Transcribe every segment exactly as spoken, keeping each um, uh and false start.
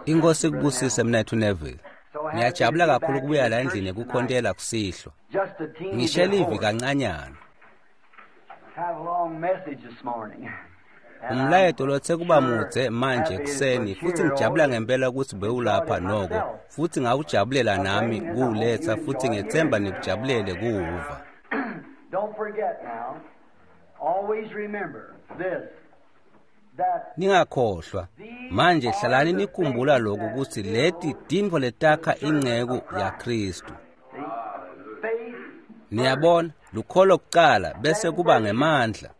Inkosi ikubusise mnethu Neville. Ngiyajabula kakhulu ukubuya la endlini ekukhontela kusihlwa. Ngishe livi kancanyana. Umlayeto lothe kuba mudze manje ekuseni futhi ngijabula ngempela ukuthi bewulapha noko futhi ngawujabulela nami kuwuletha futhi ngethemba nikujabulele kuwuva. Don't forget now, always remember this. Ningakhohlwa manje hlalani nikhumbula lokhu ukuthi leti tintfo letakha inceku yaKristu. Niyabona, lukholo kucala bese kuba ngemandla.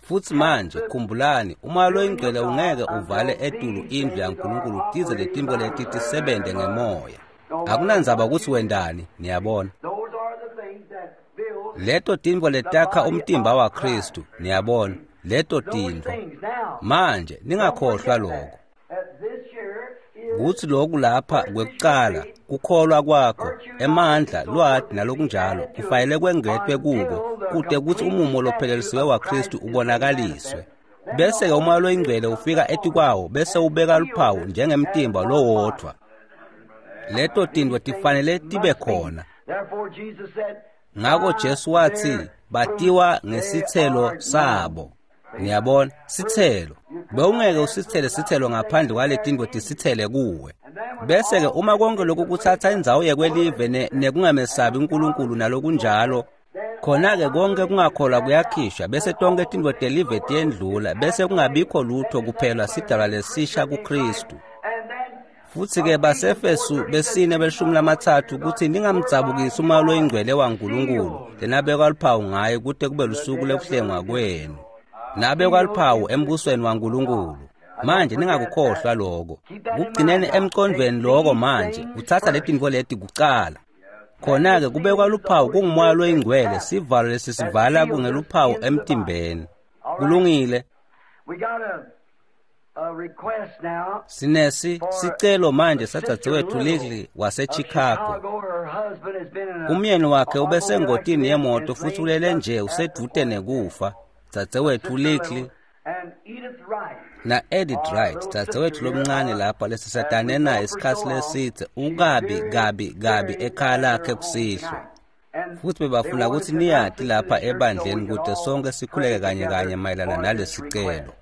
Futhi manje khumbulani, umoya loyingcwele ungeke uvale etulu indlu yaNkulunkulu tize letintfo leti tisebente ngemoya. Akunandzaba ukuthi wendani, niyabona. Leto tintfo letakha umtimba waKristu, niyabona, leto tintfo. Manje ningakhohlwa lokho. Kuthi lokhu lapha kwekucala, kukholwa kwakho, emandla, lwati nalokunjalo, kufanele kwengetwe kuko, kute kutsi umumo lophelelisiwe waKristu ubonakaliswe. Bese-ke umoya loyingcwele ufika etikwawo bese ubeka luphawu njengemtimba lowodvwa. Leto tintfo tifanele tibe khona. Ngako Jesu wathi batiwa ngesithelo sabo. Niyabona, sithelo. Bewungeke usithele sithelo ngaphandle kwaletintfo tisithele kuwe. Bese-ke uma konke lokhu kuthatha indzawo yekwelive nekungamesabi uNkulunkulu nalokunjalo, khona-ke konke kungakholwa kuyakhishwa bese tonke tintfo telive tiyendlula bese kungabikho lutho kuphela sidalwa lesisha kuKristu. Futhi-ke baseFesu besine belishumi lamathathu kuthi ningamdzabukisi umoya loyingcwele waNkulunkulu lenabekwa luphawu ngaye kute kube lusuku lekuhlengwa kwenu. Nabekwa luphawu embusweni waNkulunkulu. Manje ningakukhohlwa lokho. Kugcineni emqondweni lokho manje, uthatha letintfo leti kucala. Khona-ke kubekwa luphawu kungumoya loyingcwele, sivalo lesisivala kungeluphawu emtimbeni. Kulungile. Sinesi sicelo manje sadzadzewethu Lidley waseChicago. Umyeni wakhe ubesengotini yemoto futhi ulele nje usedvute nekufa. Dzadzewethu Lidley na Edith Wright, dzadzewethu lomncane lapha lesisatane naye isikhatsi lesidze, ukabi kabi kabi ekhaya lakhe kusihlwa. Futhi bebafuna ukuthi niyati lapha ebandleni kute sonke sikhuleke kanye kanye mayelana nalesicelo.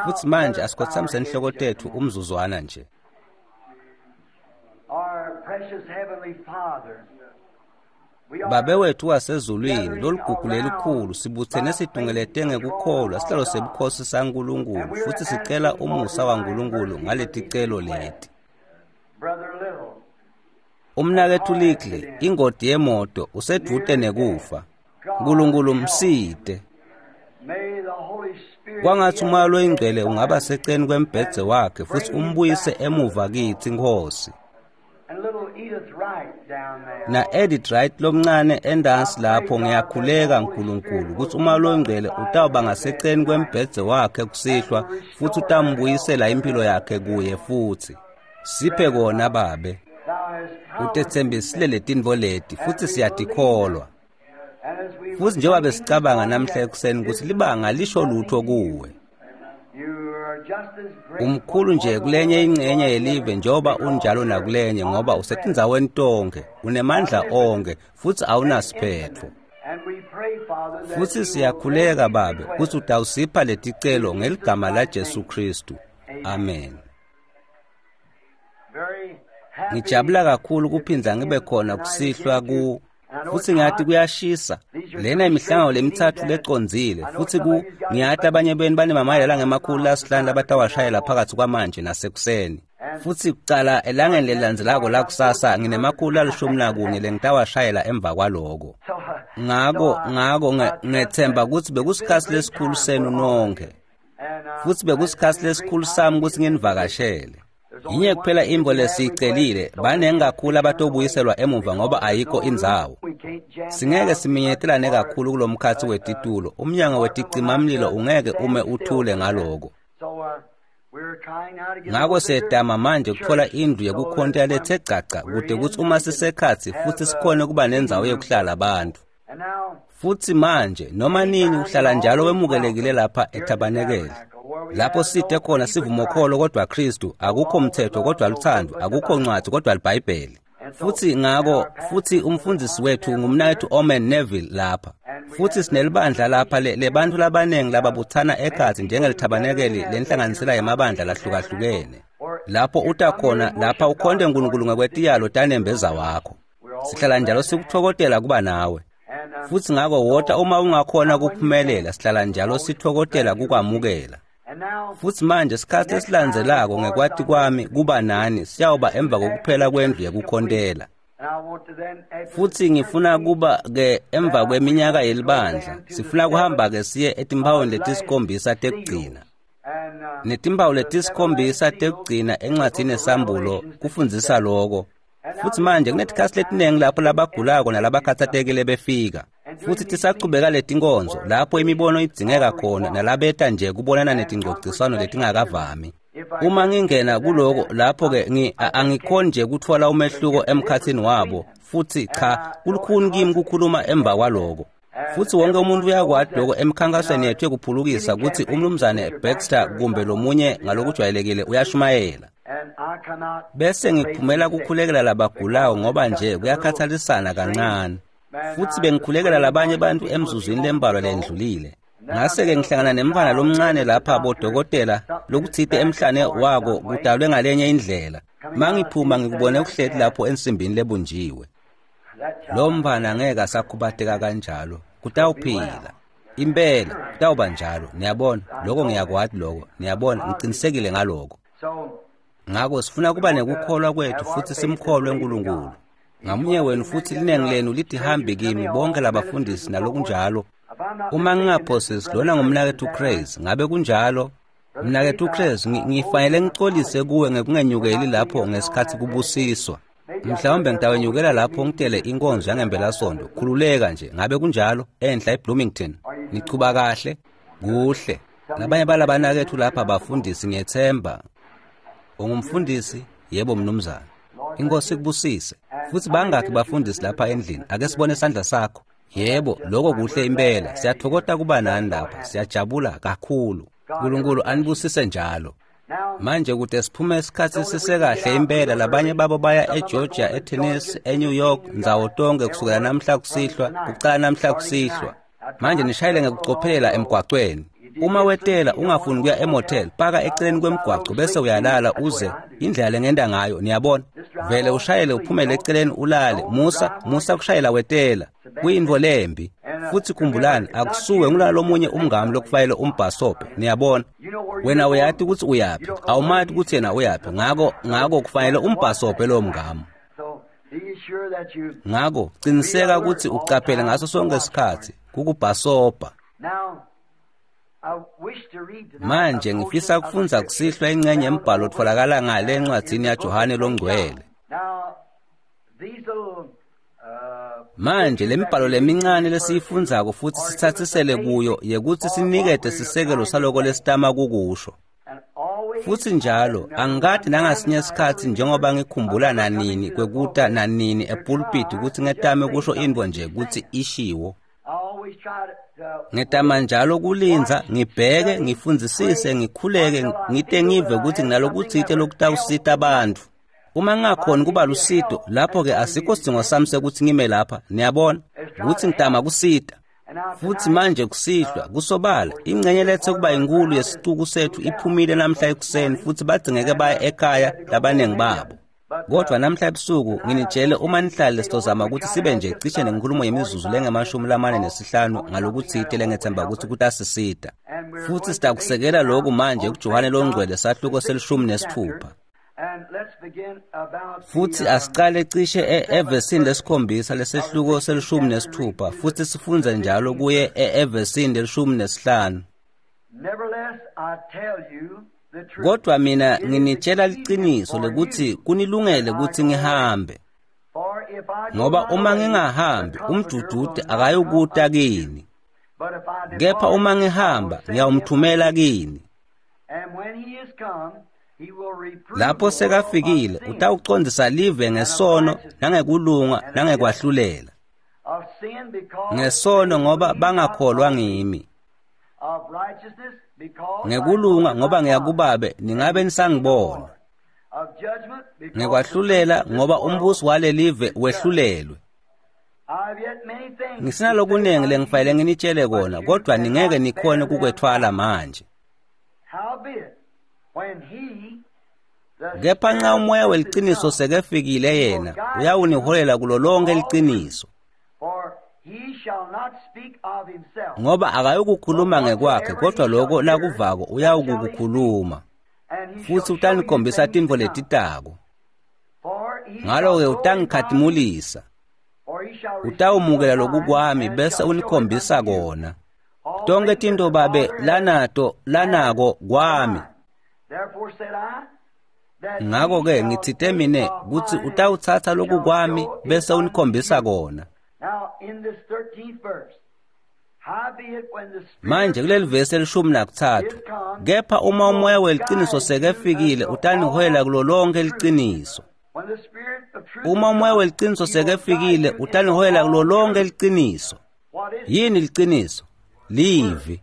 Futhi manje asikhothamise inhloko tethu umzuzwana nje. Babe wethu wasezulwini, loligugu lelikhulu sibuthene situngelete ngekukholwa sihlalo sebukhosi saNkulunkulu futhi sicela umusa waNkulunkulu ngaleticelo leti. Umnaketfu Lidley, ingoti yemoto, usedvute nekufa. Nkulunkulu msite. Kwangathi umoya loyingcwele ungaba seceni kwembhedze wakhe futhi umbuyise emuva kitsi Nkosi. Na Edith Wright lomncane endansi lapho ngiyakhuleka Nkulunkulu ukuthi umoya loyingcwele utawuba ngaseceni kwembhedze wakhe kusihlwa futhi utambuyisela impilo yakhe kuye futhi. Siphe kona babe. Utetsembisile letintfo leti futhi siyatikholwa. Futhi njengoba besicabanga namhla ekuseni ukuthi libanga lisho lutho kuwe. Umkhulu nje kulenye ingcenye yelive njengoba unjalo nakulenye ngoba usetindzaweni tonke, unemandla onke futhi awunasiphetfo. Futhi siyakhuleka babe ukuthi utawusipha leticelo ngeligama laJesu Kristu. Amen. Ngijabula kakhulu kuphindza ngibe khona kusihlwa ku futhi ngiyathi kuyashisa. Lena imihlangano lemithathu lecondzile futhi ku ngiyati abanye benu banemamayela langemakhulu lasihlanu labatawashayela phakathi kwamanje nasekuseni. Futhi kucala elangeni lelilandzelako lakusasa nginemakhulu lalishumi nakunye lengitawashayela emva kwaloko. Ngako ngako ngethemba ukuthi bekusikhatsi lesikhulu senu nonke. Futhi bekusikhatsi lesikhulu sami ukuthi nginivakashele. Yinye kuphela intfo lesiyicelile, banengi kakhulu abatobuyiselwa emuva ngoba ayikho indzawo. Singeke siminyetelane kakhulu kulomkhatsi wetitulo, umnyango weticimamlilo ungeke ume uthule ngaloko. Ngako siyetama manje kutfola indlu yekukhontela lethe gcagca kute kutsi uma sisekhatsi futhi sikhone kuba nendzawo yekuhlala bantfu. Futhi manje noma nini uhlala njalo wemukelekile lapha ethabanekele. Lapho sithe khona sivumokholo kodwa Kristu, akukho mthetho kodwa luthando, akukho ncwadi kodwa liBhayibheli. Futhi ngako futhi umfundisi wethu ngumnakethu Omen Neville lapha. Futhi sinelibandla lapha lebantu labanengi lababuthana ekhathi njengelithabanekeli lenhlanganisela yamabandla lahlukahlukene. Lapho uta khona lapha ukhonde uNkulunkulu ngekwetiyalo tanembeza wakho. Sihlala njalo sikuthokotela kuba nawe. Futhi ngako wota uma ungakhona ukuphumelela sihlala njalo sithokotela kukwamukela. Futhi manje isikhathi esilandzelako ngekwati kwami kuba nani siyawuba emva kokuphela kwendlu yekukhontela. Futhi ngifuna kuba ke emva kweminyaka yelibandla sifuna kuhamba ke siye etimpawini letisikhombisa tekugcina. Netimpawu letisikhombisa tekugcina encwadzini yeSambulo kufundzisa loko. Futhi manje kunetikhathi letinengi lapho labagulako nalabakhathatekile befika. Futhi tisachubeka letinkonzo lapho imibono idzingeka khona nalabeta nje kubonana netingcociswano letingakavami. Uma ngingena kuloko lapho ke ngi angikhoni nje kuthola umehluko emkhathini wabo futhi cha kulukhuni kimi kukhuluma emva kwaloko. Futhi wonke umuntu uyakwati lokho emkhankasweni yethu yekuphulukisa ukuthi umnumzane Baxter kumbe lomunye ngalokujwayelekile uyashumayela. Bese ngiphumela kukhulekela labagulayo ngoba nje kuyakhathalisana kancane. Futhi bengikhulekela labanye abantu emzuzwini lembalwa lendlulile. Ngase-ke ngihlangana nemfana lomncane lapha bodokotela lokuthite emhlane wako kudalwe ngalenye indlela. Mangiphuma ngikubone kuhleti lapho ensimbini lebunjiwe. Lo mfana ngeke asakhubateka kanjalo, kutawuphila. Impela kutawuba njalo, niyabona, lokho ngiyakwati lokho, niyabona, ngiqinisekile ngaloko. Ngako sifuna kuba nekukholwa kwethu futhi simkholwe uNkulunkulu. Ngamunye wenu futhi linengi lenu lithi hambi kimi bonke labafundisi nalokunjalo. Uma ngingaphosisi lona ngumnakethu Craze, ngabe kunjalo? Mnakethu Craze, ngifanele ngicolise kuwe ngekungenyukeli lapho ngesikhathi kubusiswa. Mhlawumbe ngitawenyukela lapho ngitele inkonzo yangempelasonto. Khululeka nje, ngabe kunjalo? Enhla eBloomington. Nichuba kahle? Kuhle. Labanye balabanakethu lapha bafundisi ngiyethemba. Ungumfundisi? Yebo mnumzane. Inkosi ikubusise. Futhi bangakhi bafundisi lapha endlini? Ake sibone isandla sakho. Yebo, lokho kuhle impela. Siyathokota kuba nani lapha. Siyajabula kakhulu. uNkulunkulu anibusise njalo. Manje kude siphume isikhathi sisekahle impela labanye babo baya eGeorgia, eTennessee, eNew York, ndzawo tonke kusukela namhla kusihlwa, kucala namhla kusihlwa. Manje nishayele ngekucophelela emgwacweni. Uma wetela ungafuni kuya emotel, paka eceleni kwemgwaco bese uyalala uze indlela lengenda ngayo, niyabona. Vele ushayele uphumele eceleni ulale. Musa, musa kushayela wetela. Kuyintfo lembi. Futhi khumbulani akusuwe ngulalo lomunye umngami lokufayele umbhasobhe, niyabona. Wena uyati ukuthi uyaphi, awumati ukuthi yena uyaphi, ngako ngako kufanele umbhasobhe lo mngami. Ngako qiniseka ukuthi ucaphele ngaso sonke isikhathi kukubhasobha. Manje ngifisa kufundza kusihlwa ingcenye yembhalo otfolakala ngale encwadzini yaJohane loNgcwele. Manje lemibhalo lemincane lesiyifundzako futhi sithathisele kuyo yekuthi sinikete sisekelo saloko lesitama kukusho. Futhi njalo angikade nangasinye isikhathi njengoba ngikhumbula nanini kwekuta nanini epulpit ukuthi ngetame kusho intfo nje ukuthi ishiwo. Ngetama njalo kulindza, ngibheke, ngifundzisise, ngikhuleke, ngite ngive ukuthi nginalokutsite lokutawusita abantu. Uma ngingakhoni kuba lusito, lapho-ke asikho sidingo sami sekuthi ngime lapha, niyabona, ukuthi ngitama kusita. Futhi manje kusihlwa, kusobala, ingcenye lethe kuba inkulu yesicuku sethu iphumile namhla ekuseni futhi badzingeke baye ekhaya labanengi babo. Kodwa namhla ebusuku nginitshele uma nihlale sitozama ukuthi sibe nje cishe nenkulumo yemizuzu lengemashumi lamane nesihlanu ngalokutsite lengethemba ukuthi kutasisita. Futhi sitakusekela lokhu manje kuJohane loNgcwele sahluko selishumi nesithupha. Futhi asicale cishe evesini lesikhombisa lesehluko selishumi nesithupha futhi sifunze njalo kuye evesini lelishumi nesihlanu. Kodwa mina nginitshela liqiniso lokuthi kunilungele ukuthi ngihambe. Ngoba uma ngingahambi umdududu akayukuta kini. Kepha uma ngihamba ngiyawumthumela kini. Lapho sekafikile utawucondzisa live ngesono nangekulunga nangekwahlulela. Ngesono ngoba bangakholwa ngimi. Ngekulunga ngoba ngiyakubabe ningabe nisangibona. Ngekwahlulela ngoba umbusi walelive wehlulelwe. Ngisinalokunengi lengifanele nginitshele kona, kodwa ningeke nikhone kukwethwala manje. Kepha nxa umoya weliciniso sekefikile yena, uyawuniholela kulo lonke liciniso. Ngoba akayukukhuluma ngekwakhe, kodwa lokho lakuvako uyawukukukhuluma. Futsi utanikhombisa tintfo letitako. Ngalo-ke utangikhatimulisa. Utawumukela lokukwami bese unikhombisa kona. Tonke tintfo babe lanato lanako kwami. Ngako-ke ngitsite mine kutsi utawutsatsa lokukwami bese unikhombisa kona. Manje kuleli vesi elishumi nakutsatfu, kepha uma umoya weliciniso sekefikile utaniholela kulo lonke liciniso. Uma umoya weliciniso sekefikile utaniholela kulo lonke liciniso. Yini liciniso? Livi.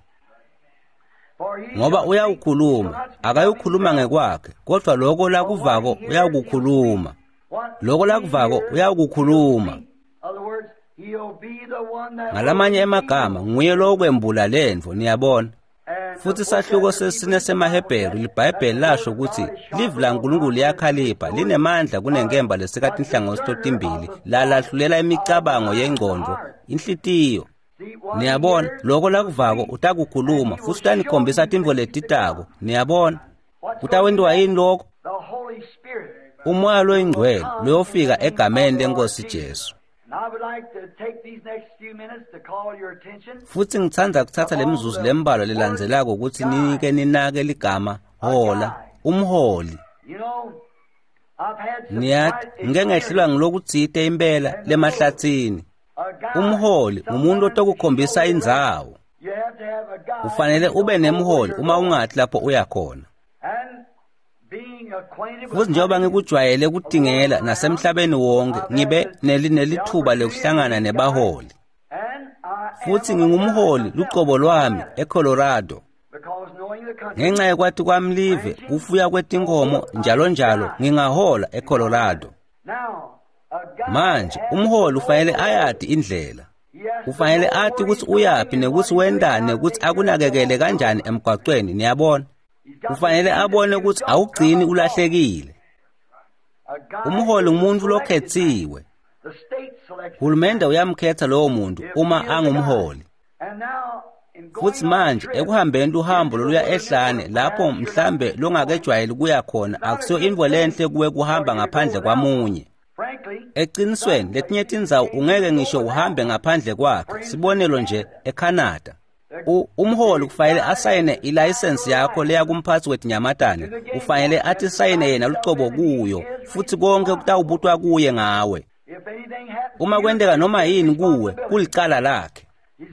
Ngoba uyawukhuluma, akayukhuluma ngekwakhe, kodwa lokho lakuvako uyawukukhuluma. Lokho lakuvako uyawukukhuluma. Ngalamanye emagama nguye lokwembula lentfo, niyabona. Futsi sahluko sesine semaHebheru liBhayibheli lasho ukuthi livi laNkulunkulu liyakhalipha linemandla kunenkemba lesika tinhlangothi totimbili lalahlulela imicabango yengcondvo inhlitiyo. Niyabona, lokho lakuvako utakukhuluma futsi utanikhombisa tintfo letitako. Niyabona, kutawentiwa yini lokho? Umoya loyingcwele loyofika egameni leNkosi Jesu. Futsi ngitsandza kutsatsa lemizuzu lembalwa lelandzelako kutsi ninike ninake ligama hola, umholi. Niyati, ngike ngehlelwa ngilokutsite impela lemahlatsini. Umholi ngumuntu otokukhombisa indzawo. Ufanele ube nemholi uma ungathi lapho uya khona. Futsi njengoba ngikujwayele kutingela nasemhlabeni wonke, ngibe nelithuba lekuhlangana nebaholi. Futsi ngingumholi lucobo lwami eColorado. Ngenxa yekwati kwami live, kufuya kwetinkomo njalo njalo, ngingahola eColorado. Manje umholi ufanele ayati indlela. Ufanele ati kutsi uyaphi nekutsi wentani nekutsi akunakekele kanjani emgwacweni, niyabona. Ufanele abone kutsi awugcini ulahlekile. Umholi ngumuntu lokhetsiwe. Hulumende uyamkhetha lowo muntu uma angumholi. Futsi manje ekuhambeni luhambo loluya ehlane lapho mhlambe longakejwayeli kuya khona, akusiyo intfo lenhle kuwe kuhamba ngaphandle kwamunye. Ecinisweni letinye tindzawo ungeke ngisho uhambe ngaphandle kwakhe. Sibonelo nje eCanada. Umholi kufanele asayine ilayisensi yakho leya kumphatsi wetinyamatane. Ufanele athi sayine yena lucobo kuyo, futsi konke kutawubutwa kuye ngawe. Uma kwenteka noma yini kuwe, kulicala lakhe.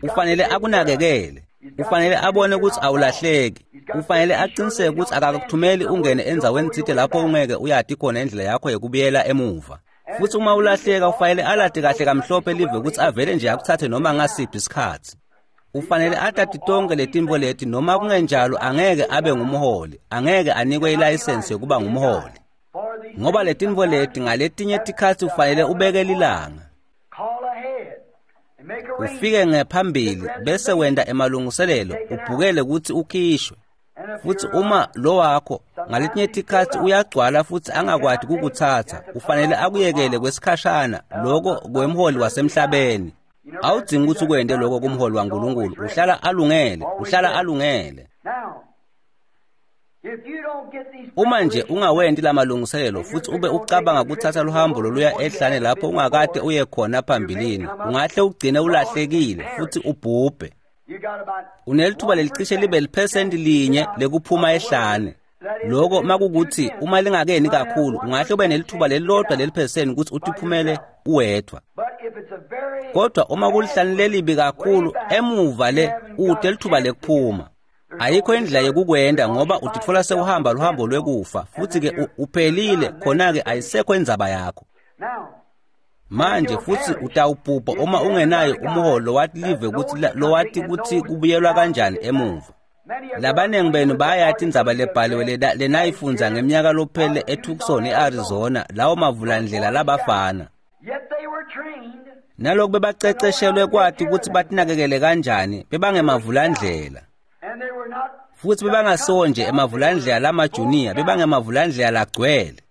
Ufanele akunakekele. Ufanele abone kutsi awulahleki. Ufanele aqiniseke kutsi akakuthumeli ungene endzaweni tsite lapho ungeke uyati khona indlela yakho yekubuyela emuva. Futsi uma ulahleka ufanele alati kahle kamhlophe live kutsi avele nje akutsatse noma ngasiphi isikhatsi. Ufanele atati tonke letintfo leti, noma kungenjalo angeke abe ngumholi, angeke anikwe ilayisensi yokuba ngumholi. Ngoba letintfo leti ngaletinye tikhatsi ufanele ubeke lilanga. Ufike ngephambili bese wenta emalungiselelo, ubhukele kutsi ukhishwe. Futsi uma lo wakho ngaletinye tikhatsi uyagcwala futsi angakwati kukutsatsa, ufanele akuyekele kwesikhashana loko kwemholi wasemhlabeni. Awudzingi kutsi ukwente lokho kumholi waNkulunkulu, uhlala alungele, uhlala alungele. Uma nje ungawenti lamalungiselelo futsi ube ucabanga kutsatsa luhambo loluya ehlane lapho ungakade uye khona phambilini, ungahle ugcine ulahlekile futsi ubhubhe. Unelithuba lelicishe libe liphesenti linye lekuphuma ehlane. Loko makukuthi uma lingakeni kakhulu, ungahle ube nelithuba lelilodwa leliphesenti kutsi utiphumele uwedvwa. Kodwa uma kulihlane lelibi kakhulu emuva le, ute lithuba lekuphuma. Ayikho indlela yekukwenda ngoba utitfola sewuhamba luhambo lwekufa, futsi ke uphelile khona ke ayisekho indzaba yakho. Manje futsi utawubhubha uma ungenayo umholi lowati live kutsi lowati kutsi kubuyelwa kanjani emuva. Labanengi benu bayati indzaba lebhaliwe lenayifundza ngeminyaka lophele eTucson eArizona, lawo mavulandlela labafana. Naloku bebaceceshelwe kwati kutsi batinakekele kanjani, bebangemavulandlela. Futsi bebangasiwo nje emavulandlela lamajuniya, bebangemavulandlela lagcwele.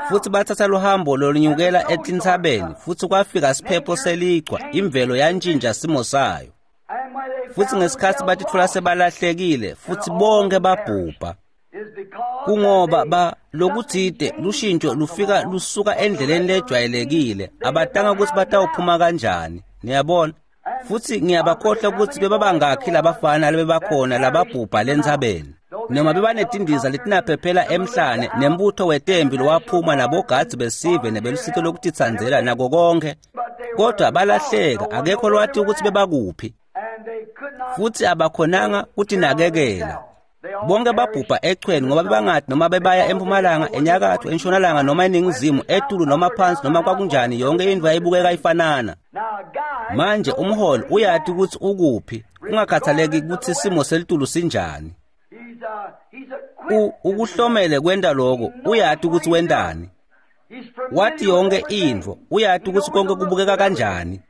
Futsi bathatha luhambo lolunyukela etintsabeni, futsi kwafika siphepho selichwa, imvelo yantjintja simo sayo. Futsi ngesikhatsi batitfola sebalahlekile, futsi bonke babhubha. Kungoba ba lokutsite lushintjo lufika lusuka endleleni lejwayelekile, abatanga kutsi batawuphuma kanjani, niyabona. Futsi ngiyabakhohlwa kutsi bebabangakhi labafana lebebakhona lababhubha lentsabeni. Noma bebanetindiza letinaphephela emhlane nembutho wetembi lowaphuma nabogadzi besive nebelusito lokutitsandzela nako konke, kodwa balahleka, akekho lowati kutsi bebakuphi. Futsi abakhonanga kutinakekela. Bonke babhubha echweni ngoba bebangati noma bebaya empumalanga, enyakatfo, entshonalanga noma eningizimu, etulu noma phansi noma kwakunjani, yonke indlu yayibukeka ifanana. Manje umholi uyati kutsi ukuphi, kungakhathaleki kutsi simo selitulu sinjani. U ukuhlomele kwenta lokho, uyati kutsi wentani. Wati yonke intfo, uyati kutsi konke kubukeka kanjani.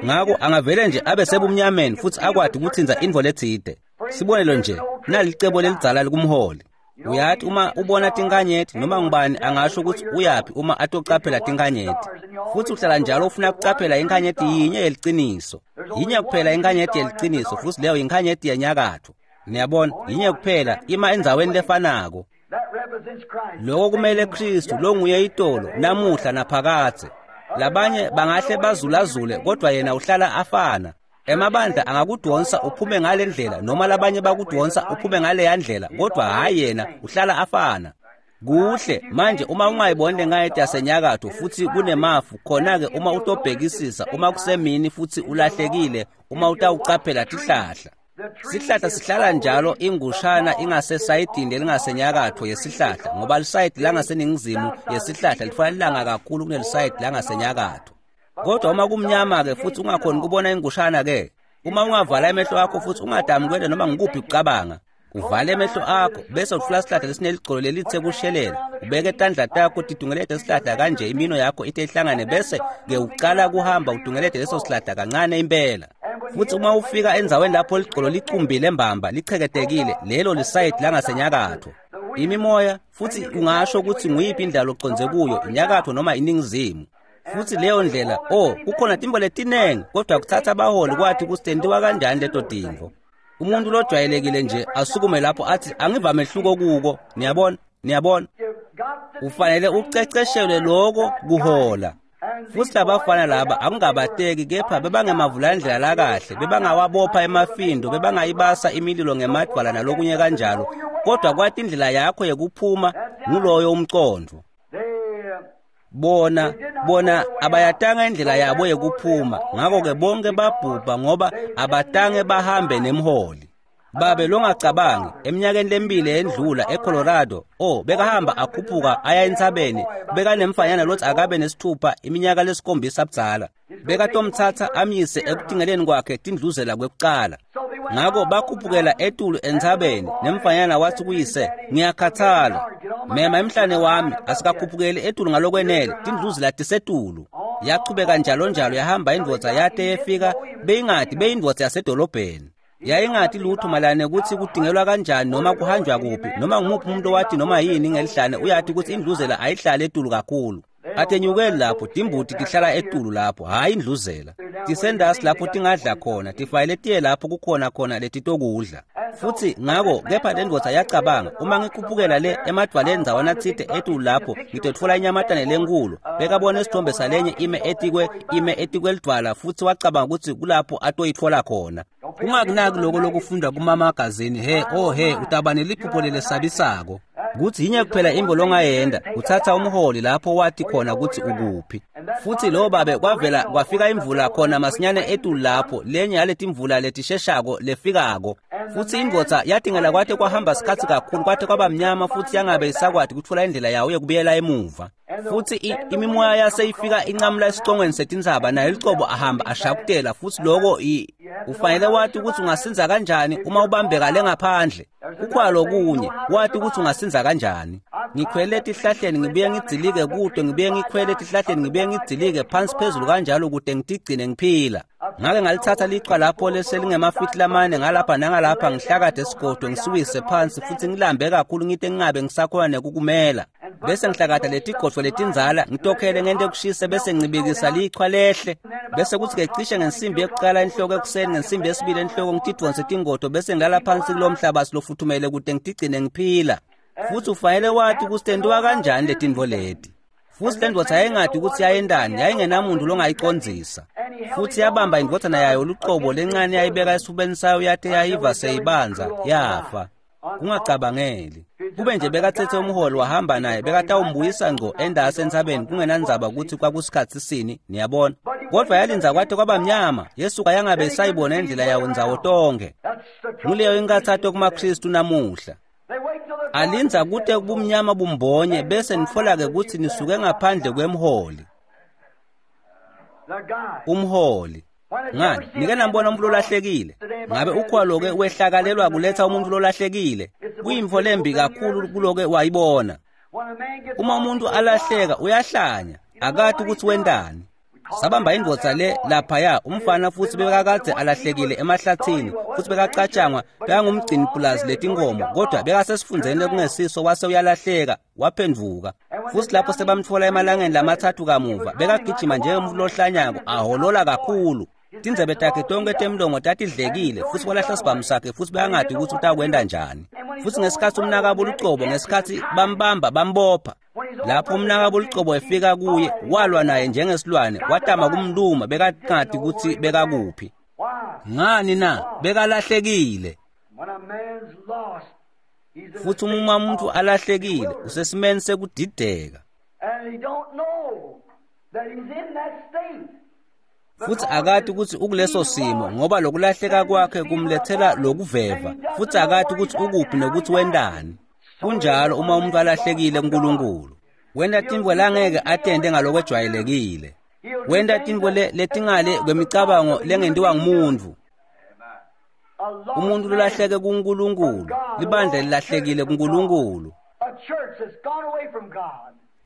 Ngako angavele nje abe sebumnyameni futsi akwati kutsintsa intfo letsite. Sibonelo nje, nalicebo lelidzala likumholi. Uyati uma ubona tinkanyeti, noma ngubani angasho kutsi uyaphi uma atocaphela tinkanyeti. Futsi uhlala njalo ufuna kucaphela inkanyeti yinye yeliciniso. Yinye kuphela inkanyeti yeliciniso, futsi leyo inkanyeti yenyakatfo. Niyabona, yinye kuphela ima endzaweni lefanako. Loko kumele Kristu longuye itolo, namuhla naphakadze. Labanye bangahle bazulazule, kodwa yena uhlala afana. Emabandla angakudonsa uphume ngale ndlela, noma labanye bakudonsa uphume ngaleya ndlela, kodwa hhayi yena uhlala afana. Kuhle, manje uma ungayiboni lenkanyeti yasenyakatfo futsi kunemafu, khona-ke uma utobhekisisa, uma kusemini futsi ulahlekile, uma utawucaphela tihlahla. Sihlahla sihlala njalo ingushana ingasesayidini lelingasenyakatfo yesihlahla, ngoba lisayidi langaseningizimu yesihlahla litfola lilanga kakhulu kunelisayidi langasenyakatfo. Kodwa uma kumnyama-ke futsi ungakhoni kubona ingushana-ke, uma ungavala emehlo akho futsi ungadami kwenta noma ngikuphi kucabanga, uvale emehlo akho bese utfula sihlahla lesineligcolo lelitse kushelela, ubeke tandla takho titungelete sihlahla kanje, imino yakho ite ihlangane, bese ke ucala kuhamba utungelete leso sihlahla kancane impela. Futsi uma ufika endzaweni lapho ligcolo licumbile mbamba licheketekile, lelo lisayidi langasenyakatfo. Imimoya, futsi ungasho kutsi nguyiphi indlela locondze kuyo, inyakatfo noma iningizimu. Futsi leyo ndlela, oh, kukhona tintfo letinengi, kodwa kutsatsa abaholi kwathi kutsi tentiwa kanjani leto tintfo. Umuntu lojwayelekile nje asukume lapho athi angiva mehluko kuko, niyabona, niyabona. Ufanele uceceshelwe loko kuhola. Futsi labafana laba akungabateki, kepha bebangemavulandlela lakahle, bebangawabopha emafindo, bebangayibasa imililo ngemadvwala nalokunye kanjalo, kodwa kwati indlela yakho yekuphuma nguloyo umcondvo. Bona, bona abayatanga indlela yabo yekuphuma, ngako-ke bonke babhubha ngoba abatange bahambe nemholi. Babe longacabangi, eminyakeni lemibili endlula eColorado, oh, bekahamba akhuphuka aya entsabeni, bekanemfanyana lotsi akabe nesithupha iminyaka lesikhombisa budzala. Bekatomtsatsa amyise ekutingeleni kwakhe tindluzela kwekucala. Ngako bakhuphukela etulu entsabeni, nemfanyana watsi kuyise, ngiyakhathala. Mema emhlane wami, asikakhuphukeli etulu ngalokwenele, tindluzela tisetulu. Yachubeka njalo njalo yahamba indvodza yate yefika, beyingati beyindvodza yasedolobheni. Yayingati lutho mayelana kutsi kutingelwa kanjani noma kuhanjwa kuphi, noma ngumuphi umuntu owathi noma yini ngelihlane uyati kutsi indluzela ayihlali etulu kakhulu. Atenyukeli lapho, timbuti tihlala etulu lapho, hhayi indluzela. Tisendasi lapho tingadla khona, tifayele tiye lapho kukhona khona letitokudla. Futsi ngako kepha lendvodza yacabanga, uma ngikhuphukela le emadvwaleni ndzawana tsite etulu lapho, ngitotfola inyamatane lenkulu. Bekabona isithombe salenye ime etikwe ime etikwelidvwala, futsi wacabanga kutsi kulapho atoyitfola khona. Ungakunaki loko lokufundwa kumamagazini, he oh he, utaba neliphupho lelesabisako. Kutsi yinye kuphela intfo longayenta, utsatsa umholi lapho wati khona kutsi ukuphi. Futsi lo babe kwavela kwafika imvula khona masinyane etulu lapho, lenye yaletimvula letisheshako lefikako. Futsi indvodza yatingela kwate kwahamba sikhatsi kakhulu kwate kwaba mnyama futsi yangabe isakwati kutfola indlela yayo yekubuyela emuva. Futsi imimoya yaseyifika incamula esicongweni setintsaba naye licobo ahamba ashakutela futsi loko ufanele wati ukuthi ungasinza kanjani uma ubambeka le ngaphandle. Kukhona lokunye wati ukuthi ungasinza kanjani. Ngikhwele etihlahleni ngibuye ngidzilike kude ngibuye ngikhwele etihlahleni ngibuye ngidzilike phansi phezulu kanjalo kude ngitigcine ngiphila. Ngake ngalithatha lichwa lapho leselingemafiti lamane ngalapha nangalapha ngihlakade esigodo ngisiwise phansi futsi ngilambe kakhulu ngite ngingabe ngisakhona nekukumela. Bese ngihlakada letigodvo letindzala ngitokhele ngente kushise bese ngicibikisa lichwa lehle. Bese kuthi ke cishe ngensimbi yekuqala enhloko ekuseni ngensimbi yesibili enhloko ngitidvonse tingodo bese ngilala phansi kulo mhlabathi lofuthumele kude ngitigcine ngiphila. Futsi ufanele wati ukuthi tentiwa kanjani letintfo leti. Futsi le ndvodza yayingati ukuthi yayendani yayingenamuntu longayicondzisa. Futsi yabamba indvodzana yayo lucobo lencane yayibeka esifubeni sayo yate yayiva seyibanza yafa. Kungacabangeli. Kube nje bekatsetse umholi wahamba naye bekatawumbuyisa ngco endase entsabeni kungenandzaba ukuthi kwakusikhatsi sini niyabona. Kodvwa yalindza kwate kwaba mnyama yesuka yangabe isayibona indlela yawo ndzawo tonkhe. Nguleyo inkathato kumaKristu namuhla. Alindza kute kubumnyama bumbonye bese nitfola-ke kutsi nisuke ngaphandle kwemholi. Umholi. Ngani, nike nambona umuntu lolahlekile? Ngabe ukhwalo-ke wehlakalelwa kuletha umuntu lolahlekile? Kuyintfo lembi kakhulu kuloke wayibona. Uma umuntu alahleka uyahlanya, akati ukuthi wentani. Sabamba indvodza le laphaya umfana futsi bekakadze alahlekile emahlathini futsi bekacatshangwa bekangumgcini pulazi letinkomo kodwa bekasesifundzeni lekungesiso wase uyalahleka waphendvuka. Futsi lapho sebamtfola emalangeni lamatsatfu kamuva bekagijima njengemuntfu lohlanyako aholola kakhulu. Tindzebe takhe tonkhe temlomo tatidlekile futsi walahla sibhamu sakhe futsi bekangati ukuthi utakwenta njani. Futsi ngesikhatsi umnakabo lucobo ngesikhatsi bambamba bambopha. Lapho umnakabo lucobo efika kuye walwa naye njengesilwane watama kumluma bekangati kutsi bekakuphi. Ngani na bekalahlekile. Futsi uma umuntu alahlekile usesimeni sekudideka. Futsi akati kutsi ukuleso simo ngoba lokulahleka kwakhe kumlethela lokuveva futsi akati kutsi ukuphi nokuthi wentani. Kunjalo uma umuntu alahlekile kuNkulunkulu. Wenta tintfo langeke atente ngalokwejwayelekile. Wenta tintfo letingale kwemicabango lengentiwa ngumuntfu. Umuntu lolahleke kuNkulunkulu, libandla lilahlekile kuNkulunkulu.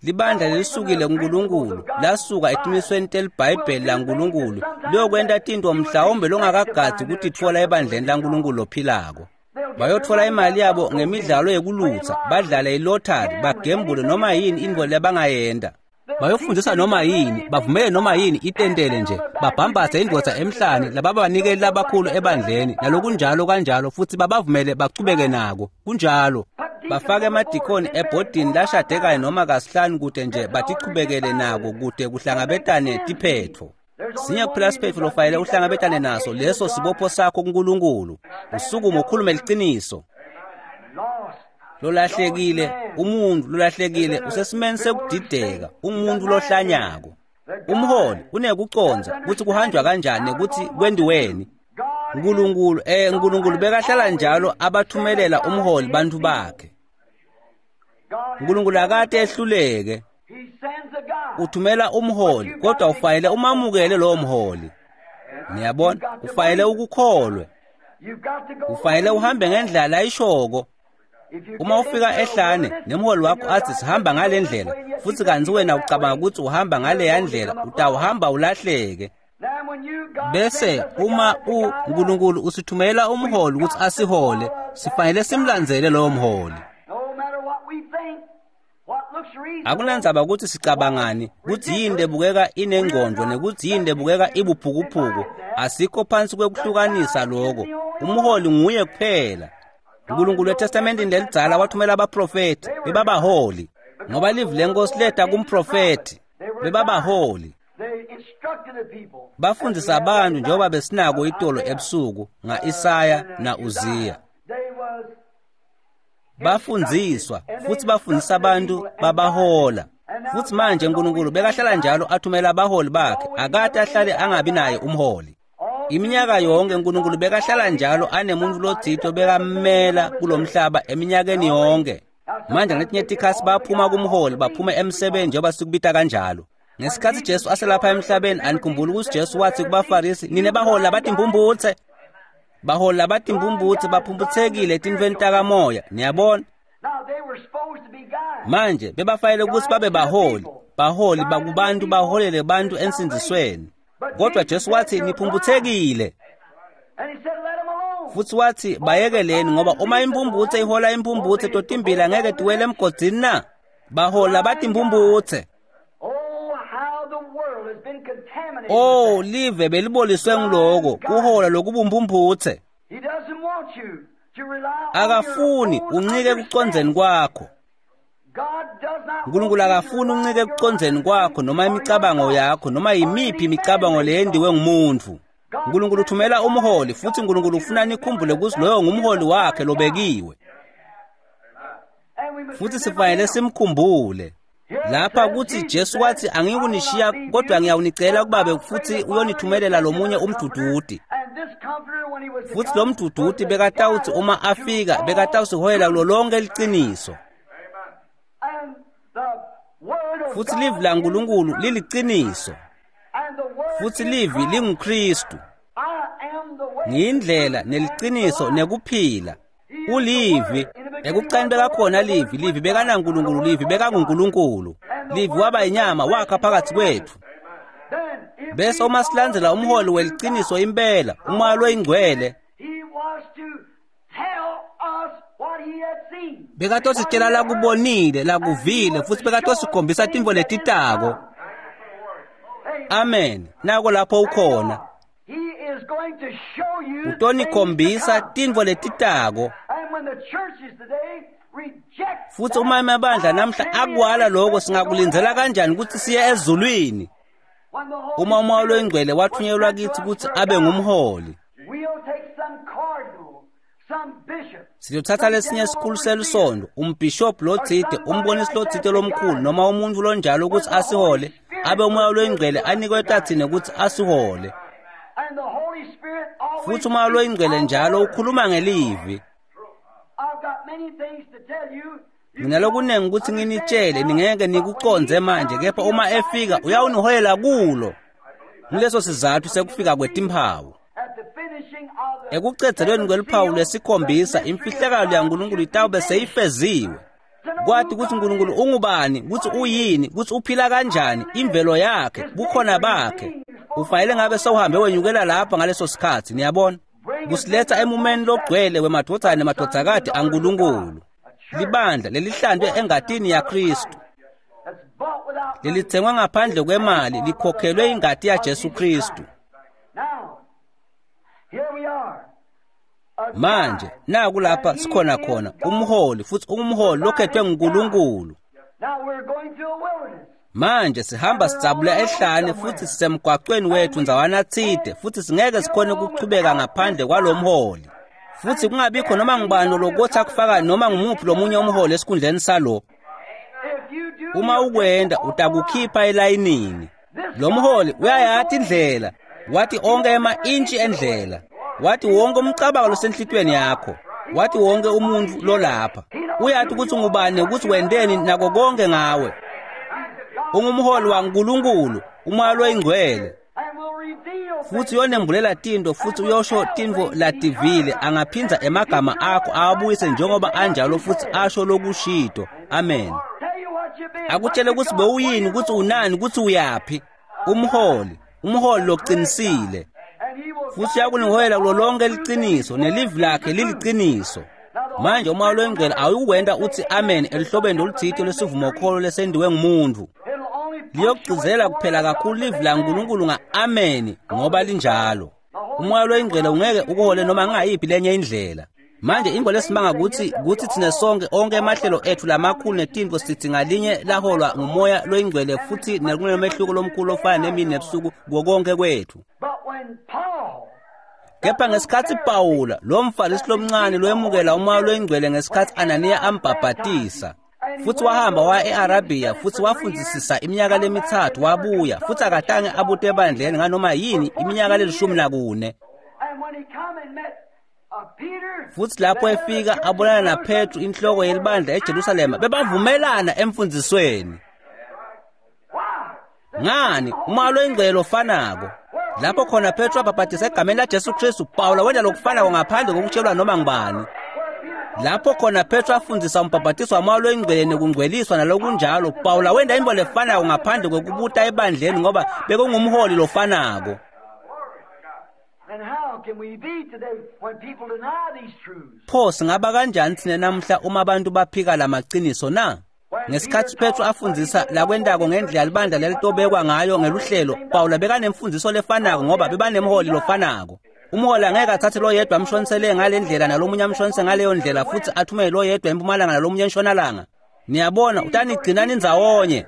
Libandla lelisukile kuNkulunkulu lasuka etimisweni teliBhayibheli laNkulunkulu liyokwenta tintfo mhlawumbe longakagadzi kutitfola ebandleni laNkulunkulu lophilako. Bayotfola imali yabo ngemidlalo yekulutsa, badlale ilottery, bagembule noma yini intfo labangayenta. Bayofundzisa noma yini, bavumele noma yini itentele nje, babhambathe indvodza emhlane lababanikeli labakhulu ebandleni nalokunjalo kanjalo futsi babavumele bachubeke nako. Kunjalo. Bafake emadikoni ebhodini lashade kanye noma kasihlanu kute nje batichubekele nako kute kuhlangabetane tiphetfo. Sinye kuphela siphetfo lofanele uhlangabetane naso, leso sibopho sakho kuNkulunkulu. Usukume ukhulume liciniso. Lolahlekile, umuntu lolahlekile usesimeni sekudideka, umuntu lohlanyako. Umholi unekucondza kutsi kuhanjwa kanjani nekutsi kwentiweni. Nkulunkulu eh Nkulunkulu bekahlala njalo abathumelela umholi bantfu bakhe. Nkulunkulu akate ehluleke. Uthumela umholi kodwa ufanele umamukele lowo mholi. Niyabona, ufanele ukukholwe. Ufanele uhambe ngendlela layishoko. Uma ufika ehlane nemholi wakho athi sihamba ngale ndlela futsi kantsi wena ucabanga ukuthi uhamba ngaleya ndlela utawuhamba ulahleke. Bese uma uNkulunkulu usithumela umholi ukuthi asihole sifanele simlandzele lowo mholi. Akunandzaba ukuthi sicabangani kutsi yini lebukeka inengcondvo nekutsi yini lebukeka ibuphukuphuku, asikho phansi kwekuhlukanisa loko. Umholi nguye kuphela. Nkulunkulu eTestamenteni lelidzala wathumela abaprofethi bebabaholi ngoba livi lenkosi leta kumprofethi bebabaholi. Bafundzisa abantu njengoba besinako itolo ebusuku nga-Isaya na-Uziya. Bafundziswa futsi bafundisa abantu babahola. Futsi manje Nkulunkulu bekahlala njalo athumela abaholi bakhe, akate ahlale angabi naye umholi. Iminyaka yonke uNkulunkulu bekahlala njalo anemuntu lotsite bekammela kulomhlaba eminyakeni yonke. Manje ngetinye tikhatsi baphuma kumholi baphume emsebeni njengoba sikubita kanjalo. Ngesikhatsi Jesu aselapha emhlabeni anikhumbuli ukuthi Jesu wathi kubaFarisi, nine baholi labatimpumputse. Baholi labatimpumputse baphumputhekile etintfweni takamoya, niyabona? Manje bebafanele ukuthi babe baholi, baholi bakubantu baholele bantu ensindzisweni. Kodwa Jesu wathi niphumputhekile. Futhi wathi bayekeleni ngoba uma impumputse ihola impumputse totimbili angeke tiwele emgodzini na? Bahola labatimpumputse. Oh, live beliboliswe ngiloko kuhola lokubumpumputse. Akafuni uncike ekucondzeni kwakho. uNkulunkulu akafuni uncike ekucondzeni kwakho noma imicabango yakho noma yimiphi imicabango leyendiwe ngumuntu. uNkulunkulu uthumela umholi futhi uNkulunkulu ufuna nikhumbule ukuthi loyo ngumholi wakhe lobekiwe. Futhi sifanele simkhumbule. Lapha kuthi Jesu wathi angiyikunishiya kodwa ngiyawunicela kubabe futhi uyonithumelela lomunye umduduti. Futhi lo mduduti bekatawuthi uma afika bekatawusiholela kulo lonke liciniso. Futhi livi laNkulunkulu liliciniso. Futhi livi linguKristu. Ngiyindlela neliciniso nekuphila. Ulivi ekucani bekakhona livi, livi bekanaNkulunkulu, livi bekanguNkulunkulu. Livi waba inyama wakha phakathi kwethu. Bese uma silandzela umholi weliciniso impela, umoya loyingcwele, bekatositshela lakubonile, lakuvile, futhi bekatosikhombisa tintfo letitako. Amen. Nako lapho ukhona. Utonikhombisa tintfo letitako. Futhi uma emabandla namhla akwala lokho singakulindzela kanjani ukuthi siye ezulwini? Uma umoya loyingcwele wathunyelwa kithi ukuthi abe ngumholi. Siyothatha lesinye isikhulu selisondo, umbhishobhi lotsite, umbonisi lotsite lomkhulu noma umuntu lonjalo ukuthi asihole, abe umoya loyingcwele anikwe tathine ukuthi asihole. Futhi umoya loyingcwele njalo ukhuluma ngelivi. Nginalokunengi ukuthi nginitshele ningeke nikucondze manje, kepha uma efika uyawuniholela kulo. Nguleso sizathu sekufika kwetimphawu. Ekucedzelweni kweluphawu lwesikhombisa imfihlakalo yaNkulunkulu itawube seyifeziwe. Kwathi ukuthi uNkulunkulu ungubani, ukuthi uyini, ukuthi uphila kanjani, imvelo yakhe, bukhona bakhe. Ufanele ngabe sewuhambe wenyukela lapha ngaleso sikhathi, niyabona? Kusiletha emumeni logcwele wemadvodzana nemadvodzakati aNkulunkulu. Libandla lelihlandwe engatini yaKristu. Lelithengwe ngaphandle kwemali, likhokhelwe ingati yaJesu Kristu. Manje naku lapha sikhona khona umholi, futhi ungumholi lokhethwe nguNkulunkulu. Manje sihamba sidzabula ehlane futhi sisemgwaqweni wethu ndzawana tsite, futhi singeke sikhone ukuchubeka ngaphandle kwalomholi. Futhi kungabikho noma ngubani lokuthi akufaka noma ngumuphi lomunye umholi esikhundleni salo. Uma ukwenda utakukhipha elayinini. Lo mholi uyayati indlela, wathi onke ema-intshi endlela, wathi wonke umcabango losenhlitweni yakho, wathi wonke umuntu lolapha. Uyathi ukuthi ungubani ukuthi wendeni nako konke ngawe. Ungumholi waNkulunkulu, umoya loyingcwele. Futhi uyonembulela tinto futhi uyosho tintfo lativile, angaphindza emagama akho awabuyise njengoba anjalo futhi asho lokushito. Amen. Akutshele ukuthi bewuyini, ukuthi unani, ukuthi uyaphi. Umholi, umholi loqinisile. Futhi uyakuniholela kulo lonke liciniso, nelivi lakhe liliciniso. Manje umoya loyingcwele awukwenda uthi amen elihlobeni loluthite lwesivumokholo lesendiwe ngumuntu. Liyokugcizela kuphela kakhulu livi laNkulunkulu nga-amen ngoba linjalo. Umoya loyingcwele ungeke ukuhole noma ngayiphi lenye indlela. Manje into lesimanga ukuthi kuthi thina sonke onke emahlelo ethu lamakhulu netintfo sithi ngalinye laholwa ngumoya loyingcwele futhi nekunomehluko lomkhulu ofana nemini nebusuku kuwo konke kwethu. Kepha ngesikhatsi Pawula lo mfarisi lomncane loyemukela umoya loyingcwele ngesikhatsi Ananiya ambhabhatisa, Futhi wahamba waya e-Arabiya futhi wafundzisisa iminyaka lemitsatfu wabuya futhi akatange abute ebandleni nganoma yini iminyaka lelishumi nakune. Futhi lapho efika abonana naPetru inhloko yelibandla eJerusalema bebavumelana emfundzisweni. Ngani umoya loyingcwele ofanako lapho khona Petru abhabhatisa egameni laJesu Kristu, Pawula wenta lokufanako ngaphandle kokutshelwa noma ngubani. Lapho khona Petru afundzisa umbhabhatiso wamoya loyingcwele nekungcweliswa nalokunjalo, Pawula wenta intfo lefanako ngaphandle kwekubuta ebandleni ngoba bekungumholi lofanako. Pho singaba kanjani tsine namhla uma abantu baphika lamaqiniso na? Ngesikhatsi Petru afundzisa lakwentako ngendlela libandla lelitobekwa ngayo ngeluhlelo, Pawula bekanemfundziso lefanako ngoba bebanemholi lofanako. Umholi angeke athathe loyedwa amshonisele ngale ndlela nalomunye amshonise ngaleyo ndlela futhi athumele loyedwa empumalanga nalomunye entshonalanga. Niyabona utanigcina nindzawonye.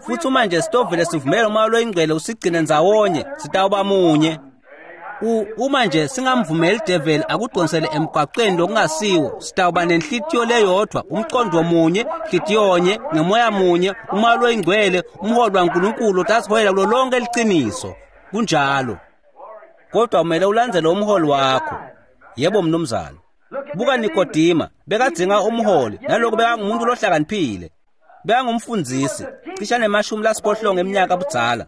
Futhi uma nje sitovele sivumele umoya loyingcwele usigcine ndzawonye, sitawuba munye. Uma nje singamvumeli devil akudonsele emgwaqeni lokungasiwo, sitawuba nenhlitiyo leyodvwa, umqondo munye, nhlitiyonye, ngemoya munye, umoya loyingcwele, umholi waNkulunkulu otasiholela kulo lonke liciniso. Kunjalo. Kodwa kumele ulandzele umholi wakho. Yebo mnumzane. Buka Nikodima, bekadzinga umholi, nalokhu bekangumuntu lohlakaniphile. Bekangumfundzisi, cishe nemashumi lasiphohlongo eminyaka budzala.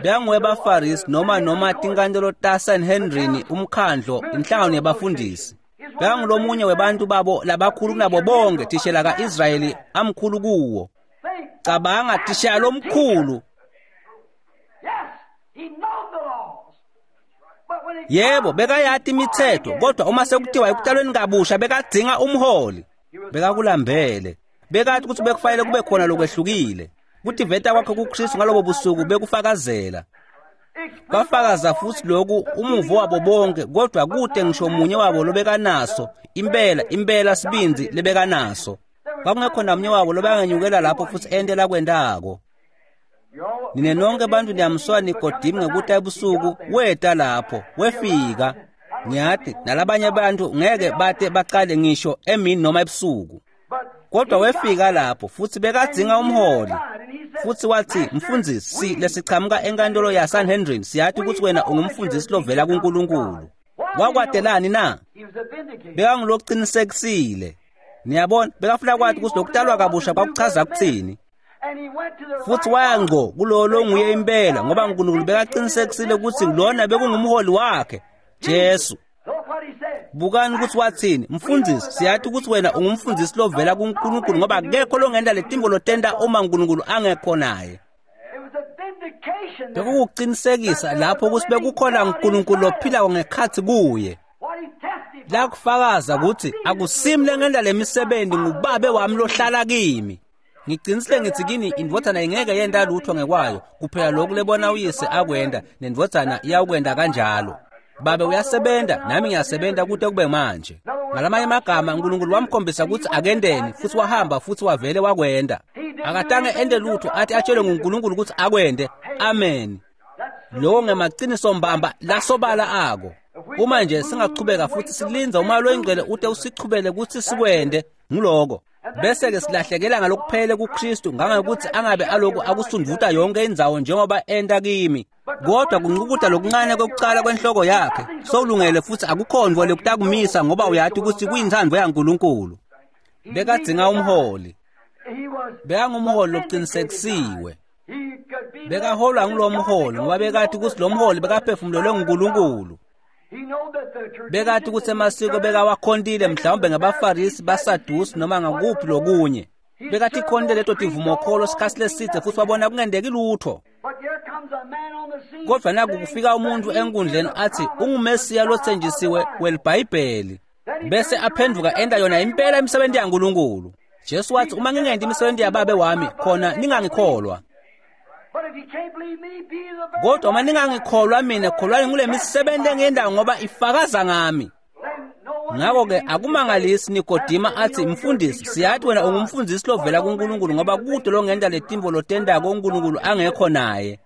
Bekanguwebafarisi noma noma tinkantolo taSanhendrini, umkhandlo, inhlangano yabafundisi. Bekangulomunye webantu babo labakhulu kunabo bonke thishela ka-Israyeli amkhulu kuwo. Cabanga thishela lomkhulu. Yebo, bekayati imithetho, kodwa uma sekuthiwa ekutalweni kabusha bekadzinga umholi. Bekakulambele. Bekathi ukuthi bekufanele kube khona lokwehlukile. Kutiveta kwakhe kuKristu ngalobo busuku bekufakazela. Kwafakaza futhi lokhu umuvo wabo bonke, kodwa kude ngisho munye wabo lobekanaso, impela impela sibindzi lebekanaso. Kwakungekho namunye wabo lobekangenyukela lapho futhi ente lakwentako. Nine nonke bantu niyamsola Nikodima ngekuta ebusuku, weta lapho, wefika. Ngiyati nalabanye abantu ngeke bate baqale ngisho emini noma ebusuku. Kodwa wefika lapho futhi bekadzinga umholi. Futhi wathi, mfundisi, lesichamuka enkantolo yaSanhendrin, siyathi ukuthi wena ungumfundisi lovela kuNkulunkulu. Wakwatelani na? Bekangulokuqinisekisile. Niyabona, bekafuna kwathi ukuthi lokutalwa kabusha kwakuchaza kuthini. Futhi waya ngqo kulowo longuye impela ngoba uNkulunkulu bekaqinisekisile ukuthi lona bekungumholi wakhe, Jesu. Bukani ukuthi wathini, mfundisi, siyathi ukuthi wena ungumfundisi lovela kuNkulunkulu ngoba akekho longenta letimbo lotenta uma uNkulunkulu angekho naye. Bekukuqinisekisa lapho ukuthi bekukhona uNkulunkulu lophilako ngekhathi kuye. Lakufakaza ukuthi akusimi lengenta lemisebenzi, ngubabe wami lohlala kimi. Ngiqinisile ngithi kini indvodzana ingeke yenta lutho ngekwayo, kuphela lokhu lebona uyise akwenta, nendvodzana iyawukwenta kanjalo. Babe uyasebenza, nami ngiyasebenza kude kube manje. Ngalamanye amagama uNkulunkulu wamkhombisa ukuthi akendeni, futhi wahamba futhi wavele wakwenda. Akatange ente lutho athi atshelwe nguNkulunkulu ukuthi akwende. Amen. Lowo ngemaqiniso mbamba lasobala ako. Uma nje singachubeka futhi silinza umoya loyingcwele ute usichubele ukuthi sikwende, nguloko. Bese ke silahlekela ngalokuphele kuKristu ngangokuthi angabe aloku akusunduta yonke indzawo njengoba enta kimi. Kodwa kunqukuda lokuncane kokucala kwenhloko yakhe sowulungele futhi akukhonvo lekutakumisa ngoba uyathi ukuthi kuyintsandvo yaNkulunkulu. Bekadzinga umholi. Bekangumholi loqinisekisiwe. Bekaholwa ngulo mholi ngoba bekathi ukuthi lo mholi bekaphefumulelwe nguNkulunkulu. Bekathi ukuthi emasiko bekawakhontile mhlawumbe ngabaFarisi, baSadusi noma ngakuphi lokunye. Bekathi ikhonte leto tivumokholo sikhathi leside futhi wabona kungendeki lutho. Kodwa naku kufika umuntu enkundleni athi unguMesiya lothenjisiwe weliBhayibheli, bese aphenduka enta yona impela imisebenzi yaNkulunkulu. Jesu wathi uma ngingenti imisebenzi yababe wami khona ningangikholwa. Kodwa uma ningangikholwa mina, kholwani ngule misebenzi engiyendayo ngoba ifakaza ngami. Ngakho-ke akumangalisi Nikodima athi, mfundisi, siyathi wena ungumfundisi lovela kuNkulunkulu ngoba kude longenta letimvo lotendako uNkulunkulu angekho naye.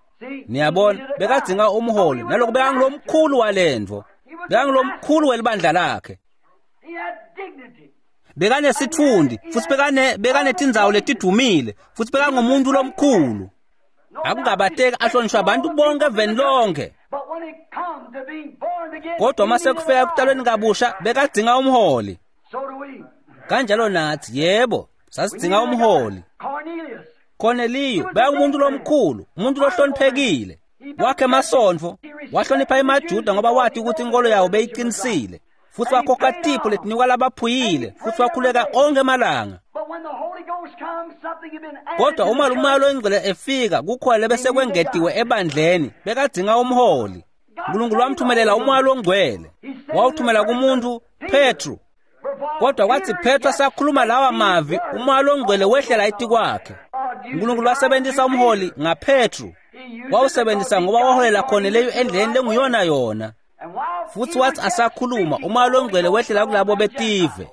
Niyabona, bekadzinga umholi, nalokhu bekangulomkhulu walendvo. Bekangulomkhulu welibandla lakhe. Bekanesitfundi futsi bekane bekanetindzawo letidvumile futsi bekangumuntu lomkhulu. Akungabateki ahlonishwa abantu bonke eveni lonke. But when it comes to being born again, Kodwa uma sekufika ekutalweni kabusha bekadzinga umholi. so do we. Kanjalo nathi yebo sasidzinga umholi. Cornelius. Corneliyu bekangumuntu lomkhulu, umuntu lohloniphekile. Wakhe emasontfo, wahlonipha emaJuda ngoba wati ukuthi inkolo yawo beyiqinisile. Futhi wakhokha tipho letinikwa labaphuyile, futhi wakhuleka onke emalanga. But when the Holy Ghost comes, something had been added Kodwa to the uma church. umoya loyingcwele efika kukhona lebesekwengetiwe ebandleni, bekadzinga umholi. uNkulunkulu wamthumelela umoya longcwele. Wawuthumela kumuntu Petru. Kodwa kwathi Petru asakhuluma lawa mavi, umoya longcwele wehlela etikwakhe. uNkulunkulu wasebenzisa umholi ngaPetru. Wawusebenzisa ngoba waholela Corneliyu endleleni lenguyona yona. And while Futhi wathi asakhuluma, umoya longcwele wehlela kulabo betive.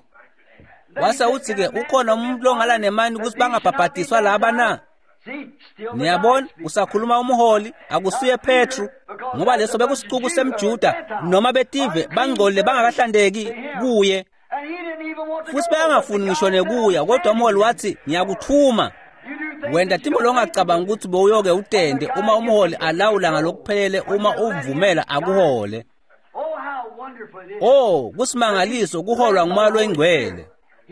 Wase uthi-ke ukhona umuntu longala nemani ukuthi bangabhabhadiswa laba na? See, still the Niyabona guide speaks. usakhuluma umholi akusuye Petru ngoba leso bekusixuku semJuda noma betive bangcolile bangakahlandeki kuye And he didn't even want to futhi go. bekangafuni ngisho nekuya kodwa umholi wathi ngiyakuthuma You do things wenda that timbo you don't longacabanga ukuthi bowuyoke utende uma umholi alawula ngalokuphelele uma uvumela akuhole Oh, how wonderful it is. Oh kusimangaliso kuholwa ngumoya loyingcwele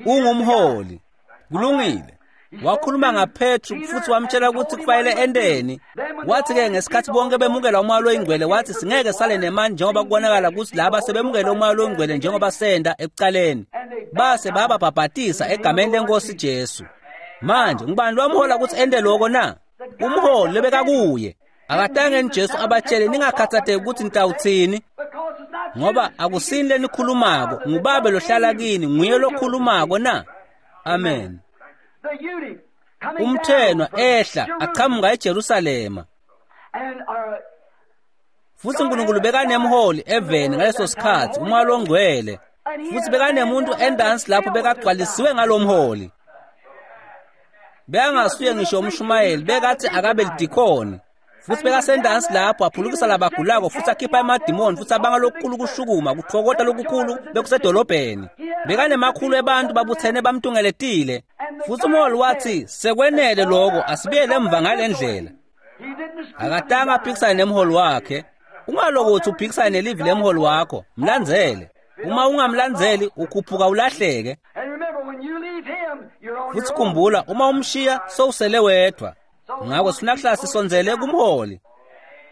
ungumholi kulungile wakhuluma ngaPetru futhi wamtshela ukuthi kufanele endeni wathi-ke ngesikhathi bonke bemukela umoya loyingcwele wathi singeke sale nemani njengoba kubonakala ukuthi laba sebemukele umoya loyingcwele njengoba senda ekucaleni base bababhabhatisa egameni lenkosi Jesu manje ngubani lwamhola ukuthi ende loko na umholi lebekakuye akatange Jesu abatshele ningakhathatheki ukuthi nitawuthini Because it's not ngoba akusini lenikhulumako ngubabe lohlala kini nguye lokhulumako na amen the eunuch coming umthenwa down from ehla Jerusalem aqhamuka eJerusalema and uh, futhi uNkulunkulu bekanemholi eveni ngaleso sikhathi umoya longcwele futhi bekanemuntu endansi lapho bekagcwalisiwe ngalomholi bekangasuye ngisho umshumayeli bekathi akabe lidikoni futhi bekasendansi lapho aphulukisa labagulako futhi akhipha emadimoni futhi abanga lokukhulu kushukuma kuthokota lokukhulu bekusedolobheni bekanemakhulu ebantu babuthene bamtungeletile futhi umholi wathi sekwenele loko asibuyele emva ngale ndlela he didn't dispute akatanga aphikisane nemholi wakhe ungalokuthi uphikisane nelivi lemholi wakho mlandzele uma ungamlandzeli ukhuphuka ulahleke And remember, when you leave him, you're on futhi your own. khumbula uma umshiya sowusele wedwa ngakho sifuna kuhlala sisondzele kumholi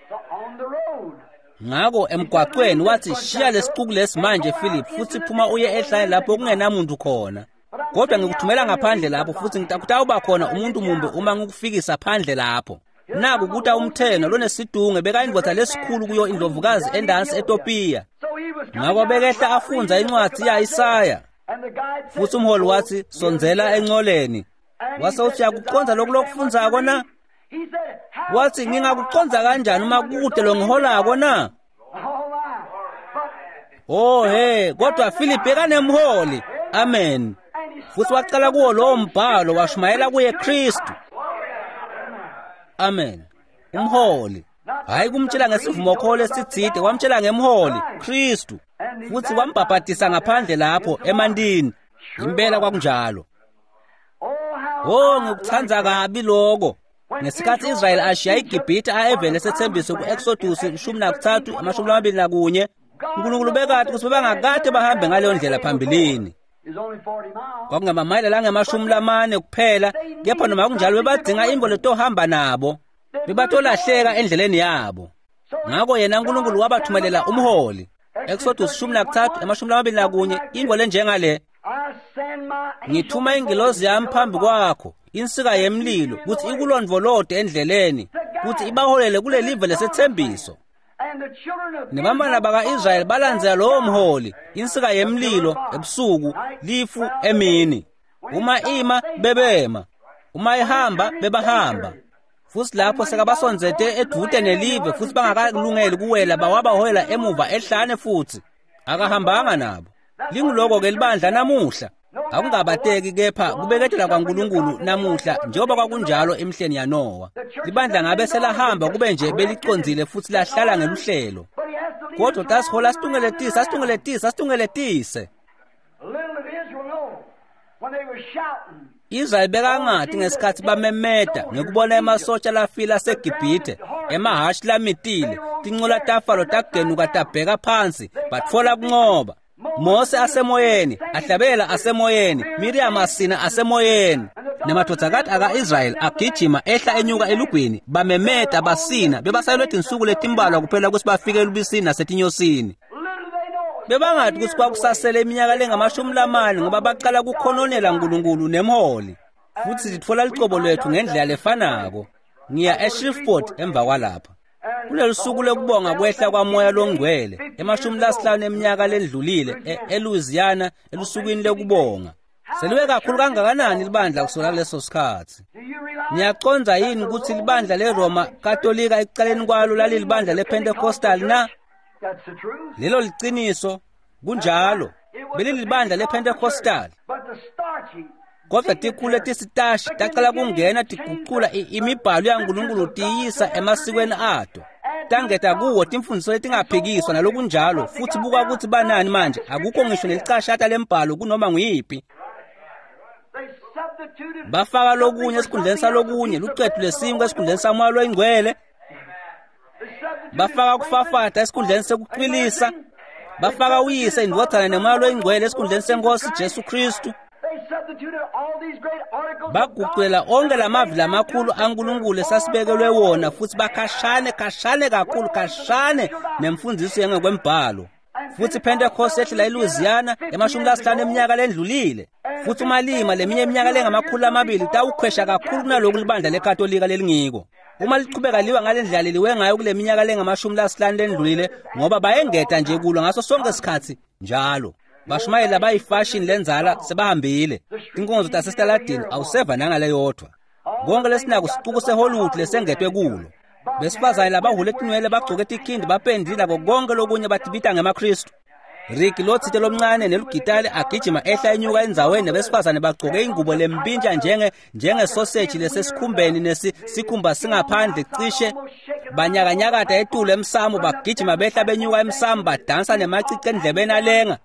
So on the road. ngakho emgwaqweni wathi shiya lesixuku lesi manje Philip futhi phuma uye ehlane lapho kungenamuntu khona kodwa ngikuthumela ngaphandle lapho futhi ngitawuba khona umuntu mumbe uma ngikufikisa phandle lapho naku kuta umtheno lonesidunge bekayindvodza lesikhulu kuyo indlovukazi endansi eTopiya So he was coming ngakho down bekehla the afundza reading the book incwadi of ya-Isaya Isaiah. And the guide said, futhi umholi wathi sondzela encoleni And he wase said, uthi uyakucondza lokhu lokufundzako na He said, "How wathi can ngingakucondza I kanjani uma understand kude longiholako na Oh my. But Oh he kodwa Philip bekanemholi amen and he futhi waqala kuwo lowo mbhalo washumayela kuye Kristu amen umholi hayi kumtshela ngesivumokholo esithide wamtshela ngemholi Kristu futhi wambhabhatisa ngaphandle lapho emandini impela kwakunjalo Oh how Oh I ngikuthanda like that. kabi lokho ngesikhathi Israel ashiya iGibhithe ayevele esethembiso ku-Exodus ishumi nakuthathu amashumi amabili nakunye uNkulunkulu bekade ukuthi bebangakade bahambe ngaleyo ndlela phambilini It's only forty miles. kwakungamamayela langamashumi lamane kuphela kepha noma kunjalo bebadzinga imbo letohamba nabo bebatolahleka endleleni yabo So ngakho yena uNkulunkulu wabathumelela umholi Exodus ishumi nakuthathu amashumi lamabili nakunye ingwe lenjengale I send my angel ngithuma ingilozi yami phambi kwakho insika yemlilo kuthi ikulondvolode endleleni kuthi ibaholele kulelive lesethembiso And the children of nebantwana baka-Israyeli balandzela lowo mholi insika yemlilo ebusuku lifu emini uma ima bebema uma ihamba bebahamba futhi lapho sekabasondzete edvute nelive futhi bangakalungeli kuwela bawabaholela emuva ehlane futhi akahambanga nabo linguloko-ke libandla namuhla akungabateki kepha kubeketela kwaNkulunkulu namuhla njengoba kwakunjalo emihleni yaNowa libandla ngabe selahamba kube nje belicondzile futhi lahlala ngeluhlelo But he has to lead kodwa us tasihola round situngeletise asitungeletise asitungeletise Little did Israel know. When they were shouting, Israyeli bekangati ngesikhatsi bamemeta ngekubona emasotsha lafile aseGibhithe, emahhashi lamitile, tincola taFaro tagenuka tabheka phansi, batfola kuncoba. Mose asemoyeni, ahlabela asemoyeni, Miriam asina asemoyeni. Nemadvodzakati aka-Israyeli agijima ehla enyuka elugwini, bamemeta basina, bebasalelwe tinsuku letimbalwa kuphela kutsi bafike elubisini nasetinyosini. little they know it. Bebangati kutsi kwakusasele iminyaka lengamashumi lamane ngoba baqala kukhononela Nkulunkulu nemholi. Futsi sitfola lucobo lwetfu ngendlela lefanako. Ngiya eShreveport emva kwalapha. Kulolu suku lokubonga kwehla kwamoya longcwele emashumi lasihlanu eminyaka lendlulile e- eLouisiana elusukwini lokubonga. Seliwe kakhulu kangakanani libandla kusukela kuleso sikhatsi? Do you realize Niyacondza yini kutsi libandla leRoma Katolika ekucaleni kwalo lalilibandla lePentecostal na? that's the truth? Lelo liciniso kunjalo. Belilibandla lePentecostal. But the starchy, Kodwa tikhulu letisitashi tacala kungena tigucula i- imibhalo yaNkulunkulu tiyisa emasikweni ato. Tangeta kuwo timfundiso letingaphikiswa nalokunjalo futhi buka kutsi banani manje akukho ngisho nelicashata lembhalo kunoma nguyiphi. they substituted Bafaka lokunye esikhundleni salokunye, lucetu lesinkwa esikhundleni samoya loyingcwele, they substituted bafaka kufafata esikhundleni sekucwilisa, bafaka uyise indvodzana nemoya loyingcwele esikhundleni senkosi Jesu Kristu. They substituted all these great articles of Baguculela God onke lamavi lamakhulu aNkulunkulu esasibekelwe wona futhi bakhashane khashane kakhulu khashane nemfundiso yengekwembhalo. Futhi Pentecost yehlela eLouisiana emashumi lasihlanu eminyaka lendlulile. Futhi umalima leminye iminyaka lengamakhulu amabili tawukhwesha kakhulu kunaloku libandla leKatolika lelingiko. Uma lichubeka liwa ngale ndlela leliwe ngayo kule minyaka lengamashumi lasihlanu lendlulile ngoba bayengeta nje kulo ngaso sonke isikhatsi njalo. Bashumayeli abayifashini lendzala sebahambile. Tinkonzo tasesitaladini awuseva nangaleyodvwa. Konke lesinako sicuku seHollywood lesengetwe kulo. Besifazane labahule tinwele bagcoke tikhindi bapendile nako konke lokunye batibita ngemaKristu. Rick lotsite lomncane nelugitali agijima ehla enyuka endzaweni nebesifazane bagcoke ingubo lempintsha njenge njengesoseji lesesikhumbeni nesisikhumba singaphandle cishe banyakanyakata etulu emsamo bagijima behla benyuka emsamo badansa nemacici endlebeni alenga.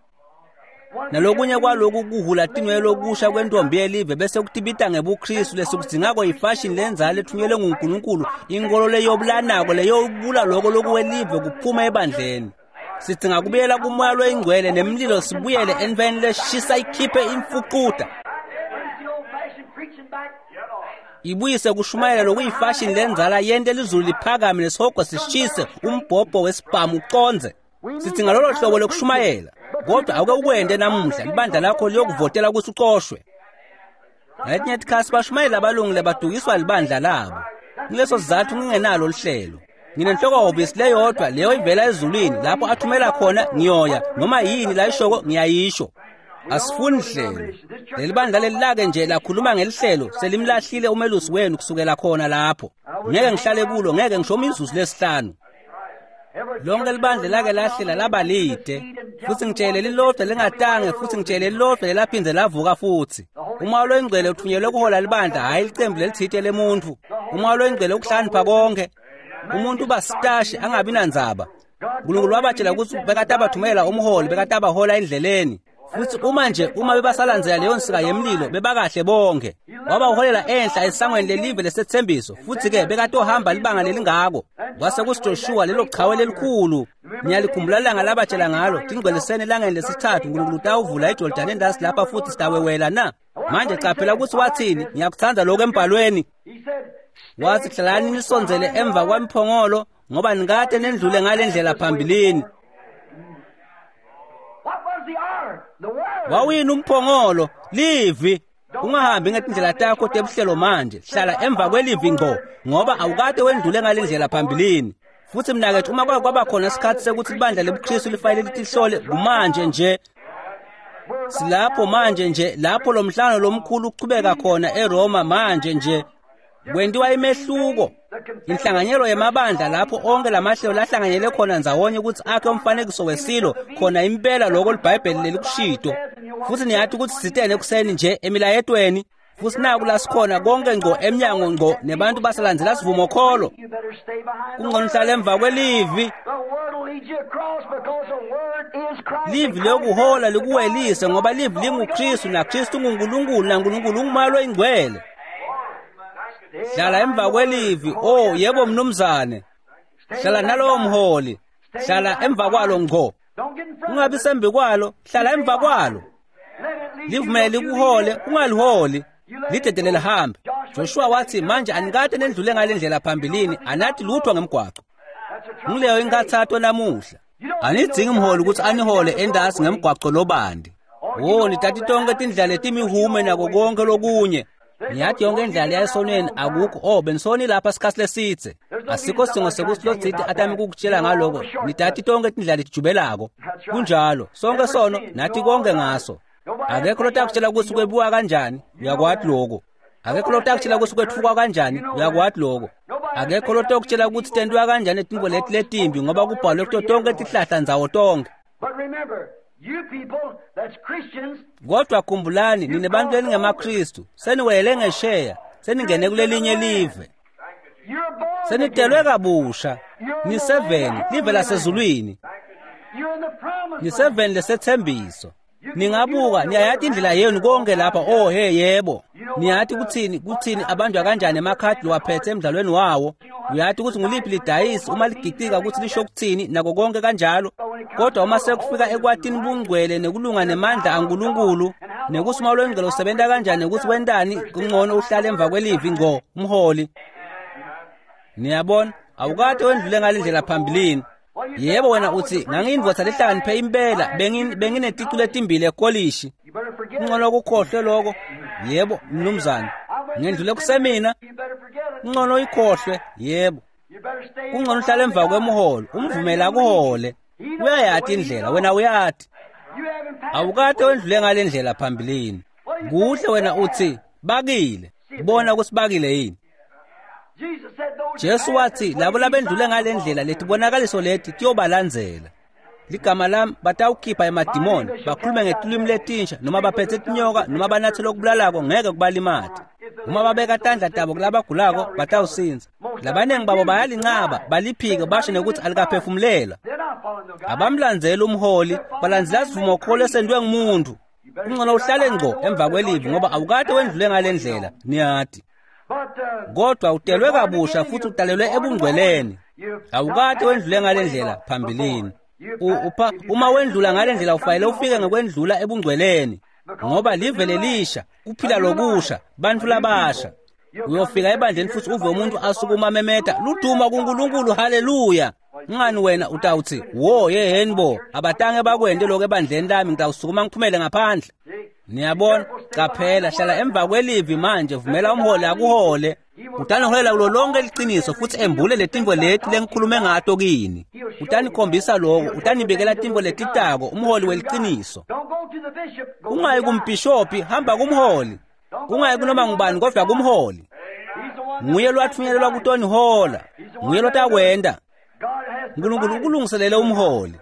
Nalokunye kwaloku kuhula tinwele lokusha kwentombi yelive bese kutibita ngebuKristu lesikudzingako yifashini lendzala lethunyelwe nguNkulunkulu inkolo leyobulanako leyobula loko lokuwelive kuphuma ebandleni. Sidzinga kubuyela kumoya loyingcwele nemlilo sibuyele entfweni leshisa ikhiphe imfucuta. Brings the old-fashioned preaching back. Ibuyise kushumayela lokuyifashini lendzala yente lizulu liphakame nesihogo sishise umbhobho wesibhamu ucondze. Sidzinga lolo hlobo lokushumayela kodwa awuke ukwente namuhla libandla lakho liyokuvotela kutsi ucoshwe. Ngaletinye tikhatsi bashumayeli abalungile badukiswa libandla labo. Kuleso sizatfu ngingenalo lihlelo. Nginenhloko-hhovisi leyodvwa leyo ivela ezulwini lapho athumela khona ngiyoya noma yini layishoko ngiyayisho. Asifuni hlelo. Leli bandla lelilake nje lakhuluma ngelihlelo selimlahlile umelusi wenu kusukela khona lapho. Ngeke ngihlale kulo ngeke ngisho imizuzu lesihlanu. Lonke libandla lake lahlela laba lide futhi ngitshele lilodwa lingatange futhi ngitshele lilodwa lelaphindze lavuka futhi. Umoya loyingcwele uthunyelwe kuhola libandla hhayi licembu lelitsite lemuntfu. Umoya loyingcwele ukuhlakanipha konke. Umuntu uba sitashi angabi nandzaba. Nkulunkulu wabatshela kutsi bekatabathumela umholi bekatabahola endleleni. Futhi uma nje uma bebasalandzela leyo nsika yemlilo bebakahle bonke. Wabaholela enhla esangweni lelive lesethembiso futhi ke bekatohamba libanga lelingako. Kwase kusiJoshuwa lelo chawe lelikhulu. Ngiyalikhumbula ilanga labatshela ngalo tingcweliseni elangeni lesithathu Nkulunkulu utawuvula iJordani endasi lapha futhi sitawewela na. Manje caphela ukuthi wathini ngiyakutsandza lokho embhalweni. He said, Wathi hlalani nisondzele emva kwemphongolo ngoba nikade nendlule ngale ndlela phambilini. What was the ark? The Word. Wawini umphongolo livi. Ungahambi ngetindlela takho tebuhlelo manje hlala emva kwelivi ngqo ngoba awukade wendlule ngale ndlela phambilini. Futhi mnakethu uma kwake kwaba khona isikhathi sekuthi libandla lebuKristu lifanele litihlole kumanje nje. Silapho manje nje lapho lo mhlangano lomkhulu uchubeka khona eRoma manje nje. Kwentiwa imehluko inhlanganyelo yemabandla lapho onke lamahlelo lahlanganyele khona ndzawonye ukuthi akhe umfanekiso wesilo khona impela lokho liBhayibheli lelikushito. Futhi niyathi ukuthi sitene ekuseni nje emilayetweni Futsi naku lasikhona konke ngco emnyango ngco nebantu basalandzela sivumokholo. You better stay behind the Kungcono uhlale emva kwelivi. The word will lead you across because the word is Christ. Livi liyokuhola likuwelise ngoba livi linguKristu naKristu unguNkulunkulu naNkulunkulu ungumoya loyingcwele. Hlala emva kwelivi. Oh yebo mnumzane. Hlala nalowo mholi. Hlala emva kwalo ngco. Don't get in front Ungabi of it. sembi kwalo, hlala emva kwalo. Let it lead you, Livumele don't you lead likuhole, it. ungaliholi. Lidedele lihambe. Joshua wathi manje anikade nendlule ngale ndlela phambilini, anathi lutho ngemgwaco. That's a trouble Ngileyo today. inkathato namuhla. Anidzingi mholi ukuthi anihole endasi ngemgwaco lobandi. Wo nitati tonke tindlela letimihume nako konke lokunye. Niyati yonke indlela yayesonweni akukho oh benisoni lapha sikhathi lesidze. Asikho sidingo sekuthi lotsite atame kukutshela ngaloko. Nitati tonke tindlela letijubelako. Kunjalo, sonke sono nathi konke ngaso. Akekho lotakutshela ukuthi kwebiwa kanjani, uyakwati lokho. Akekho lotakutshela ukuthi kwetfukwa kanjani, uyakwati lokho. Akekho lotokutshela ukuthi tentiwa kanjani tintfo leti letimbi ngoba kubhalwe kuto tonke tihlahla ndzawo tonke. But remember, you people that's Christians, Kodwa khumbulani nine bantu eningemaKristu, seniwele ngesheya, seningene kulelinye live. you're born Senitelwe again. kabusha. Niseveni, live lasezulwini. You're in the promised land. Niseveni lesethembiso. Ningabuka niyayati indlela yenu konke lapha oh hey yebo. Niyati kuthini kuthini abanjwa kanjani emakhadi lowaphethe emidlalweni wawo. Uyati ukuthi nguliphi lidayisi uma ligicika ukuthi lisho kuthini nako konke kanjalo. Kodwa uma sekufika ekwatini bungcwele nekulunga nemandla aNkulunkulu nekuthi uma lwengcwele usebenta kanjani ukuthi wentani kungcono uhlale emva kwelivi ngco umholi. Niyabona awukade wendlule ngale ndlela phambilini. Yebo wena uthi ngangiyindvodza lehlakaniphe impela bengin- bengineticu letimbili ekolishi. You better forget it. Kungcono ukukhohlwe lokho. Yebo mnumzane. Ngendlule kusemina You better forget it. kungcono uyikhohlwe. Yebo. You better stay Kungcono uhlale emva kwemholo umvumele akuhole. Uyayati indlela wena uyati. You haven't passed Awukade wendlule ngale ndlela phambilini. Kuhle wena uthi bakile. Bona ukuthi bakile yini. Jesus said those Jesu wathi labo labendlule ngale ndlela letibonakaliso leti tiyobalandzela. Ligama lami batawukhipha emadimoni, bakhulume ngetilwimi letinsha noma baphethe tinyoka noma banathe lokubulalako ngeke kubalimate. Uma babeka tandla tabo kulabagulako batawusindza. Labaningi babo bayalincaba, baliphike basho nekuthi alikaphefumulela. They're not following the God. Abamlandzeli umholi, balandzela sivumokholo esentiwe ngumuntu. Kungcono uhlale ngco emva kwelivi ngoba awukade wendlule ngale ndlela, niyati. But uh, Kodwa utelwe kabusha futhi udalelwe ebungcweleni. Awukade wendlule ngale ndlela phambilini. U- upha uma wendlula ngale ndlela ufanele ufike ngekwendlula ebungcweleni ngoba live lelisha kuphila lokusha bantu labasha. Uyofika ebandleni futhi uve umuntu asukuma memeta luduma kuNkulunkulu haleluya. Ngani wena utawuthi wo yeheni bo abatange bakwente lokho ebandleni lami ngitawusukuma ngiphumele ngaphandle. Niyabona qaphela hlala emva kwelivi manje vumela umholi akuhole. Utaniholela kulo lonke liqiniso futhi embule letintfo leti lengikhulume ngato kini. Utanikhombisa lokho, utanibikela tintfo letitako umholi weliqiniso. don't go to the bishop. Go to Ungayi the guy. kumbhishophi, hamba kumholi. Ungayi kunoma ngubani kodwa kumholi. He's the one Nguye lowatfunyelelwa kutonihola. Nguye lotakwenta. God has uNkulunkulu provided. ukulungiselele umholi.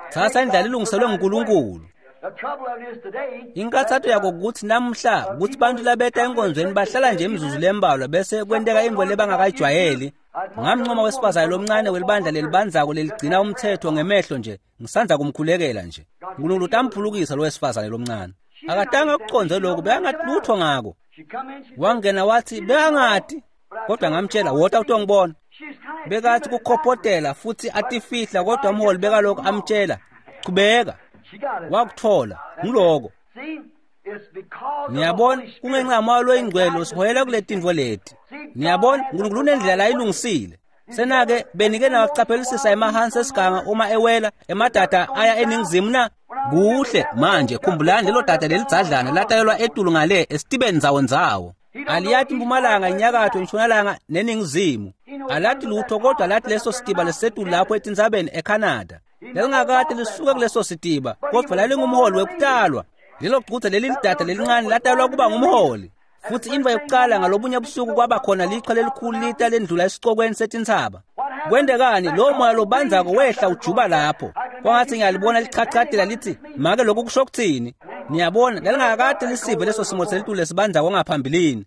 Tsatsa indlela ilungiselwe nguNkulunkulu. The trouble of it is today. Inkathato yako ukuthi namhla ukuthi bantu labeta enkonzweni bahlala nje imizuzu lembalwa bese kwenteka intfo lebangakayijwayeli. Ngamncoma wesifazane lomncane welibandla lelibandzako leligcina umthetho ngemehlo nje ngisandza kumkhulekela nje. uNkulunkulu utamphulukisa lo wesifazane lomncane. Akatange akucondze lokho bekangathi lutho ngako. She come in. She, Wangena wathi bekangati kodwa ngamtshela wota utongibona. she's kind of Bekathi timid. kukhopotela futhi atifihla kodwa umholi bekalokhu amtshela qhubeka She got it. wakuthola ngiloko. See, it's because of the Niyabona Holy Spirit. kungenxa yamoya loyingcwele usiholela kule tintfo leti. Niyabona uNkulunkulu unendlela la ayilungisile. Senake benike nawacaphelisisa emahansi esiganga uma ewela emadada aya eningizimu na kuhle manje khumbulani lelo dada lelidzadlana latalelwa etulu ngale esitibeni ndzawo ndzawo. Aliyati impumalanga inyakatho intshonalanga neningizimu. Alati lutho kodwa lathi leso sitiba lesisetulu lapho etintsabeni eCanada. Lelingakade lisuke kuleso sitiba kodwa lalingumholi wekutalwa. Lelo gcudze leli lidada lelincane latalwa kuba ngumholi. Futhi intfo yokuqala ngalobunye busuku kwaba khona lichwa lelikhulu lita lendlula esicokweni setintsaba. Kwentekani lo moya lobandzako wehla ujuba lapho. Kwangathi ngiyalibona lichachatela lithi make lokhu kusho kuthini? Niyabona, lalingakade lisive leso simo selitulu lesibandzako ngaphambilini.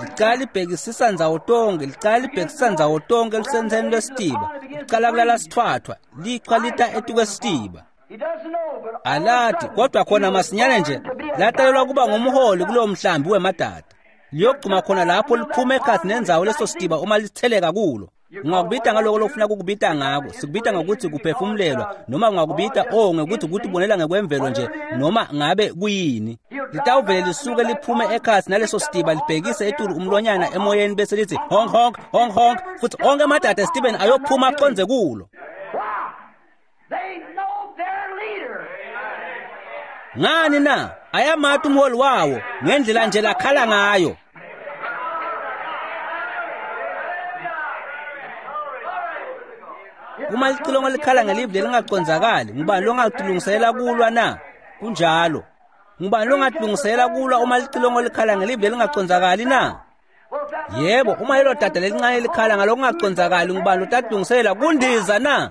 Licala libhekisisa ndzawo tonke, licala libhekisisa ndzawo tonke elusentseni lwesitiba. Licala kulala sithwathwa, lichwa lita etukwesitiba. Alati, kodwa khona masinyane nje latalelwa kuba ngumholi kulowo mhlambi wemadada. Liyogcuma khona lapho liphume ekhatsi nendzawo leso sitiba uma litheleka kulo. Ungakubita ngaloko lofuna kukubita ngako, sikubita ngokuthi kuphefumulelwa, noma ungakubita oh ngekuthi kutibonela ngekwemvelo nje, noma ngabe kuyini. Litawuvele lisuke liphume ekhatsi naleso sitiba libhekise etulu umlonyana emoyeni bese lithi honk honk honk honk, futhi onke amadada esitibeni ayophuma aqondze kulo. Ngani na? Ayamati umholi wawo ngendlela nje lakhala ngayo. Uma licilongo likhala ngelivi lelingacondzakali, ngubani longatilungiselela kulwa na? Kunjalo. Ngubani longatilungiselela kulwa uma licilongo likhala ngelivi lelingacondzakali na? Yebo, uma lelo dada lelincane likhala ngalokungacondzakali, ngubani lotatilungiselela kundiza na?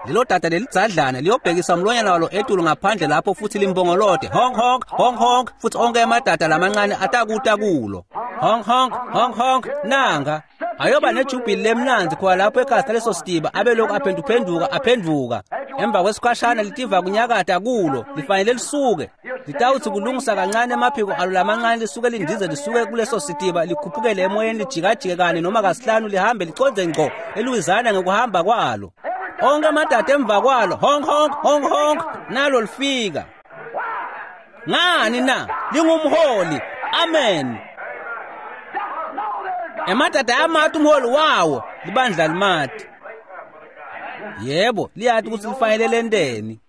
Lelo dada lelidzadlana liyobhekisa umlonyana walo etulu ngaphandle lapho futhi limbongolote honk honk honk honk, futhi onke emadada lamancane atakuta kulo. Honk honk honk honk, nanga ayoba nejubhili lemnandzi khona lapho ekhasi leso sitiba, abelokhu aphenduphenduka aphenduka. Emva kwesikhashana litiva kunyakata kulo, lifanele lisuke. Litawuthi kulungisa kancane emaphiko alo lamancane lisuke lindize lisuke kuleso sitiba likhuphukele emoyeni lijikajike kane noma kasihlanu lihambe liconze ngqo eLouisiana ngekuhamba kwalo. Onke amadada emva kwalo honk honk honk honk, nalo lifika. Ngani na? Lingumholi. Amen. Emadada ayamati umholi wawo, libandla limati. Yebo, liyati ukuthi lifanele lenteni.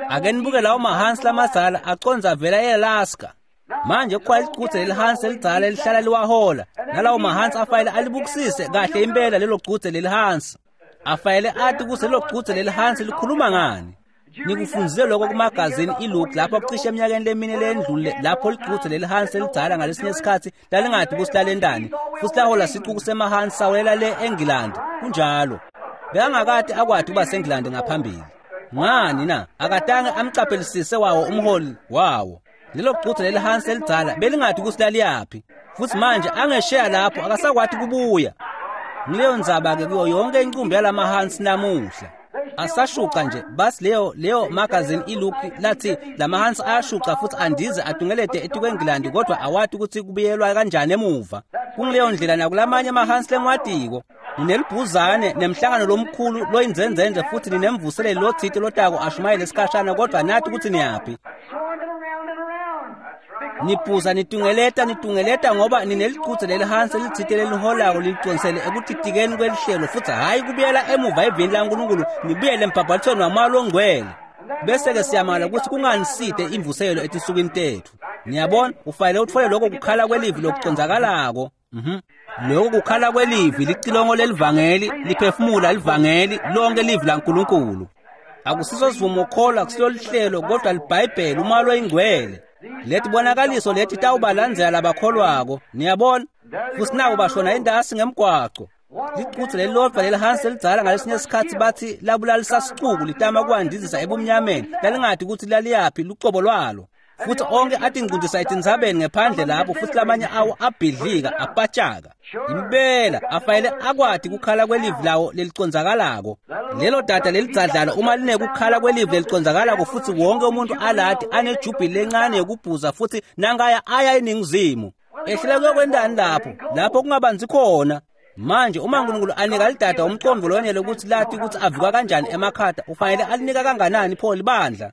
Ake nibuke lawo mahansi lamadzala aconza vela e-Alaska. Manje kukhona licudze lelihansi elidzala elihlala liwahola, nalawo mahansi afanele alibukisise kahle impela lelo cudze lelihansi. Afanele ati ukuthi lelo cudze lelihansi likhuluma ngani. Nikufundzile lokho kumagazini iLook lapho cishe eminyakeni lemine lendlule, lapho licudze lelihansi elidzala ngalesinye isikhatsi lalingadi ukuthi lalentani, futhi lahola sicuku semahansi sawela le eNgilandi. Kunjalo. Bekangakade akwati ukuba seNgilandi ngaphambili. Ngani na? Akatange amcaphelisise wawo umholi wawo. Lelo cudze lelihansi elidzala belingadi ukuthi laliyaphi, futhi manje angesheya lapho akasakwati kubuya. Ngileyo ndzaba-ke kuyo yonke incumbi yalamahansi namuhla. Asashuca nje, basi leyo leyo magazini iLook lathi lamahansi ayashuca futhi andize atungelete etukweNgilandi, kodwa awati ukuthi kubuyelwa kanjani emuva. Kungileyo ndlela nakulamanye amahansi lengiwatiko. Ninelibhuzane nemhlangano lomkhulu loyinzenzenze futhi ninemvuseleli lotsite lotako ashumayele esikhashana, kodwa nathi ukuthi niyaphi. Nibhuza nitungeleta nitungeleta ngoba ninelicudze lelihansi elitsite leliholako liliconsele ekutitikeni kwelihlelo, futhi hhayi kubuyela emuva evini laNkulunkulu nibuyele embhabhatisweni waMoya loNgcwele. Bese-ke siyamangala ukuthi kunganiside imvuselelo etinsukwini tetfu. Niyabona, ufanele utfole lokho kukhala kwelivi lokucondzakalako. Mhm. Lokho kukhala kwelivi licilongo lelivangeli, liphefumula livangeli, lonke livi laNkulunkulu. Akusiso sivumokholo, akusilo lihlelo, kodwa liBhayibheli, uMoya loyiNgcwele. Leti bonakaliso leti tawubalandzela labakholwako. Niyabona? Futhi nabo bashona entasi ngemgwaco. Licudze lelilodvwa lelihansi elidzala ngalesinye isikhatsi bathi labulalisa sicuku litama kuwandizisa ebumnyameni, lalingati ukuthi laliyaphi lucobo lwalo. Futhi onke atingcundisa etintsabeni ngephandle lapho, futhi lamanye awo abhidlika apatshaka. Impela afanele akwati kukhala kwelivi lawo lelicondzakalako. Lelo dada lelidzadlana uma linekukhala kwelivi lelicondzakalako futhi wonke umuntu alati anejubhili lencane yokubhuza futhi nangaya aya eningizimu. Ehlela kuyokwentani lapho? Lapho kungabanzi khona. Manje uma uNkulunkulu anika lidada umcondvo lonele ukuthi lati ukuthi avuka kanjani emakhata, ufanele alinika kanganani pho libandla?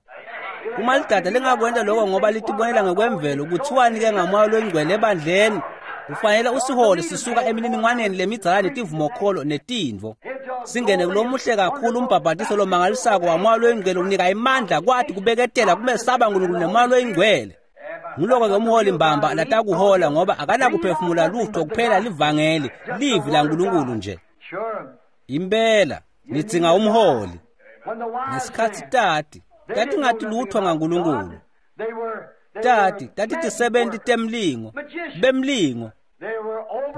Uma lidada lingakwenta lokho ngoba litibonela ngekwemvelo, kuthiwani-ke ngaMoya loyiNgcwele ebandleni? Ufanele usihole sisuka emininingwaneni lemidzala netivumokholo netintfo. Singene kulomuhle kakhulu umbhabhatiso lomangalisako waMoya loyiNgcwele unika imandla kwati kubeketela kumesaba uNkulunkulu neMoya loyiNgcwele. Nguloko-ke umholi mbamba latakuhola ngoba akanakuphefumula lutho kuphela livangeli, livi laNkulunkulu nje. Impela nidzinga umholi. Ngesikhatsi tati tatingati lutho ngaNkulunkulu. Tati tatitisebenti temlingo, bemlingo.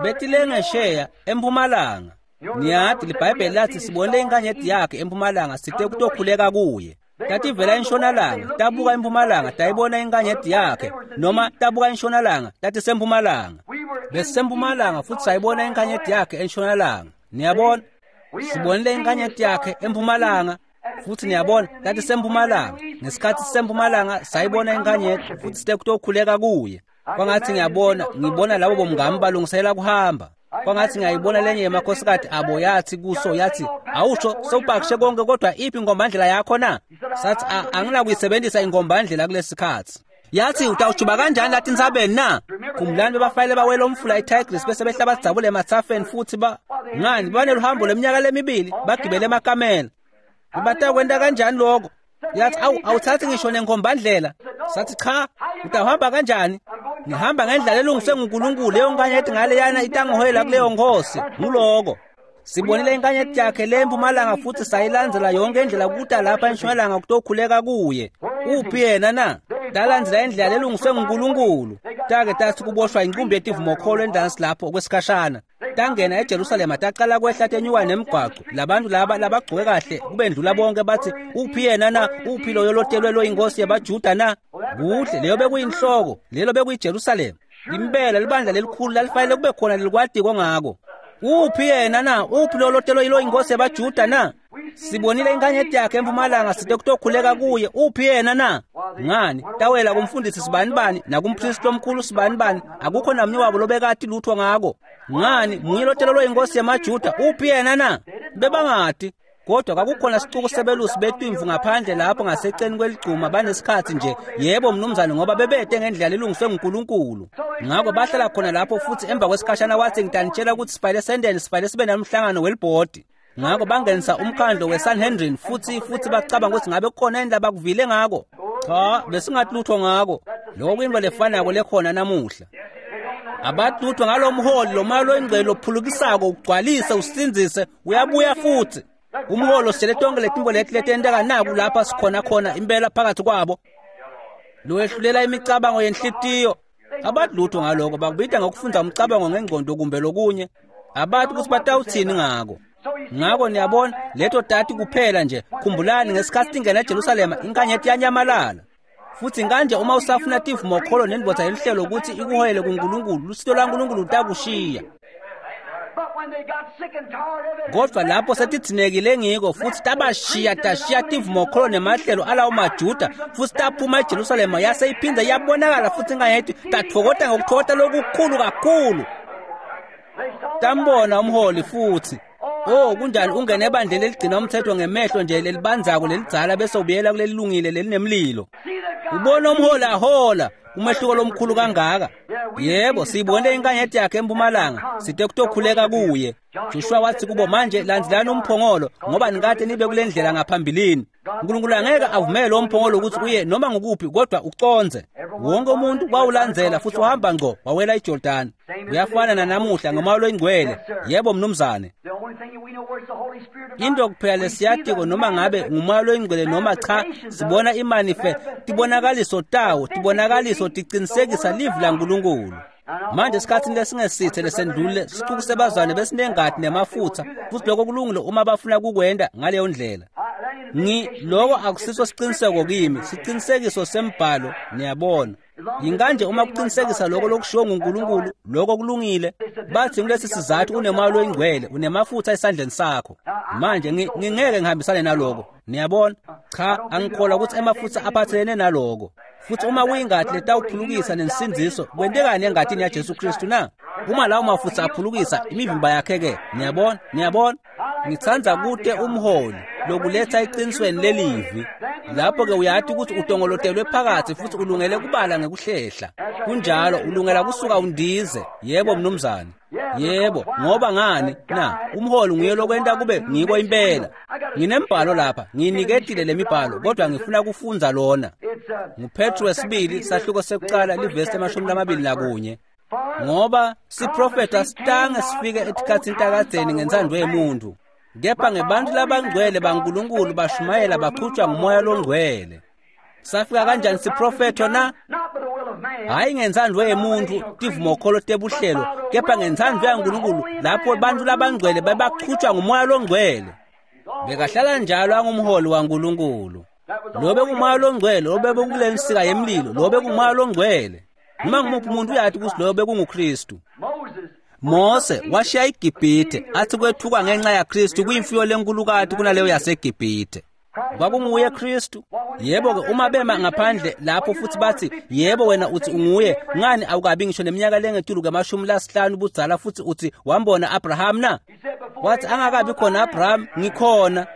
Betilengesheya empumalanga. Niyati liBhayibheli lathi sibone inkanyeti yakhe empumalanga site kutokhuleka kuye. Tativela entshonalanga, tabuka empumalanga, tayibona inkanyeti yakhe, noma tabuka entshonalanga, tatisempumalanga. Besisempumalanga futhi sayibona inkanyeti yakhe entshonalanga. Niyabona? Sibonile inkanyeti yakhe empumalanga futhi niyabona tatisempumalanga. Ngesikhathi sisempumalanga sayibona inkanyeti futhi site kutokhuleka kuye. Kwangathi ngiyabona, ngibona labo bomngami balungisela kuhamba. Kwangathi ngiyayibona lenye yemakhosikazi abo yathi kuso yathi, awusho sewupakishe konke kodwa iphi inkombandlela yakho na? Sathi anginakuyisebenzisa inkombandlela kulesikhathi. Yathi utawujuba kanjani lathi insabeni na? Khumbulani bebafayile bawela umfula iTigris bese behla badzabule emathafeni futhi ba ngani baneluhambo leminyaka lemibili bagibele emakamela. Batakwenta kanjani lokho? Yathi awu awuthathi ngisho nenkombandlela. Sathi cha, utawuhamba kanjani? Ngihamba ngendlela elungiswe nguNkulunkulu leyo nkanyeti ngaleyana itangiholela kuleyo nkosi. Nguloko. Sibonile inkanyeti yakhe le empumalanga futhi sayilandzela yonke indlela kuta lapha entshonalanga kutokhuleka kuye. Uphi yena na? Talandzela indlela elungiswe nguNkulunkulu. Take tathi kuboshwa inqumbi yetivumokholo endansi lapho okwesikhashana. Tangena eJerusalema taqala kwehla tenyuka nemigwaqo. Labantu laba labagcoke kahle kubendlula bonke bathi uphi yena na? Uphi loyo lotelwe lo inkosi yabaJuda na? Kuhle leyo bekuyinhloko, lelo bekuyiJerusalema. Impela libandla lelikhulu lalifanele kube khona lelikwatiko ngako. Uphi yena na? Uphi lo lotelwe lo inkosi yabaJuda na? Sibonile inkanyeti yakhe empumalanga site kutokhuleka kuye. Uphi yena na? Ngani tawela kumfundisi sibanibani nakumpristi omkhulu sibanibani, akukho namnye wabo lobekati lutho ngako. Ngani munye lotelwe lo inkosi yamaJuda, uphi yena na? Bebangati. Kodwa kwakukhona sicuku sebelusi betimvu ngaphandle lapho ngaseceni kweligcuma banesikhathi nje, yebo mnumzane, ngoba bebete ngendlela elungiswe nguNkulunkulu. Ngakho bahlala khona lapho futhi emva kwesikhashana wathi ngitanitshela ukuthi sifayile sendeni sifayile sibe nomhlangano welibhodi. Ngakho bangenisa umkhandlo weSanhedrin futhi futhi bacabanga ukuthi ngabe kukhona indaba bakuvile ngako. Cha, besingathi lutho ngako. Lokho kuyinto lefanako lekhona namuhla. Abathi lutho ngalomholi lo moya loyingcwele lophulukisako ugcwalise usindzise uyabuya futhi. Umholo sitshele tonke letinto leti letenteka naku lapha sikhona khona impela phakathi kwabo. Lowehlulela imicabango yenhlitiyo. Abathi lutho ngaloko, bakubita ngokufunda umcabango ngengqondo kumbe lokunye. Abathi ukuthi batawuthini ngako. Ngako niyabona leto tati kuphela nje. Khumbulani ngesikhathi tingena eJerusalema inkanyeti yanyamalala. Futhi kanje uma usafuna tivumokholo nendvodza yelihlelo ukuthi ikuhoyele kuNkulunkulu, lusito lwaNkulunkulu lutakushiya. Kodwa lapho setidzinekile ngiko futhi tabashiya tashiya tivumokholo nemahlelo alawo maJuda futhi taphuma eJerusalema yase iphinda iyabonakala futhi inkanyeti tathokota ngokuthokota lokukhulu kakhulu. Tambona umholi futhi. Oh kunjani ungene ebandleni eligcina umthetho ngemehlo nje lelibanzako lelidzala bese ubuyela kulelilungile lelinemlilo. Ubona umholi ahola umehluko lomkhulu kangaka. Yebo, siyibone inkanyeti yakhe empumalanga, site kutokhuleka kuye. Joshua wathi kubo manje landzelani umphongolo ngoba nikade nibe kule ndlela ngaphambilini. uNkulunkulu angeke avumele lo mphongolo ukuthi uye noma ngukuphi kodwa uconze. Wonke umuntu wawulandzela futhi wahamba ngqo wawela iJordani. Uyafana nanamuhla ngomoya loyingcwele. Yebo mnumzane. Into kuphela lesiyatiko noma ngabe ngumoya loyingcwele noma cha, sibona imanife tibonakaliso tawo, tibonakaliso tiqinisekisa livi laNkulunkulu. Manje esikhathini lesingesithe lesendlule sicuku sebazwane besinengadi nemafutha futhi lokho kulungile uma bafuna kukwenda ngaleyo ndlela. Ngi lokho akusiso siqiniseko kimi, siqinisekiso sembhalo niyabona. Yinganje uma kuqinisekisa lokho lokushiwo nguNkulunkulu, lokho kulungile. Bathi kulesi sizathu unemoya loyingcwele, unemafutha esandleni sakho. Manje ngingeke ngihambisane naloko. Niyabona? Cha, angikholwa ukuthi emafutha aphathelene naloko. Futhi uma kuyingadi letawuphulukisa nensindziso, kwentekani engadini yaJesu Kristu na? Uma lawo mafutha aphulukisa imivimba yakhe ke, niyabona? Niyabona? Ngithanda kute umholi lokuletha eqinisweni lelivi. Lapho ke uyathi ukuthi utongolotelwe phakathi futhi ulungele kubala ngekuhlehla. Kunjalo ulungela kusuka undize. Yebo mnumzane. Yebo, ngoba ngani na? Umholi nguye lokwenta kube ngiko impela. Nginembhalo lapha, nginiketile lemibhalo kodwa ngifuna kufundza lona. NguPetru wesibili sahluko sekuqala livesi emashumi lamabili nakunye. Ngoba siprofetha sitange sifike etikhatsini takadzeni ngentsandvo yemuntu. Kepha ngebantu labangcwele baNkulunkulu bashumayela baqhutshwa ngumoya longcwele. Safika kanjani siprofetho na? Hayi ngentsandvo yemuntu tivumokholo tebuhlelo, kepha ngentsandvo yaNkulunkulu lapho bantu labangcwele bebaqhutshwa ngumoya longcwele. Bekahlala njalo angumholi waNkulunkulu. Lobe kungumoya longcwele, lobe bekule nsika yemlilo, lobe kungumoya longcwele. Noma ngumuphi umuntu uyathi ukuthi loyo bekunguKristu. Mose washiya iGibhithe athi kwethuka ngenxa yaKristu kuyimfuyo lenkulukati kunaleyo yaseGibhithe. Kwakunguye Kristu. Yebo-ke uma bema ngaphandle lapho futhi bathi yebo wena uthi unguye, ngani awukabi ngisho neminyaka lengetulu kwamashumi lasihlanu budzala futhi uthi wambona Abraham na? Wathi angakabi khona Abraham, ngikhona.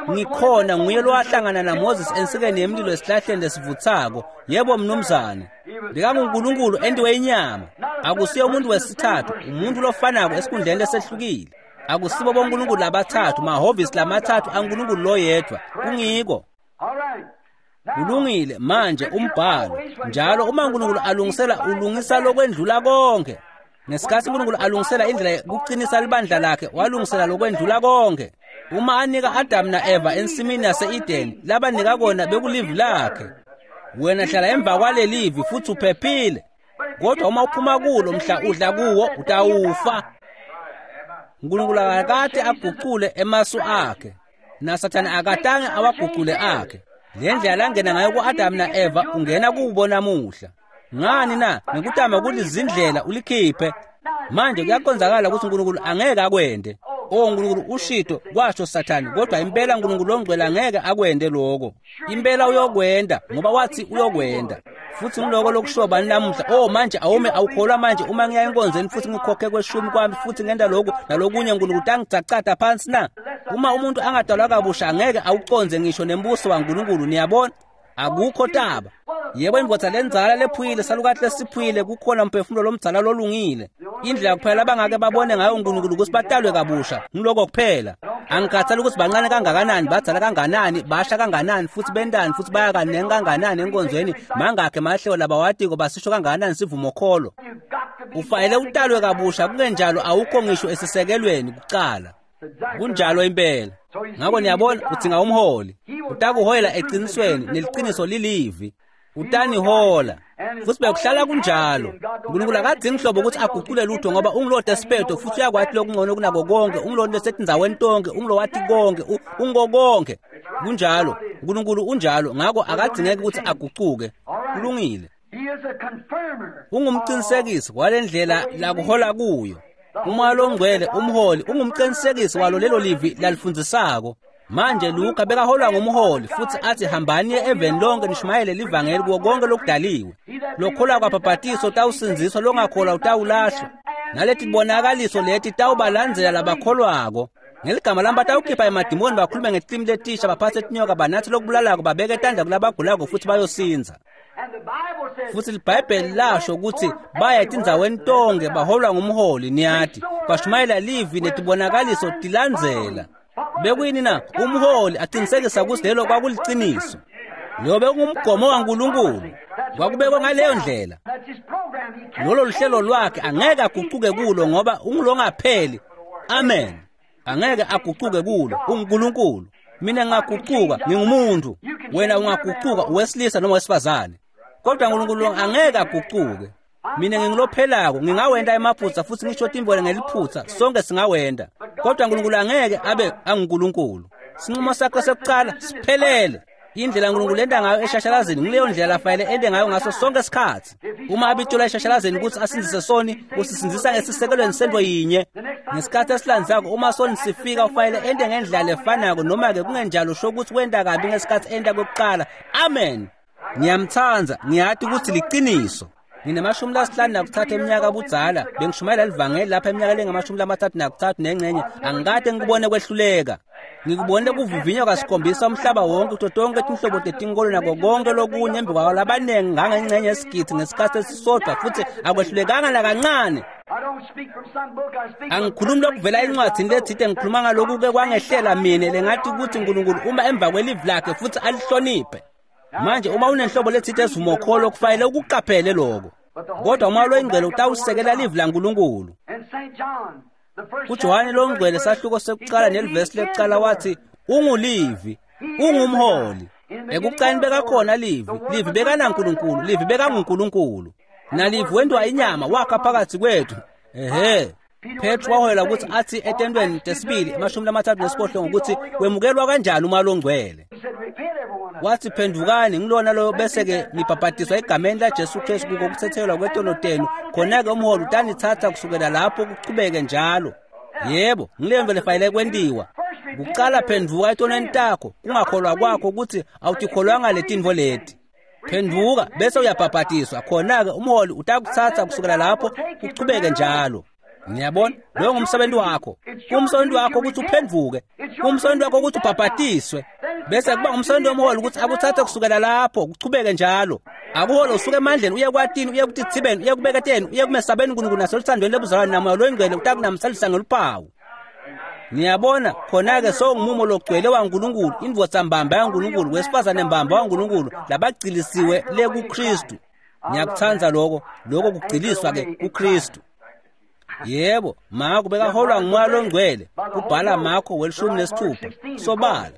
Ngikhona nguye lowahlangana naMoses ensikeni yemlilo esihlahleni lesivuthako. Yebo mnumzane. BekanguNkulunkulu entiwe inyama. Akusiye umuntu wesithathu, umuntu lofanako esikhundleni lesehlukile. Akusibo boNkulunkulu labathathu, mahhovisi lamathathu aNkulunkulu loyedwa. Kungiko. Kulungile manje umbhalo. Njalo uma uNkulunkulu alungisela ulungisa lokwendlula konke. Ngesikhathi uNkulunkulu alungisela indlela yokuqinisa libandla lakhe, walungisela lokwendlula konke. Uma anika Adam na-Eva ensimini yase-Edeni, labanika kona bekulivi lakhe. Wena hlala emva kwalelivi futhi uphephile. Kodwa uma uphuma kulo mhla udla kuwo utawufa. uNkulunkulu akakade aguqule emasu akhe, naSathane akatange awaguqule akhe. Le ndlela langena ngayo ku-Adam na-Eva ungena kubo namuhla. Ngani na? Ngekutama kulizindlela ulikhiphe. Manje kuyakonzakala ukuthi uNkulunkulu angeke akwende. Oh uNkulunkulu ushito kwasho Sathane, kodwa impela uNkulunkulu ongcwele angeke akwende lokho. Impela uyokwenda ngoba wathi uyokwenda. Futhi ngiloko lokusho bani namuhla, oh manje awume awukholwa manje uma ngiya enkonzweni futhi ngikhokhe kweshumi kwami futhi ngenda lokhu nalokunye uNkulunkulu tangicacada phansi na? Uma umuntu angadalwa kabusha angeke awuconze ngisho nembuso waNkulunkulu, niyabona? Akukho taba. Yebo indvodza lenzala lephuyile salukathi lesiphuyile kukhona umphefumulo lomdzala lolungile. Indlela kuphela abangake babone ngayo uNkulunkulu ukuthi batalwe kabusha, ngiloko kuphela. Angikhathali ukuthi bancane kangakanani, badzala kanganani, basha kanganani, futhi bendani, futhi baya kaningi kanganani enkonzweni, mangakhe mahlelo labawatiko basisho kangakanani sivumokholo. Ufanele utalwe kabusha, kungenjalo awukho ngisho esisekelweni kucala. Kunjalo impela. Ngakho niyabona udzinga umholi. Utakuholela eqinisweni neliqiniso lilivi. Utanihola. Futhi bekuhlala kunjalo. uNkulunkulu akadzingi hlobo ukuthi aguqule lutho ngoba ungulo despeto futhi uyakwathi lokungcono kunako konke, ungulo lesetindzaweni tonke, ungulo wathi konke, ungo konke. Kunjalo. uNkulunkulu unjalo, ngakho akadzingeki ukuthi aguquke. Kulungile. Ungumqinisekisi walendlela lakuhola kuyo. Umoya longcwele umholi ungumqinisekisi walo lelo livi lalifundzisako. Manje Luka bekaholwa ngumholi futhi athi hambani eveni lonke nishumayele livangeli kuwo konke lokudaliwe. Lokholwa kwabhabhatiso utawusindziswa, longakholwa utawulahlwa. Naleti tibonakaliso leti tawubalandzela labakholwako. Ngeligama lami batawukhipha emadimoni, bakhulume ngetilimi letisha, baphathe tinyoka, banathe lokubulalako, babeke tandla kulabagulako futhi bayosindza. Futhi liBhayibheli lasho ukuthi baya etindzaweni tonke baholwa ngumholi, niyati bashumayela livi netibonakaliso tilandzela. Bekuyini na? Umholi aqinisekisa ukuthi lelo kwakuliciniso. Loyo bekungumgomo waNkulunkulu. Kwakubekwa ngaleyo ndlela. Lolo luhlelo lwakhe angeke aguquke kulo ngoba ungulongapheli. Amen. Angeke aguquke kulo, unguNkulunkulu. Mina ngingaguquka, ngingumuntu. Wena ungaguquka uwesilisa noma wesifazane. Kodwa uNkulunkulu angeke aguquke. Mina ngingilophelako, ngingawenda emaphutsa futhi ngisho timvelo ngeliphutsa, sonke singawenda. Kodwa uNkulunkulu angeke abe anguNkulunkulu. Sinqumo sakho sekucala siphelele. Indlela uNkulunkulu enda ngayo eshashalazini ngileyo ndlela afanele ende ngayo ngaso sonke isikhathi. Uma abitshela eshashalazini ukuthi asindzise soni, usisindzisa esisekelweni sento yinye. Ngesikhathi esilandzelako uma soni sifika ufanele ende ngendlela lefanako, noma-ke kungenjalo usho ukuthi wenda kabi ngesikhathi enda kokuqala. Amen. Ngiyamthanda, ngiyati ukuthi liqiniso. Nginemashumi lasihlanu nakuthathu eminyaka budzala, bengishumayela livangeli lapha eminyaka lengamashumi lamathathu nakuthathu nengxenye, angikade ngikubone kwehluleka. Ngikubone kuvivinywa kasikhombisa umhlaba wonke kuto tonke tinhlobo tetinkolo nako konke lokunye embi kwawo labanengi ngangengxenye yesigidi ngesikhathi esisodwa futhi akwehlulekanga nakancane. Angikhulumi lokuvela encwadzini letsite, ngikhuluma ngaloku-ke kwangehlela mine lengathi ukuthi uNkulunkulu uma emva kwelivi lakhe futhi alihloniphe. Manje uma unenhlobo letsite esivumokholo kufanele ukuqaphele lokho. Kodwa umoya loyingcwele utawusekela livi laNkulunkulu. KuJohane longcwele sahluko sekucala nelivesi lekucala wathi ungulivi, ungumholi. Ekucaleni bekakhona livi, livi bekanaNkulunkulu, livi bekanguNkulunkulu. Nalivi wentiwa inyama wakha phakathi kwethu. Ehhe. Petro waholela ukuthi athi etentweni tesibili emashumi lamathathu nesiphohlongo ukuthi wemukelwa kanjani umoya longcwele. Wathi phendukani ngilona lo bese-ke nibhabhadiswa egameni laJesu Kristu kuko kuthethelwa kwetono tenu, khona-ke umholi utanithatha kusukela lapho kuchubeke njalo. Yebo, ngileyo nto lefanele kwentiwa. Kucala phenduka etonweni takho, kungakholwa kwakho ukuthi awutikholwanga letintfo leti. Phenduka bese uyabhabhadiswa, khona-ke umholi utakuthatha kusukela lapho kuchubeke njalo. Ngiyabona, loyo ngumsebenzi wakho. Kumsebenzi wakho ukuthi uphenduke, kumsebenzi wakho ukuthi ubhabhadiswe, bese kuba ngumsebenzi womholi ukuthi akuthathe kusukela lapho kuchubeke njalo. Akuhole usuke emandleni uye kwatini, uye kutitsibeni, uye kubeketeni, uye kumesabeni uNkulunkulu nasoluthandweni lobuzalwane namoya loyingcwele utakunamsalisa ngeluphawu. Niyabona, khona-ke sowungumumo logcwele waNkulunkulu, indvodza mbamba yaNkulunkulu, wesifazane mbamba waNkulunkulu, labagcilisiwe le kuKristu. Ngiyakuthanda lokho, lokho kugciliswa-ke kuKristu. Yebo, Marko bekaholwa ngumoya longcwele, kubhala Marko welishumi nesithupha, sobala.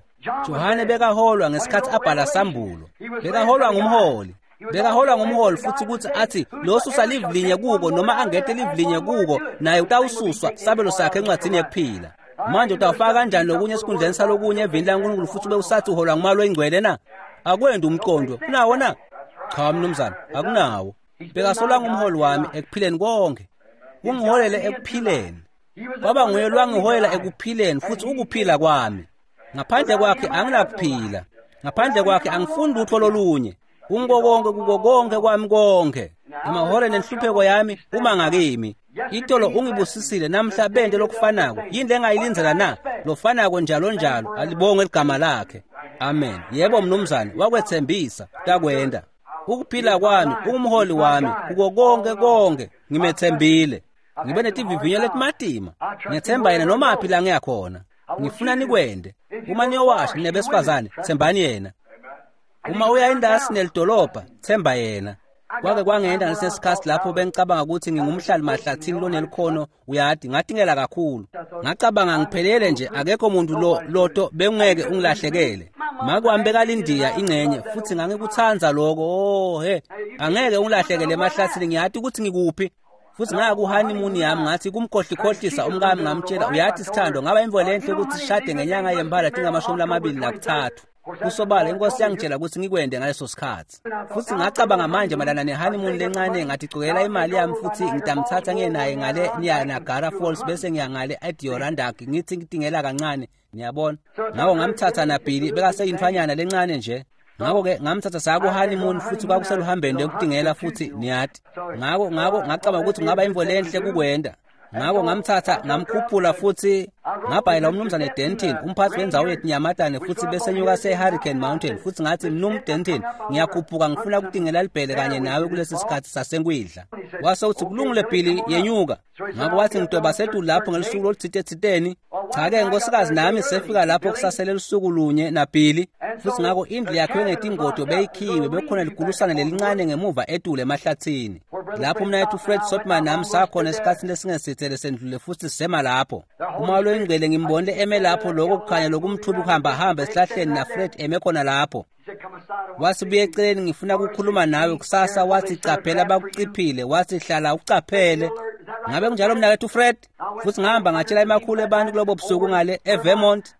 Johane bekaholwa ngesikhathi abhala Sambulo, bekaholwa ngumholi. Bekaholwa ngumholi futhi ukuthi athi losusa live linye kuko noma angete live linye kuko, naye utawususwa sabelo sakhe encwadzini yekuphila. Manje utawufaka kanjani lokunye esikhundleni salokunye evini laNkulunkulu futhi ube usathi uholwa ngumoya loyingcwele na? Akwendi umqondo, kunawo na? Cha mnumzane, akunawo. Bekasolwa ngumholi wami ekuphileni konke. Ungiholele ekuphileni. Kwaba nguye lwangiholela ekuphileni futhi ukuphila kwami. Ngaphandle kwakhe anginakuphila. Ngaphandle kwakhe angifuni lutho lolunye. Ungo konke kuko konke kwami konke. Emahoreni enhlupheko yami uma ngakimi. Itolo ungibusisile namhla bente lokufanako. Yini lengayilindzela na? Lofanako njalo njalo, alibongwe ligama lakhe. Amen. Yebo mnumzane, wakwethembisa, takwenda. Ukuphila kwami, ungumholi wami, kuko konke konke, ngimethembile. Ngibe netivivinyo letimatima. Ngethemba yena noma phi la ngiyakhona. Ngifuna nikwende. Uma niyowasha nibesifazane, thembani yena. Uma uya endasi nelidolobha, themba yena. Kwake kwangenda ngesesikhathi lapho bengicabanga ukuthi ngingumhlali mahlathini lonelikhono, uyadi, ngatingela kakhulu. Ngacabanga ngiphelele nje, akekho umuntu lo loto bengeke ungilahlekele. Make wami bekalindiya ingcenye futhi ngangikuthanda lokho. Oh he, angeke ungilahlekele emahlathini, ngiyati ukuthi ngikuphi. Futhi ngaya ku-honeymoon yami ngathi kumkhohlikhohlisa umkami, ngamtshela, uyathi sithando, ngaba imvo lenhle ukuthi sishade ngenyanga yemphala tingamashumi lamabili nakuthathu. Kusobala inkosi yangitshela ukuthi ngikwende ngaleso sikhathi. Futhi ngacabanga manje malana ne-honeymoon lencane, ngathi cukela imali yami futhi ngitamthatha ngiye naye ngale Niagara Falls bese ngiya ngale Adirondack, ngithi ngitingela kancane, niyabona. Ngakho ngamthatha naBilly, bekaseyintfanyana lencane nje. Ngakho-ke ngamthatha saya ku-honeymoon futhi kwakuseluhambeni lokutingela futhi niyati. Ngakho ngakho ngacabanga ukuthi kungaba imvo lenhle kukwenda. Ngakho ngamthatha ngamkhuphula futhi ngabhayela umnumzane Denton, umphathi wendzawo yetinyamatane, futhi besenyuka se-Hurricane Mountain, futhi ngathi, Mnum Denton, ngiyakhuphuka ngifuna ukutingela libhele kanye nawe kulesi sikhathi sasenkwindla. Wase uthi, kulungile Billy, yenyuka. Ngakho wathi, ngidweba setulu lapho ngelisuku oluthite-thiteni. Cha-ke nkosikazi nami sefika lapho kusasele lusuku lunye naBilly. Futhi ngakho indlu yakhiwe ngetingodo beyikhiwe, bekukhona ligulusane lelincane ngemuva etulu emahlathini. Lapho umnakethu Fred Sotman nami sakhona esikhathini lesingesithele sendlule futhi sisema lapho. Umoya loyingcwele ngimbonile eme lapho, lokho kukhanya lokumthubi kuhambahamba esihlahleni naFred eme khona lapho. Wathi buye eceleni, ngifuna ukukhuluma nawe kusasa. Wathi caphela bakuciphile, wathi hlala ucaphele. Ngabe kunjalo mnakethu Fred? Futhi ngahamba ngatshela emakhulu abantu kulobo busuku ngale eVermont.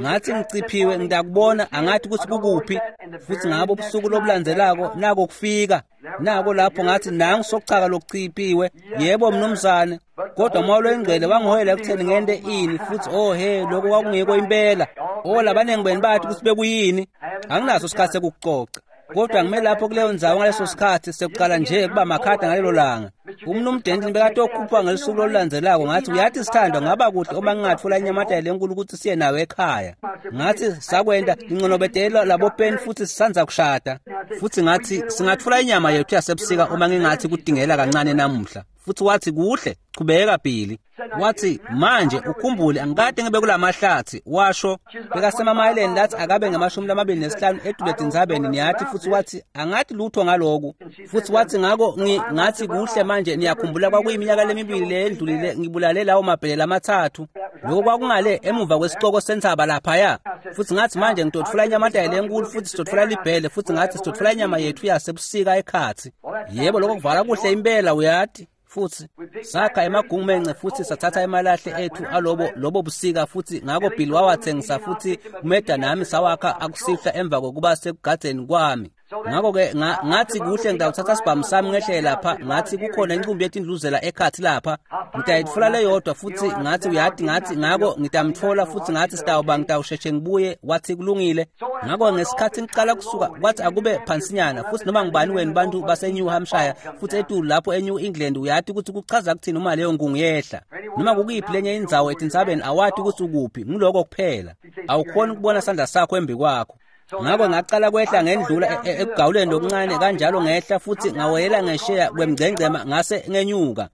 Ngathi ngiciphiwe, ngidakubona, angathi ukuthi kukuphi. Futhi ngabo ubusuku lobulandzelako nako kufika. Nako lapho ngathi nangu sokuchaka lokuciphiwe. Yebo mnumzane. Kodwa umoya loyingcwele wangiholela ekutheni ngente ini futhi oh he, lokho kwakungekho impela. Oh labaningi benu bathi ukuthi bekuyini. Anginaso isikhathi sekukucoca. Kodwa ngime lapho kuleyo ndzawo ngaleso sikhathi sekuqala nje kuba makhada ngalelo langa. Umnum Denton bekatokhupha ngelisuku lolulandzelako, ngathi uyathi sithandwa, ngaba kuhle uma ngingatfola inyamatane lenkulu ukuthi siye nawe ekhaya. Ngathi sakwenta nginconobedela labo peni futhi sisandza kushada. Futhi ngathi singatfola inyama yethu yasebusika uma ngingathi kudingela kancane namuhla. Futhi wathi kuhle, chubeka Billy. Wathi manje ukhumbule angikade ngibe kulamahlathi, washo bekasemamayeleni lathi akabe ngamashumi lamabili nesihlanu edule etindzabeni niyathi. Futhi wathi angathi lutho ngaloku. Futhi wathi ngako ngathi kuhle manje niyakhumbula kwakuyiminyaka lemibili leyendlulile ngibulale lawo mabhele lamathathu. Lokho kwakungale emuva kwesicoko sentsaba laphaya. Futhi ngathi manje ngitotfula inyamatane lenkulu futhi sitotfula libhele futhi ngathi sitotfula inyama yethu yasebusika ekhathi. Yebo, lokho kuvala kuhle impela uyati. Futsi sakha emagumence futsi sathatha emalahle ethu alobo lobo busika futsi ngako Bill wawatsengisa futsi Meda nami sawakha akusihla emva kokuba sekugadzeni kwami. Ngako-ke ngathi kuhle ngitawuthatha sibhamu sami ngehle lapha, ngathi kukhona incumbi yetindluzela ekhathi lapha, ngitayitfola leyodwa futsi ngathi uyati ngathi ngako ngitamtfola futsi ngathi sitawuba ngitawusheshe ngibuye, wathi kulungile. Ngako ngesikhathi ngiqala kusuka kwathi akube phansinyana futsi noma ngubani wenu bantu base-New Hampshire futsi etulu lapho e-New England uyati ukuthi kuchaza kuthini uma leyo nkungu yehla. Noma kukuyiphi lenye indzawo etintsabeni awati ukuthi ukuphi, nguloko kuphela. Awukhoni ukubona sandla sakho embi kwakho. Ngako ngaqala kwehla ngendlula ekugawuleni lokuncane kanjalo ngehla futsi ngawela ngesheya kwemgcengcema ngase ngenyuka.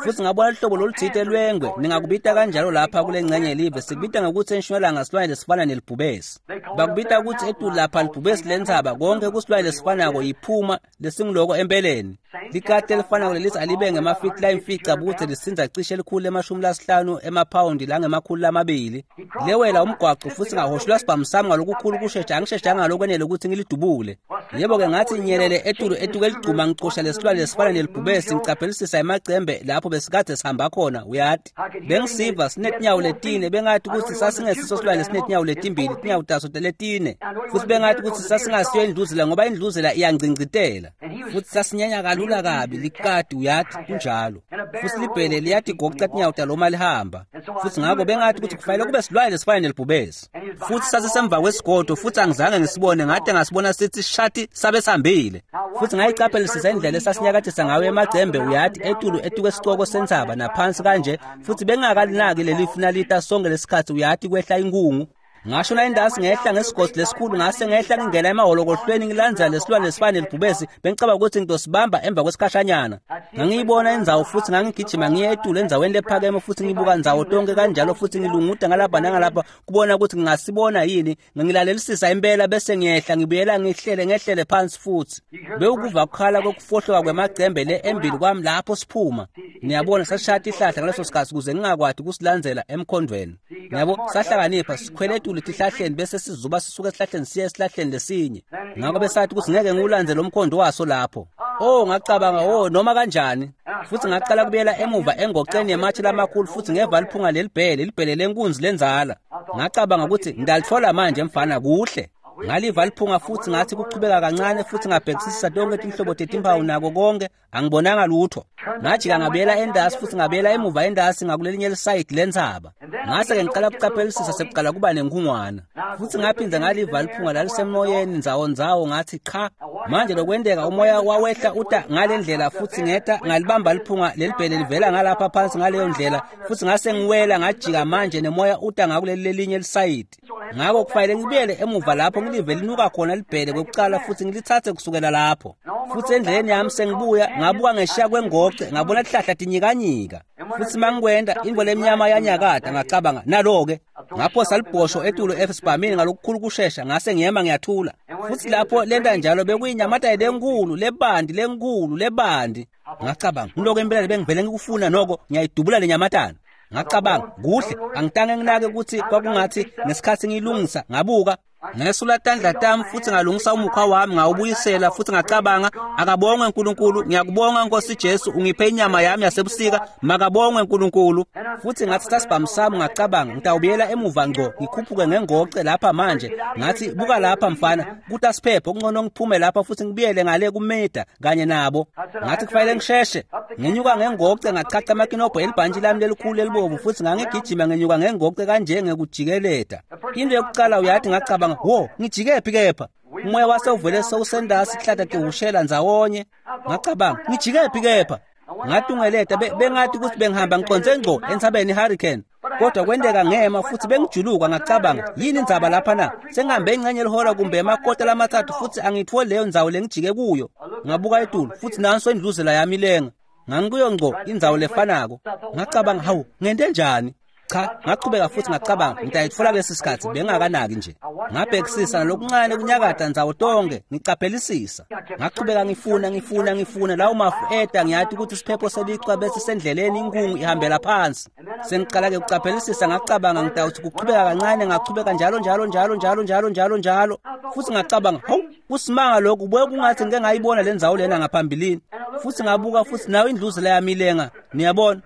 Futsi ngabona luhlobo lolutsite lwengwe, ningakubita kanjalo lapha kule ngcenye yelive, sikubita ngekutsi entshonalanga silwane lesifana nelibhubesi. Bakubita kutsi etulu lapha libhubesi lentsaba, konke kusilwane lesifanako yiphuma lesinguloko empeleni. Likati elifanako lelithi alibe ngemafiti layimfica budze lisindza cishe elikhulu emashumi lasihlanu emaphawundi langemakhulu lamabili. Lewela umgwaco futsi ngahoshulwa sibhamu sami ngalokukhulu kushesha, angisheshanga ngalokwenele ukuthi ngilidubule. Yebo-ke ngathi nyelele etulu etuke eligcuma ngicosha lesilwane lesifana nelibhubesi ngicaphelisisa emacembe lapho besikade sihamba khona uyati. Bengisiva sinetinyawo letine, bengathi ukuthi sasingesiso silwane lesinetinyawo letimbili, tinyawo taso letine. Futsi bengathi ukuthi sasingasiyo indluzela ngoba indluzela iyangcingcitela. Futsi sasinyanya kalula kabi likati uyati kunjalo. Futsi libhele liyatigoca tinyawo talo uma lihamba. Futsi ngako bengathi ukuthi kufanele kube silwane lesifana nelibhubesi. Futsi sasisemva kwesigodo futsi angizange ngisibone, ngade ngasibona sithi shati sabe sihambile. Futsi ngayicaphelisisa indlela esasinyakathisa ngayo emacembe uyati etulu etuke esicoko sentsaba naphansi kanje, futsi bengakalinaki lelifu nalita sonke lesikhatsi uyati kwehla inkungu. Ngasho na indasi ngehla ngesigodzi lesikhulu ngase ngehla ngingena emahholokohlweni ngilandzela lesilwane lesifana nelibhubesi, bengicabanga ukuthi ngitosibamba emva kwesikhashanyana. Ngangiyibona indzawo futsi ngangigijima ngiye etulu endzaweni lephakeme futsi ngibuka ndzawo tonke kanjalo futsi ngilunguda ngalapha nangalapha kubona ukuthi ngingasibona yini. Ngilalelisisa impela bese ngiyehla ngibuyela ngihlele ngehlele phansi futsi. Bewukuva kukhala kokufohloka kwemacembe le embili kwami lapho siphuma. Niyabona sashaya tihlahla ngaleso sikhatsi ukuze ngingakwati kusilandzela emkhondweni. Niyabo sahlakanipha sikhwele etulu tihlahleni bese sizuba sisuka esihlahleni siye esihlahleni lesinye. Ngako besathi ukuthi ngeke ngiwulandzele umkhondo waso lapho. Oh ngacabanga oh noma kanjani. Futsi ngaqala kubuyela emuva engoceni yematshe lamakhulu futsi ngeva liphunga lelibhele, libhele lenkunzi lenzala. Ngacabanga ukuthi ngidalitfola manje mfana kuhle. Ngaliva liphunga futsi ngathi kuchubeka kancane futsi ngabhekisisa tonke tinhlobo tetimpawu nako konke, angibonanga lutho. Ngajika ngabuyela endasi futsi ngabuyela emuva endasi ngakulelinye lisayidi lentsaba. Ngase-ke ngiqala kucaphelisisa sekuqala kuba nenkungwana. Futsi ngaphindze ngaliva liphunga lalisemoyeni ndzawo ndzawo ngathi cha, manje lokwenteka umoya wawehla uta ngale ndlela futsi ngeta ngalibamba liphunga lelibhele livela ngalapha phansi ngaleyo ndlela futsi ngase ngiwela ngajika manje nemoya uta ngakuleli lelinye lisayidi. Ngako kufanele ngibuyele emuva lapho ngilive linuka khona libhele kwekucala futsi ngilitsatse kusukela lapho. Futsi endleleni yami sengibuya ngabuka ngeshiya kwengoce ngabona tihlahla tinyikanyika. Futsi mangikwenda intfo lemnyama yanyakata ngacabanga nalo-ke. Ngaphosa libhosho etulu esibhamini ngalokukhulu kushesha ngase ngiyema ngiyathula. Futsi lapho lenta njalo bekuyinyamatane lenkulu lebandi lenkulu lebandi. Ngacabanga ngiloko impela bengivele ngikufuna noko ngiyayidubula le nyamatane. Ngacabanga kuhle angitange nginake ukuthi kwakungathi ngesikhatsi ngiyilungisa ngabuka ngesula tandla tami futsi ngalungisa umukhwa wami ngawubuyisela futsi ngacabanga akabongwe uNkulunkulu, ngiyakubonga Nkosi Jesu ungiphe inyama yami yasebusika, makabongwe uNkulunkulu. Futsi ngathi sasibhamu sami ngacabanga ngitawubuyela emuva ngco ngikhuphuke ngengoce lapha manje. Ngathi buka lapha mfana kuta siphepho kungcono ngiphume lapha futsi ngibuyele ngale kumeda kanye nabo. Ngathi kufanele ngisheshe. Ngenyuka ngengoce ngachacha amakinobho elibhantshi lami lelikhulu elibovu futsi ngangigijima ngenyuka ngengoce kanje ngekujikeleta. Into yokucala uyathi ngacabanga wo ngijikephi kepha umoya wasewuvele sewusendasi sihlahla tihushela ndzawonye. Ngacabanga ngijikephi kepha ngatungeleta bengathi ukuthi bengihamba ngiconze ngco entsabeni i-hurricane, kodwa kwenteka ngema futsi bengijuluka. Ngacabanga yini indzaba lapha na, sengihambe ingcenye elihora kumbe emakota lamathathu futsi angitfoli leyo ndzawo lengijike kuyo. Ngabuka etulu futsi nanso indluzela yami ilenga, ngangikuyo ngco indzawo lefanako. Ngacabanga hawu ngente njani? Cha, ngachubeka futhi ngacabanga ngitayitfola kulesi sikhatsi bengakanaki nje. Ngabhekisisa nalokuncane kunyakata ndzawo tonke ngicaphelisisa. Ngachubeka ngifuna ngifuna ngifuna lawo mafu eta ngiyati ukuthi isiphepho selichwa bese sendleleni inkungu ihambela phansi. Sengiqala-ke kucaphelisisa ngacabanga ngitawuthi kuchubeka kancane ngachubeka njalo njalo njalo njalo njalo njalo njalo. Futhi ngacabanga hawu kusimanga lokhu buye kungathi ngike ngayibona le ndzawo lena ngaphambilini. Futhi ngabuka futhi nawe indluzela yami ilenga. Niyabona?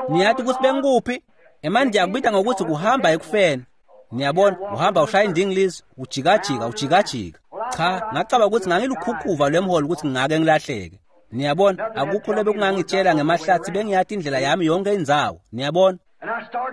Niyathi ukuthi bengikuphi? Emanje akubita ngokuthi kuhamba ekufeni. Niyabona, uhamba ushaya indingilizi, ujikajika, ujikajika. Cha, ngacaba ukuthi ngangilukhukhuva lwemholo ukuthi ngingake ngilahleke. Niyabona, akukho lebe kungangitshela ngemahlathi bengiyathi indlela yami yonke indzawo. Niyabona?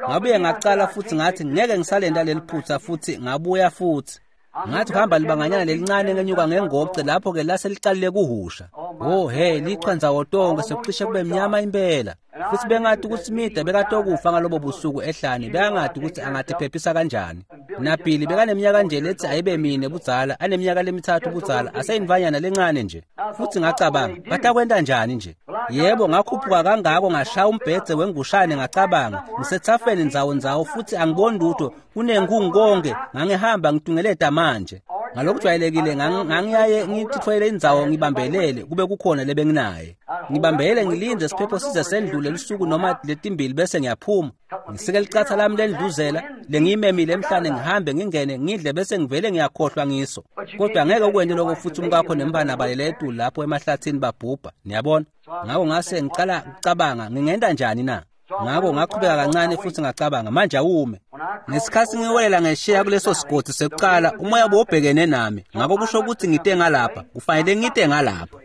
Ngabuye ngacala futhi ngathi ngeke ngisalenda leliphutha futhi ngabuya futhi. Ngathi kuhamba libanganyana lelincane ngenyuka ngengoce lapho ke lase liqalile kuhusha. Oh hey, lichwa ndzawo tonke sekucishe kube mnyama impela. Futhi bengathi ukuthi Mida bekatokufa ngalobo busuku ehlane, bekangathi ukuthi angatiphephisa kanjani. Nabhili bekaneminyaka nje lethi ayibe mine budzala, aneminyaka lemithathu budzala, aseyimvanyana lencane nje. Futhi ngacabanga, batakwenta njani nje? Yebo, ngakhuphuka kangako ngashaya umbhedze wengushane ngacabanga, ngisethafeni ndzawo ndzawo futhi angiboni lutho, kunenkungu konke, ngangihamba ngitungeleta manje. Ngalokujwayelekile ngangiyaye ngithithwele indzawo ngibambelele kube kukhona lebenginaye. Ngibambele ngilinde siphepho size sendlule lusuku noma letimbili bese ngiyaphuma. Ngisike licatha lami lendluzela lengiyimemile emhlane ngihambe ngingene ngidle bese ngivele ngiyakhohlwa ngiso. Kodwa ngeke ukwente lokho futhi umkakho nembana balele etulu lapho emahlathini babhubha. Niyabona? Ngakho ngase ngicala ukucabanga ngingenta njani na? Ngakho ngaqhubeka kancane futhi ngacabanga manje awume. Ngesikhathi ngiwelela ngesheya kuleso sigodi sekuqala umoya bowubhekene nami. Ngakho kusho ukuthi ngite ngalapha, kufanele ngite ngalapha.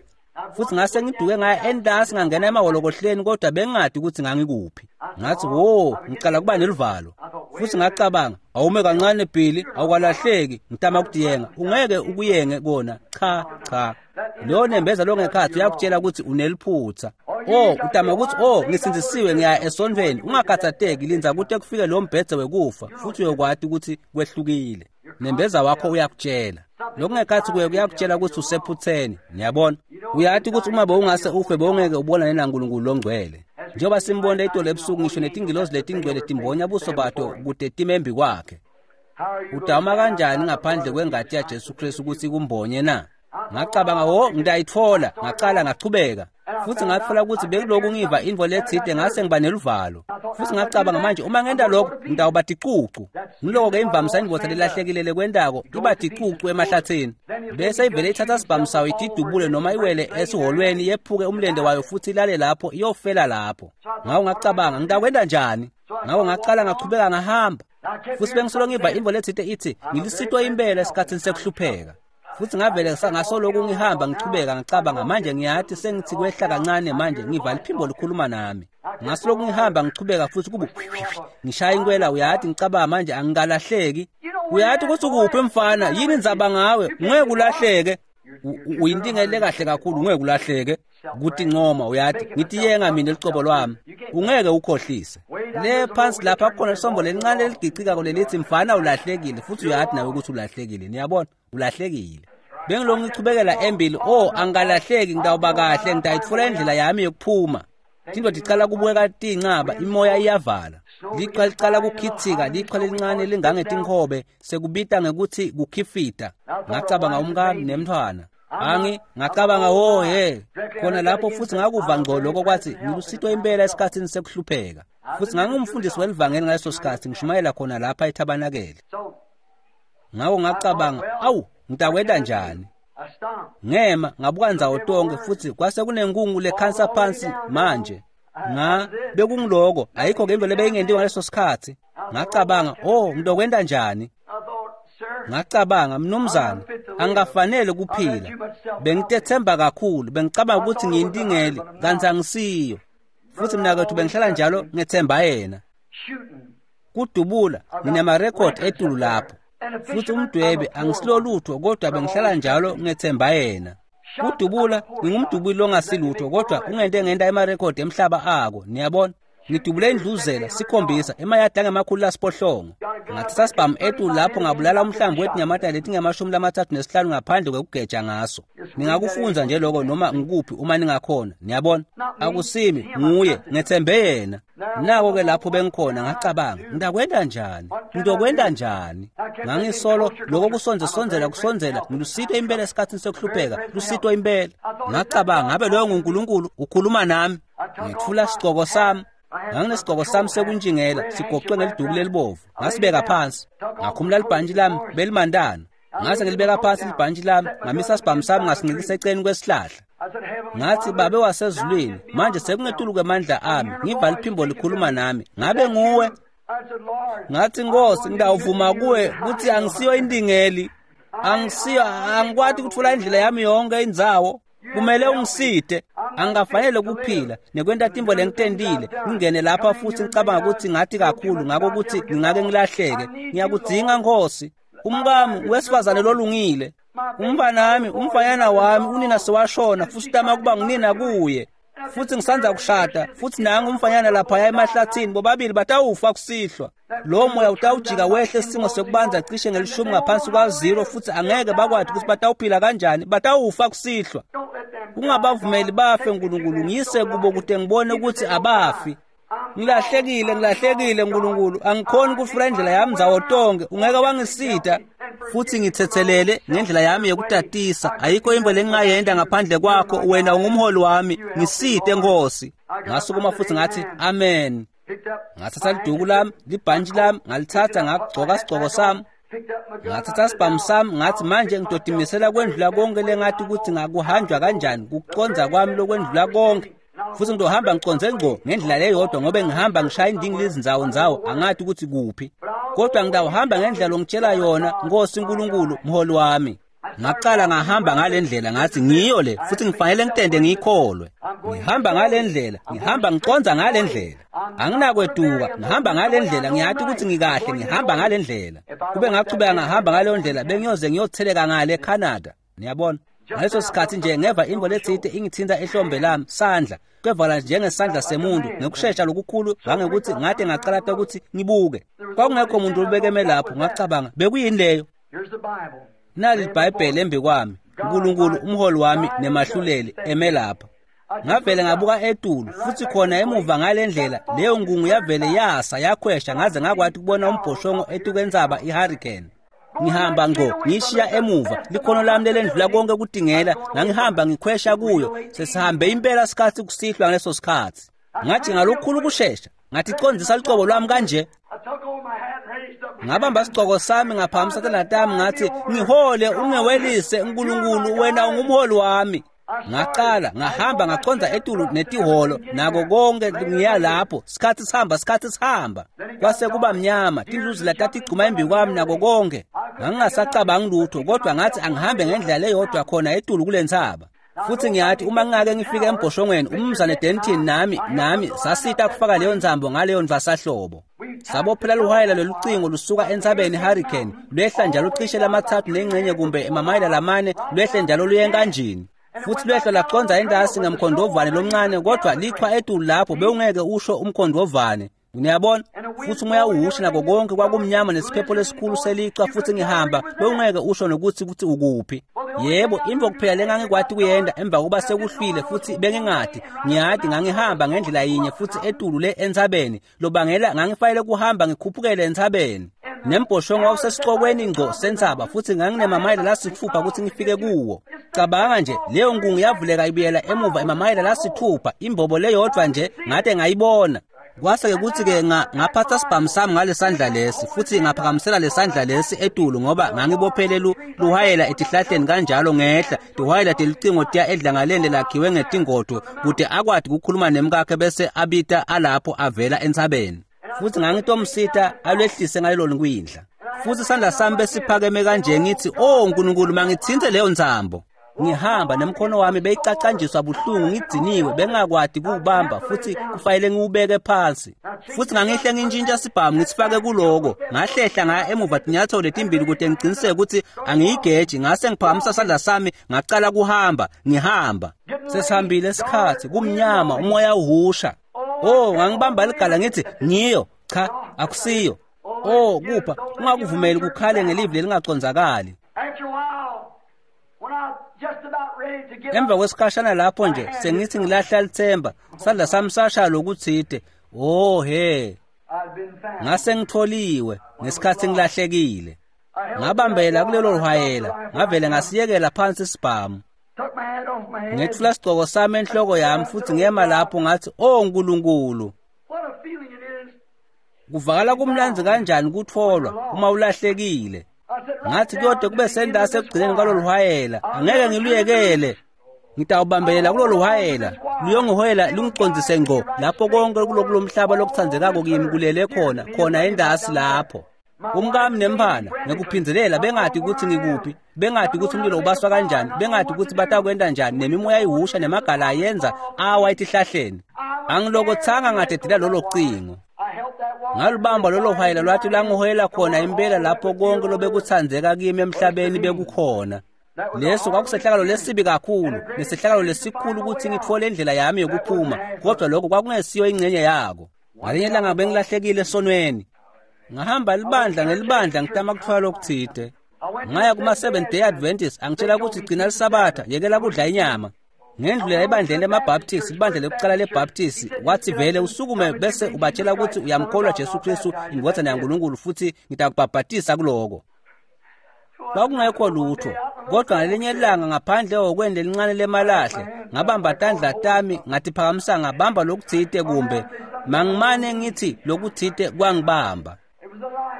Futhi ngase ngiduke ngaya endasi ngangena emahholokohleni kodwa bengingadi ukuthi ngangikuphi. Ngathi wo, ngicala kuba neluvalo. Futhi ngacabanga, awume kancane Billy, awukalahleki, ngitama kudiyenga. Ungeke ukuyenge kona. Cha, cha. Lo nembeza lo ngekhathi uyakutshela ukuthi uneliphutha. Oh, utama ukuthi oh ngisindzisiwe ngiya esontweni. Ungakhathatheki linza kude kufike lo mbhedze wekufa futhi uyokwati ukuthi kwehlukile. Nembeza wakho uyakutshela. Lokungekhathi kuye kuyakutshela ukuthi usephutheni. Niyabona? Uyathi ukuthi uma bowungase ufe bowungeke ubonane naNkulunkulu longcwele. Njengoba simbona itolo ebusuku ngisho netingilozi letingcwele timbonya buso bato kude timembi kwakhe. Udama kanjani ngaphandle kwengati yaJesu Kristu ukuthi kumbonye na? Ngacabanga wo ngitayitfola, ngacala ngachubeka. Futhi ngatfola ukuthi bekuloku ngiva intfo letsite ngase ngiba neluvalo. Futhi ngacabanga manje uma ngenta lokho ngitawuba ticucu. Ngiloko ke imvamisa indvodza lelahlekile lekwentako iba ticucu emahlathini. Bese ivele ithatha sibhamu sayo itidubule noma iwele esiholweni yephuke umlende wayo futhi ilale lapho iyofela lapho. Ngakho ngacabanga ngitakwenta njani? Ngakho ngacala ngachubeka ngahamba. Futhi bengisolo ngiva intfo letsite ithi ngilisitwa impela esikhathini sekuhlupheka. Futhi ngavele ngasoloku ngihamba ngichubeka ngicabanga manje ngiyathi sengithi kwehla kancane manje ngiva liphimbo likhuluma nami. Ngasoloku ngihamba ngichubeka futhi kubu ngishaya inkwela uyathi ngicabanga manje angikalahleki. Uyathi ukuthi ukuphi mfana yini indzaba ngawe ngeke ulahleke. Uyintingele kahle kakhulu ngeke ulahleke. Kuthi ncoma uyathi ngithi yenga mina licobo lwami ungeke ukhohlise. Le phansi lapha kukhona isombo lelincane leligicikako lelithi mfana ulahlekile futhi uyathi nawe ukuthi ulahlekile. Niyabona? Ulahlekile. Bengilongu ngichubekela embili, oh angikalahleki ngitawuba kahle ngitayitfola indlela yami yokuphuma. Tinto ticala kubukeka tincaba, imoya iyavala. Lichwa licala kukhithika, lichwa lelincane lingangetinkobe sekubita ngekuthi kukhifita. Ngacabanga umkami nemntfwana. Angi ngacabanga wo he khona lapho futhi ngakuva ngqo lokho kwathi ngilusitwa impela esikhathini sekuhlupheka. Futhi ngangumfundisi welivangeli ngaleso sikhathi ngishumayela khona lapha ethabanakele. Ngakho ngacabanga awu ngitakwenta njani? Ngema ngabuka ndzawo tonke futhi kwase kunenkungu lekhansa phansi manje. Nga bekungiloko ayikho ke into lebeyingentiwa ngaleso sikhathi. Ngacabanga oh ngitokwenta njani? Ngacabanga mnumzane angikafanele kuphila. Bengitethemba kakhulu, bengicabanga ukuthi ngiyintingeli kanti angisiyo. Futhi mina kwethu bengihlala njalo ngethemba yena. Kudubula nginemarekhodi etulu lapho. Futhi umdwebe angisilolutho kodwa bengihlala njalo ngethemba yena. Kudubula ngingumdubuli ongasilutho kodwa ungente ngenta emarekhodi emhlaba ako. Niyabona? Ngidubule indluzela sikhombisa emayadi angemakhulu lasiphohlongo. Ngathatha sibhamu etulu lapho ngabulala umhlambi wetinyamatane letingemashumi lamathathu nesihlanu ngaphandle kwekugeja ngaso. Ningakufunza nje lokho noma ngikuphi uma ningakhona. Niyabona? Akusimi nguye ngethembe yena. Nako ke lapho bengikhona ngacabanga ngitakwenta njani? Ngitokwenta njani? Ngangisolo lokho kusonze sonzela kusonzela ngilusitwa impela esikhathini sekuhlupheka, lusitwa impela. Ngacabanga ngabe loyo nguNkulunkulu ukhuluma nami. Ngithula sigcoko sami. Nganginesigcoko sami sekunjingela sigoqwe ngeliduku lelibovu. Ngasibeka phansi. Ngakhumula libhantshi lami belimandana. Ngase ngilibeka phansi libhantshi lami, ngamisa sibhamu sami ngasincikisa eceleni kwesihlahla. Ngathi, Babe wasezulwini, manje sekungetulu kwemandla ami, ngiva liphimbo likhuluma nami, ngabe nguwe? Ngathi, Nkosi, ngidawuvuma kuwe kutsi angisiyo indingeli, angisiyo, angikwati kutfola indlela yami yonke indzawo. Kumele ungisite, angafanele kuphila nekwenta tintfo lengitentile, ngingene lapha futhi ngicabanga ukuthi ngathi kakhulu ngako ukuthi ngingake ngilahleke. Ngiyakudzinga Nkosi. Umkami wesifazane lolungile, umfanami, umfanyana wami unina sewashona futhi utama kuba ngunina kuye, futhi ngisandza kushada futhi nangu umfanyana laphaya emahlathini, bobabili batawufa kusihlwa. Lo moya utawujika wehle isimo sekubanza cishe ngelishumi ngaphansi kwa zero, futhi angeke bakwati ukuthi batawuphila kanjani, batawufa kusihlwa. Ungabavumeli bafe Nkulunkulu, ngiyise kubo kude ngibone ukuthi abafi. Ngilahlekile, ngilahlekile Nkulunkulu, angikhoni ukufula indlela yami ndzawo tonke, ungeke wangisida futhi ngithethelele ngendlela yami yokutatisa. Ayikho into lengingayenda ngaphandle kwakho, wena ungumholi wami, ngiside Nkosi. Ngasukuma futhi ngathi amen. Ngathatha liduku lami, libhantshi lami, ngalithatha ngagcoka isigcoko sami, ngathatha isibhamu sami, ngathi manje ngidodimisela kwendlula konke lengathi ukuthi ngakuhanjwa kanjani, kuconza kwami lokwendlula konke. Futhi ngizohamba ngiconze ngqo ngendlela leyodwa ngoba ngihamba ngishaya indingilizi izindzawo ndzawo, angathi ukuthi kuphi, kodwa ngidawuhamba ngendlela longitshela yona Nkosi uNkulunkulu mholi wami. Ngaqala ngahamba ngale ndlela, ngathi ngiyo le futhi ngifanele ngitende ngiyikholwe. Ngihamba ngale ndlela, ngihamba ngiconza ngale ndlela, anginakweduka, ngihamba ngale ndlela, ngiyathi ukuthi ngikahle, ngihamba ngale ndlela. Kube ngachubeka ngahamba ngaleyo ndlela bengiyoze ngiyotheleka ngale eCanada. Niyabona, ngaleso sikhathi nje ngeva into letsite ingithinta ehlombe lami, sandla kwevala njengesandla semuntu ngekushesha lokukhulu ngangekuthi ngade ngacalata ukuthi ngibuke. Kwakungekho muntu olubekeme lapho. Ngacabanga, bekuyini leyo? Nali iBhayibheli embi kwami, uNkulunkulu umholi wami nemahluleli eme lapha. Ngavele ngabuka etulu futhi khona emuva ngale ndlela leyo ngungu yavele yasa yakhwesha, ngaze ngakwati kubona umbhoshongo etukwentsaba ihurricane. Ngihamba ngqo ngishiya emuva likhono lami lelendlula konke kudingela, ngangihamba ngikhwesha kuyo. Sesihambe impela sikhathi kusihlwa ngaleso sikhathi. Ngathi ngalokukhulu ukushesha, ngathi condzisa licobo lwami kanje. Ngabamba isigcoko sami ngaphakamisa tandla tami, ngathi ngihole ungewelise uNkulunkulu, wena ungumholi wami. Ngaqala ngahamba ngaconza etulu netiholo nako konke ngiya lapho, sikhathi sihamba sikhathi sihamba. Kwase kuba mnyama, tindluzula tatigcuma embi kwami nako konke. Ngangingasacabangi lutho, kodwa ngathi angihambe ngendlela leyodwa khona etulu kule ntsaba. Futhi ngiyathi uma ngingake ngifike embhoshongweni, umnumzane Denton nami nami sasita kufaka leyo nzambo ngaleyo ndvasahlobo. Sabophela luhwayela lolucingo lusuka entsabeni Hurricane, lwehla njalo cishe lamathathu nengxenye kumbe emamayela lamane, lwehle njalo luye enkanjini. Futhi lwehla laconza endasi ngemkhondovane lomncane, kodwa lichwa etulu lapho bewungeke usho umkhondovane. Niyabona, futhi umoya uhusha nako konke kwakumnyama nesiphepho lesikhulu selichwa, futhi ngihamba bewungeke usho nokuthi ukuthi ukuphi. Yebo, imvo kuphela lengangikwati kuyenda emva kokuba sekuhlwile futhi bengingadi, ngiyadi ngangihamba ngendlela yinye futhi etulu le entsabeni, lobangela ngangifanele kuhamba ngikhuphukele entsabeni. Nembhoshongo wawusesicokweni ngqo sentsaba futhi nganginemamayela lasithupha ukuthi ngifike kuwo. Cabanga nje, leyo nkungu yavuleka ibuyela emuva emamayela lasithupha, imbobo leyodwa nje ngade ngayibona. Kwase-ke kuthi-ke ngaphatha sibhamu sami ngalesandla lesi futhi ngaphakamisela lesandla lesi etulu ngoba ngangibophele luhwayela etihlahleni kanjalo ngehla tihwayela telucingo tiya edlangaleni lelakhiwe ngetingodvo kude akwati kukhuluma nemkakhe bese abita alapho avela entsabeni. Futhi ngangitomsita alwehlise ngalelo kwindla. Futhi isandla sami besiphakeme kanje ngithi, "Oh Nkulunkulu, mangithinte leyo ntsambo." Ngihamba nemkhono wami beyicacanjiswa buhlungu, ngigciniwe bengakwati kuwubamba futhi kufanele ngiwubeke phansi. Futhi ngangihle ngintshintsha sibhamu ngisifake kuloko, ngahlehla ngaya emuva tinyathelo letimbili kude ngiqiniseke ukuthi angiyigeji. Ngase ngiphakamisa isandla sami ngacala kuhamba, ngihamba. Sesihambile isikhathi, kumnyama, umoya uhusha. Oh, ngangibamba ligala ngithi ngiyo, cha akusiyo. Oh, kupha ungakuvumeli kukhale ngelivi lelingacondzakali. Emva kwesikhashana lapho nje sengithi ngilahla lithemba, sandla sami sashaya lokuthide. Oh he, ngase ngitholiwe ngesikhathi ngilahlekile. Ngabambela kulelo hwayela, ngavele ngasiyekela phansi isibhamu. Ngethula isigcoko sami enhloko yami futhi ngema lapho ngathi, "Oh Nkulunkulu, kuvakala kumnandzi kanjani kutholwa uma ulahlekile." Ngathi kuyode kube sendase ekugcineni kwalolu hwayela, angeke ngiluyekele. Ngitawubambelela kulolu hwayela luyongihoyela lungicondzise ngco lapho konke kulokulomhlaba lokutsandzekako kimi kulele khona khona endasi lapho. Umkami nemphana ngekuphindelela bengati ukuthi ngikuphi, bengati ukuthi umlilo ubaswa kanjani, bengati ukuthi batakwenta njani, nemimoya ihusha nemagala ayenza awa etihlahleni. Angilokothanga ngadedela lolo cingo. Ngalubamba lolo hwayela lwathi lwangihoyela khona impela lapho konke lobekutsandzeka kimi emhlabeni bekukhona. Leso kwakusehlakalo lesibi kakhulu nesehlakalo lesikhulu ukuthi ngitfole indlela yami yokuphuma, kodwa lokho kwakungesiyo ingcenye yako. Ngalinye ilanga bengilahlekile esonweni. Ngahamba libandla ngelibandla ngitama kutfola lokutsite. Ngaya kuma Seventh Day Adventist angitshela ukuthi gcina lisabatha, yekela kudla inyama. Ngendlula ebandleni lemaBaptist, libandla lekucala leBaptist, wathi vele usukume bese ubatshela ukuthi uyamkholwa Jesu Kristu indvodzana yaNkulunkulu futhi ngitakubhabhatisa kuloko. Kwakungekho lutho, kodwa ngalinye ilanga ngaphandle kokwendle elincane lemalahle, ngabamba tandla tami ngatiphakamisa ngabamba lokutsite kumbe mangimane ngithi lokutsite kwangibamba.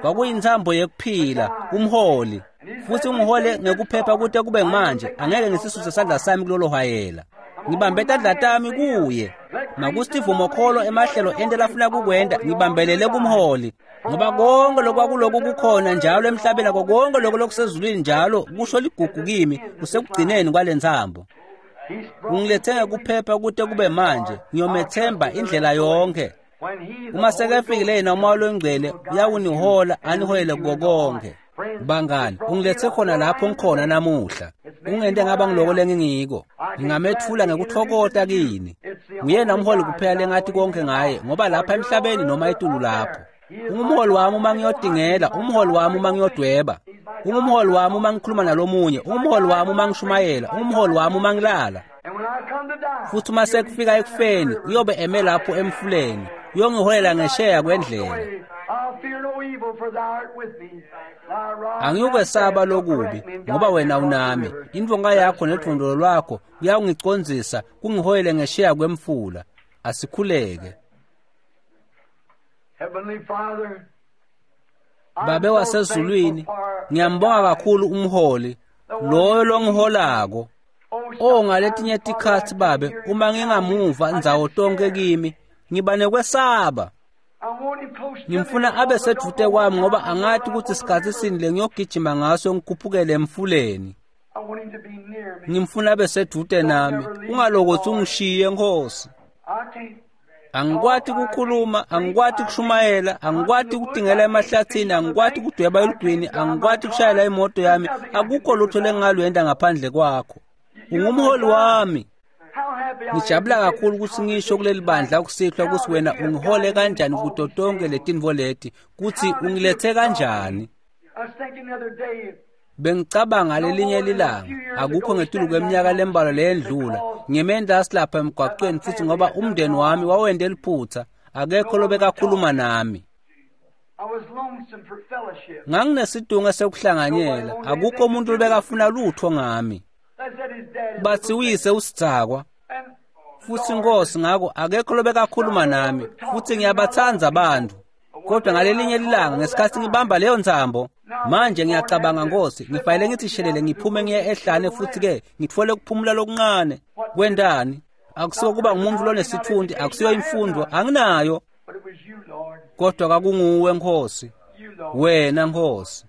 Kwakuyintsambo yekuphila, umholi, futhi ungihole ngekuphepha kute kube manje, angeke ngisisuse sandla sami kulolo hwayela. Ngibambe tandla tami kuye. Makusivumokholo emahlelo ente lafuna kukwenda, ngibambelele kumholi. Ngoba konke lokwakuloku kukhona njalo emhlabeni akho konke lokho lokusezulwini njalo kusho ligugu kimi kusekugcineni kwalentsambo. Ungilethe ngekuphepha kute kube manje, ngiyomethemba indlela yonke. Uma sekefikile yena umoya longcwele uyawunihola aniholele kuko konke. Bangani, ungilethe khona lapho ngikhona namuhla. Ungente ngaba ngiloko lengingiko. Ngingamethula ngekuthokota kini. Nguyena umholi kuphela lengathi konke ngaye, ngoba lapha emhlabeni noma etulu lapho. Ungumholi wami uma ngiyodingela, umholi wami uma ngiyodweba. Ungumholi wami uma ngikhuluma nalomunye, ungumholi wami uma ngishumayela, ungumholi wami uma ngilala. Futhi uma sekufika ekufeni, uyobe eme lapho emfuleni, uyongiholela ngesheya kwendlela. Angiyukwesaba lokubi, ngoba wena unami. Indvonga yakho nedvondolo lwakho kuyawungicondzisa kungiholele ngesheya kwemfula. Asikhuleke. Babe wasezulwini, ngiyambonga kakhulu umholi, loyo longiholako. Oh, ngaletinye tikhatsi babe, uma ngingamuva ndzawo tonke kimi, ngiba nekwesaba. Ngimfuna abe sedvute kwami ngoba angathi ukuthi sikhatsi sini lengiyogijima ngaso ngikhuphukele emfuleni. Ngimfuna abe sedvute nami, ungalokothi ungishiye Nkosi. Angikwati kukhuluma, angikwati kushumayela, angikwati kudingela emahlathini, angikwati kudweba elugwini, angikwati kushayela imoto yami, akukho lutho lengingalwenta ngaphandle kwakho. Ungumholi wami. Ngijabula kakhulu ukuthi ngisho kuleli bandla kusihlwa ukuthi wena ungihole kanjani kuto tonke letintfo leti, kutsi ungilethe kanjani. Bengicabanga lelinye lilanga, akukho ngetulu kweminyaka lembalwa leyendlula, ngime endasi lapha emgwaqweni futhi ngoba umndeni wami wawente liphutha, akekho lobekakhuluma nami. Nganginesidunge sekuhlanganyela, akukho umuntu lobekafuna lutho ngami. Bathi uyise usidzakwa. Futhi Nkosi ngako akekho lobekakhuluma nami, futhi ngiyabatsandza abantu. Kodwa ngalelinye ilanga ngesikhathi ngibamba leyo ntsambo, manje ngiyacabanga Nkosi, ngifanele ngithi shelele ngiphume ngiye ehlane futhi ke ngitfole ukuphumula lokuncane. Kwentani? Akusiyo kuba ngumuntu lonesithunti, akusiyo imfundo, anginayo. Kodwa kwakunguwe Nkosi, wena Nkosi.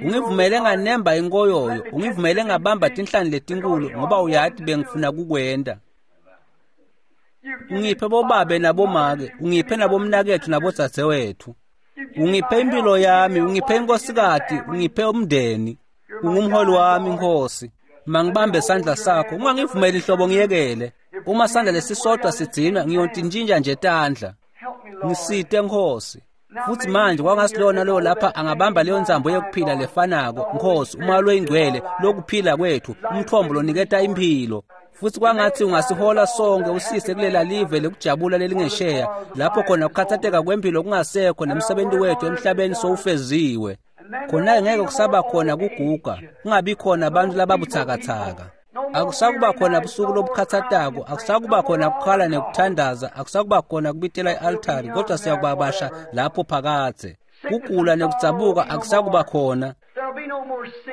Ungivumele nganemba inkoyoyo, ungivumele ngabamba tinhlani letinkulu ngoba uyathi bengifuna kukwenta. Ungiphe bobabe nabomake, ungiphe nabomnakethu nabodzadzewethu. Ungiphe impilo yami, ungiphe inkosikati, ungiphe umndeni. Ungumholi wami Nkosi. Mangibambe sandla sakho, ungangivumeli inhlobo ngiyekele. Uma sandla lesisodwa sigcinwa, ngiyontintshintsha nje tandla. Ngisite Nkosi. Futhi manje kwangasilona lo lapha angabamba leyo ntsambo yekuphila lefanako Nkosi, umoya loyingcwele lokuphila kwethu, umthombo loniketa impilo. Futhi kwangathi ungasihola sonke usise kulela live lekujabula lelingesheya, lapho khona kukhathatheka kwempilo kungasekho nemsebenzi wethu emhlabeni sowufeziwe. Khona ngeke kusaba khona kuguga, kungabi khona abantu lababuthakathaka. Akusakuba khona busuku lobukhathatako, akusakuba khona kukhala nekuthandaza, akusakuba khona kubitela i-altari, kodwa siyakubabasha lapho phakadze. Kugula nekudzabuka akusakuba khona.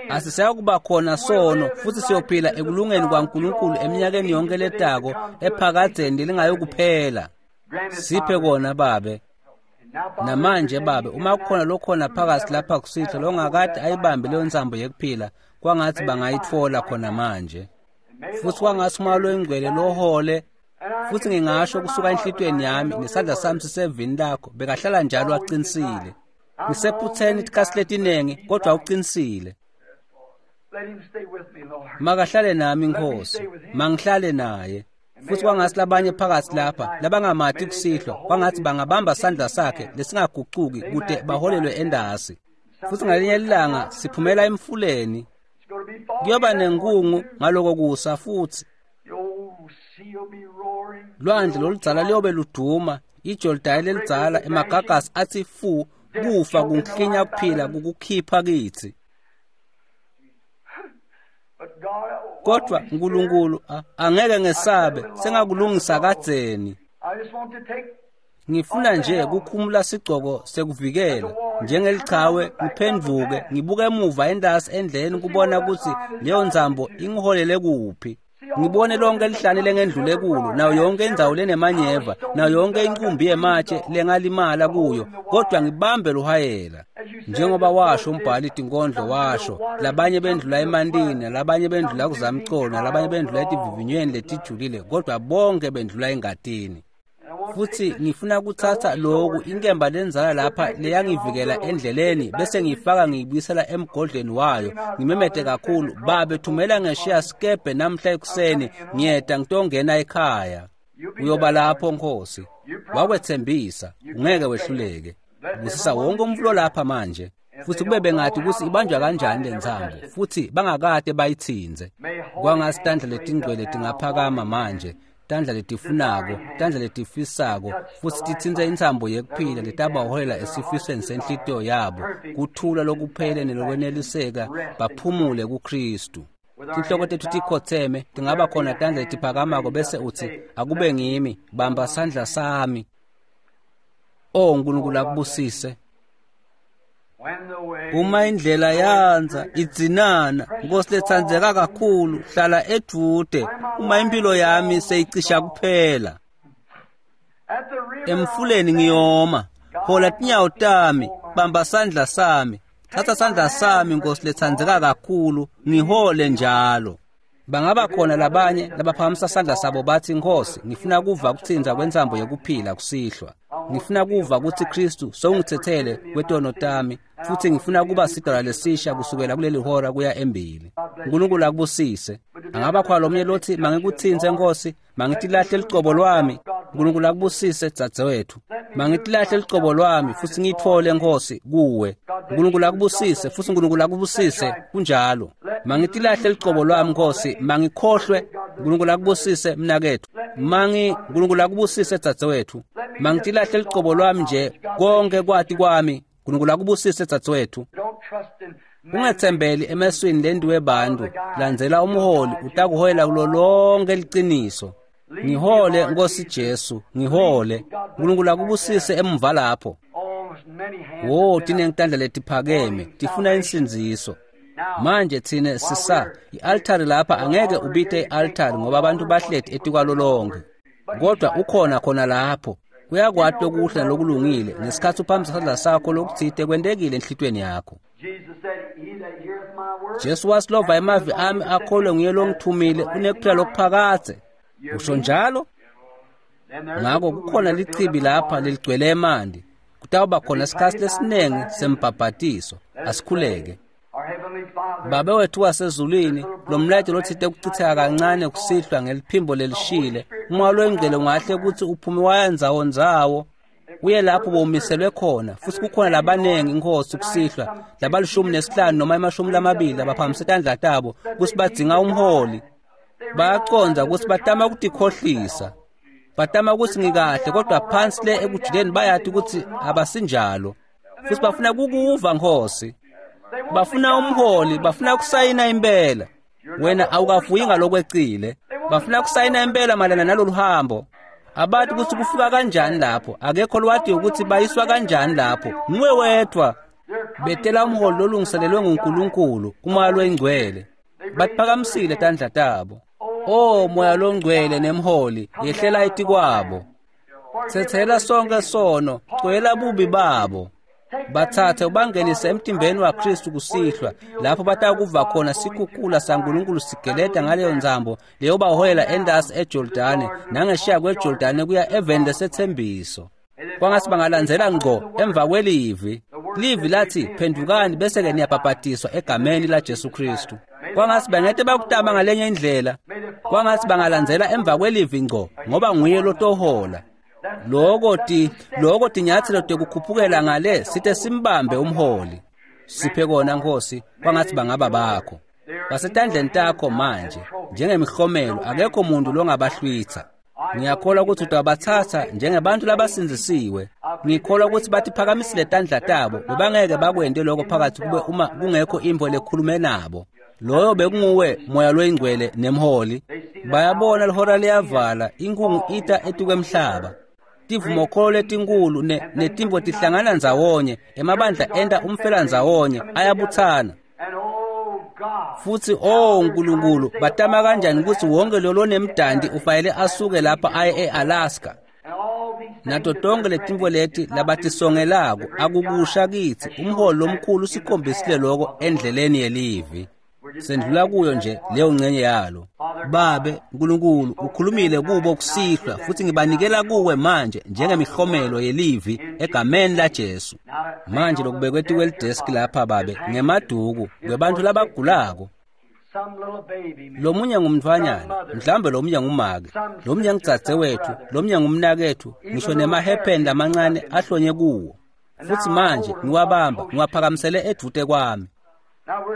Asisayakuba khona sono futhi siyophila ekulungeni kwaNkulunkulu eminyakeni yonke letako ephakadzeni lelingayokuphela. Siphe kona Babe. Namanje Babe, uma kukhona lokhona phakathi lapha kusihlwa longakade ayibambe leyo nsambo yekuphila, kwangathi bangayitfola khona manje. Futhi kwangathi uMoya loyiNgcwele lohole, futhi ngingasho kusuka enhlitiyweni yami nesandla sami sisevini lakho, bekahlala njalo aqinisile. Ngisephutheni itikhathi letiningi, kodwa uqinisile. Makahlale nami Nkosi, mangihlale naye. Futhi kwangathi labanye phakathi lapha labangamati kusihlwa, kwangathi bangabamba sandla sakhe lesingagucuki kute baholelwe endasi. Futhi ngalinye ilanga siphumela emfuleni, kuyoba nenkungu ngaloko kusa futhi. Lwandle loludzala liyobe luduma, iJordani lelidzala emagagasi athi fu, kufa kunklinya kuphila kukukhipha kithi. Kodwa uNkulunkulu angeke ngesabe, sengakulungisa kadzeni. Ngifuna nje kukhumula sigcoko sekuvikela njengelichawe, ngiphendvuke ngibuke emuva endasi endleleni kubona ukuthi leyo nsambo ingiholele kuphi. Ngibone lonke lihlane lengendlule kulo, nayo yonke indzawo lenemanyeva, nayo yonke inkumbi yematshe lengalimala kuyo, kodwa ngibambe luhayela. Njengoba washo umbhali tinkondlo washo, labanye bendlula emantini, labanye bendlula kuzamcolo, nalabanye bendlula etivivinyweni letijulile, kodwa bonke bendlula engatini. Futhi ngifuna kuthatha loku inkemba lenzala lapha leyangivikela endleleni, bese ngiyifaka ngiyibuyisela emgodleni wayo, ngimemete kakhulu, Babe thumela ngeshiya sikebhe namhla ekuseni, ngiyeda ngitongena ekhaya. Uyoba lapho Nkosi, wakwethembisa, ungeke wehluleke. Busisa wonke umfulo lapha manje. Futhi kube bengathi ukuthi ibanjwa kanjani le ntsambo, futhi bangakade bayithinze. Kwangathi tandla letingcwele tingaphakama manje, tandla letifunako, tandla letifisako, futhi titsintse intsambo yekuphila letabaholela esifisweni senhlitiyo yabo, kuthula lokuphele nelokweneliseka, baphumule kuKristu. Tinhloko tetfu tikhotseme, tingaba khona tandla letiphakamako bese utsi, akube ngimi, bamba sandla sami. O Nkulunkulu akubusise. Uma indlela yandza idzinana, Nkosi letsandzeka kakhulu, hlala edude, uma impilo yami seyicisha kuphela. Emfuleni ngiyoma, hola tinyawo tami, bamba sandla sami, thatha sandla sami Nkosi letsandzeka kakhulu, ngihole njalo. Bangaba khona labanye labaphakamisa sandla sabo bathi, Nkosi, ngifuna kuva kutsintsa kwentsambo yekuphila kusihlwa. Ngifuna kuva kutsi Kristu sewungitsetsele kwetono tami, futhi ngifuna kuba sidalwa lesisha kusukela kuleli hora kuya embili. Nkulunkulu akubusise. Angaba khona lomunye lothi, mangikutsintse Nkosi, mangitilahle licobo lwami. Nkulunkulu akubusise dzadzewethu. Mangitilahle licobo lwami futhi ngiyitfole Nkosi kuwe. Nkulunkulu akubusise futhi Nkulunkulu akubusise kunjalo. Mangitilahle licobo lwami Nkosi, mangikhohlwe. Nkulunkulu akubusise mnakethu. Mangi Nkulunkulu akubusise dzadzewethu. Mangitilahle licobo lwami nje konke kwati kwami. Nkulunkulu akubusise dzadzewethu. Ungetsembeli emeswini lendiwe bantu, landzela umholi utakuholela kulo lonke liciniso. Ngihole Nkosi Jesu, ngihole. Nkulunkulu akubusise emuva lapho. Wo, tinengitandla letiphakeme, tifuna insindziso. Manje tsine sisa i-altari lapha, angeke ubite i-altari ngoba abantu bahleti etikwalo lonke. Kodwa ukhona khona lapho. Uyakwati lokuhle nalokulungile, ngesikhatsi uphakamisa sandla sakho lokutsite kwentekile enhlitiyweni yakho. Jesu wasilova emavi ami akholwe nguye longithumile, unekuphila lokuphakadze. Usho njalo? Ngako kukhona lichibi lapha leligcwele emanti. Kutawuba khona sikhatsi lesinengi sembhabhatiso. Asikhuleke. Babe wethu wasezulwini, lo mlayeto lotsite kucitseka kancane kusihlwa ngeliphimbo lelishile, uMoya loyiNgcwele ungahle kutsi uphume waya ndzawo ndzawo, uye lapho bowumiselwe khona. Futhi kukhona labanengi Nkosi kusihlwa, labalishumi nesihlanu noma emashumi lamabili labaphakamise tandla tabo kutsi badzinga umholi. Bayacondza kutsi batama kutikhohlisa, batama kutsi ngikahle, kodwa phansi le ekujuleni bayati kutsi abasinjalo. Futhi bafuna kukuva Nkosi, bafuna umholi, bafuna kusayina impela. Wena awukavuyi ngalokwecile, bafuna kusayina impela malana nalolu hambo. Abati kutsi kufika kanjani lapho, akekho lwati ukuthi bayiswa kanjani lapho, nguwe wedwa. Betela umholi lolungiselelwe nguNkulunkulu, uMoya loyiNgcwele. Batiphakamisile tandla tabo. O Moya loNgcwele nemholi, yehlela etikwabo. Tsetsela sonke sono, cwela bubi babo. Bathathe ubangenise emtimbeni waKristu kusihlwa, lapho batakuva khona sikhukhula saNkulunkulu sigeleta ngaleyo nzambo leyobaholela entasi eJordane nangesheya kweJordane kuya eveni lesethembiso. Kwangasi bangalandzela ngco emva kwelivi. Livi lathi phendukani bese-ke niyabhabhatiswa egameni laJesu Kristu. Kwangasi bangete bakutama ngalenye indlela. Kwangasi bangalandzela emva kwelivi ngco ngoba nguye lotohola. Loko ti loko tinyatselo tekukhuphukela ngale site simbambe umholi. Siphe kona Nkosi, kwangathi bangaba bakho. Basetandleni takho manje njengemihlomelo, akekho umuntu longabahlwitha. Ngiyakholwa ukuthi utabathatha njengebantu labasindzisiwe. Ngikholwa ukuthi batiphakamisile tandla tabo, bebangeke bakwente lokho phakathi kube uma kungekho intfo lekhulume nabo. Loyo bekunguwe Moya loyiNgcwele nemholi. Bayabona lihora liyavala, inkhungu ita etukwemhlaba. Tivumokholo letinkulu netintfo tihlangana ndzawonye, emabandla enta umfela ndzawonye, ayabuthana. Futsi oh Nkulunkulu, batama kanjani kutsi wonke lo lonemdanti ufanele asuke lapha aye e-Alaska. Nato tonke letintfo leti labatisongelako akukusha kitsi. Umholi lomkhulu usikhombisile loko endleleni yelivi. Sendlula kuyo nje leyo ngcenye yalo. Babe Nkulunkulu ukhulumile kubo kusihlwa, futhi ngibanikela kuwe manje njengemihlomelo yelivi egameni laJesu. Manje lokubekwe etikwelideski lapha babe ngemaduku kwebantfu labagulako. Lomunye ngumntfwanyana, mhlawumbe lomunye ngumake, lomunye ngudzadzewetfu, lomunye ngumnaketfu, ngisho nemahepheni lamancane ahlonye kuwo. Futhi manje ngiwabamba ngiwaphakamisele edvute kwami.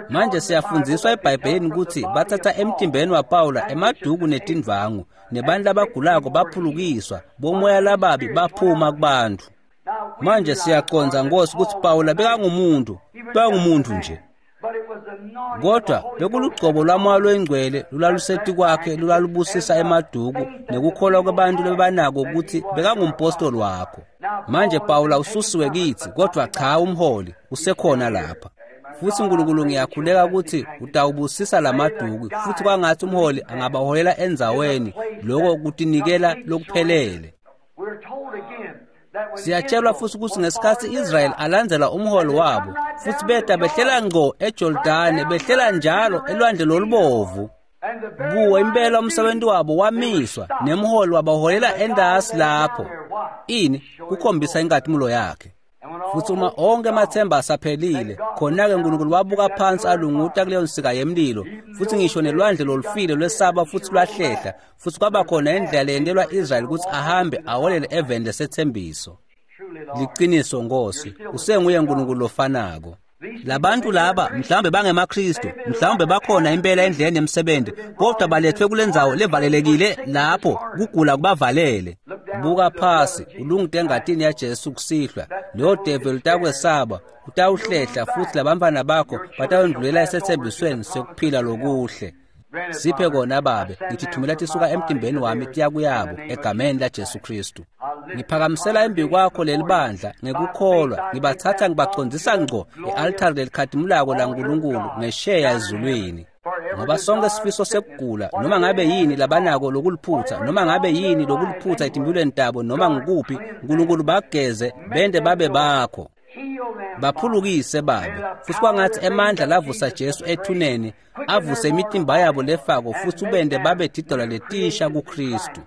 Manje siyafundziswa eBhayibhelini kutsi bathatha emtimbeni waPawula emaduku netindvangu, nebantu labagulako baphulukiswa, bomoya lababi baphuma kubantfu. Manje siyacondza Nkosi kutsi Pawula bekangumuntu, bekangumuntu nje. Kodwa bekulugcobo lwaMoya loyiNgcwele lulalusetikwakhe lulalubusisa emaduku nekukholwa kwabantu lebanako kutsi bekangumpostoli wakho. Manje Pawula ususiwe kitsi, kodwa cha umholi usekhona lapha. Futsi Nkulunkulu ngiyakhuleka kutsi utawubusisa lamaduku, futhi kwangathi umholi angabaholela endzaweni loko kutinikela lokuphelele. Siyatshelwa futhi kutsi ngesikhatsi Israyeli alandzela umholi wabo, futhi beta behlela ngco eJordane, behlela njalo elwandle lolubovu. Kuwo impela umsebenzi wabo wamiswa, nemholi wabaholela entasi lapho. Ini kukhombisa inkatimulo yakhe. Futhi uma onke amathemba asaphelile, khona-ke Nkulunkulu wabuka phansi alunguta kuleyo nsika yemlilo, futhi ngisho nelwandle lolufile lwesaba futhi lwahlehla, futhi kwaba khona indlela leyentelwa Israyeli kutsi ahambe aholele eveni lesethembiso. Liciniso Nkosi, usenguye Nkulunkulu lofanako. Labantu laba mhlawumbe bangemaKristu, mhlawumbe bakhona impela endleleni yemsebenzi, kodwa balethwe kulendzawo levalelekile lapho kugula kubavalele. Buka phasi, ulungite engatini yaJesu kusihlwa. Leyo develi utakwesaba, utawuhlehla, futhi labantfwana bakho batawendlulela esethembisweni sekuphila lokuhle. Siphe kona babe, ngithithumela tisuka emtimbeni wami tiya kuyabo egameni laJesu Kristu. Ngiphakamisela embi kwakho leli bandla ngekukholwa, ngibathatha ngibacondzisa ngco e-altari lelikhatimulako laNkulunkulu ngesheya ezulwini. Ngoba sonke sifiso sekugula, noma ngabe yini labanako lokuliphutsa, noma ngabe yini lokuliphutsa etimphilweni tabo, noma ngikuphi, Nkulunkulu bageze bente babe bakho. Baphulukise babe, futhi kwangathi emandla lavusa Jesu ethuneni avuse imitimba yabo lefako, futhi ubende babe tidola letisha kuKristu.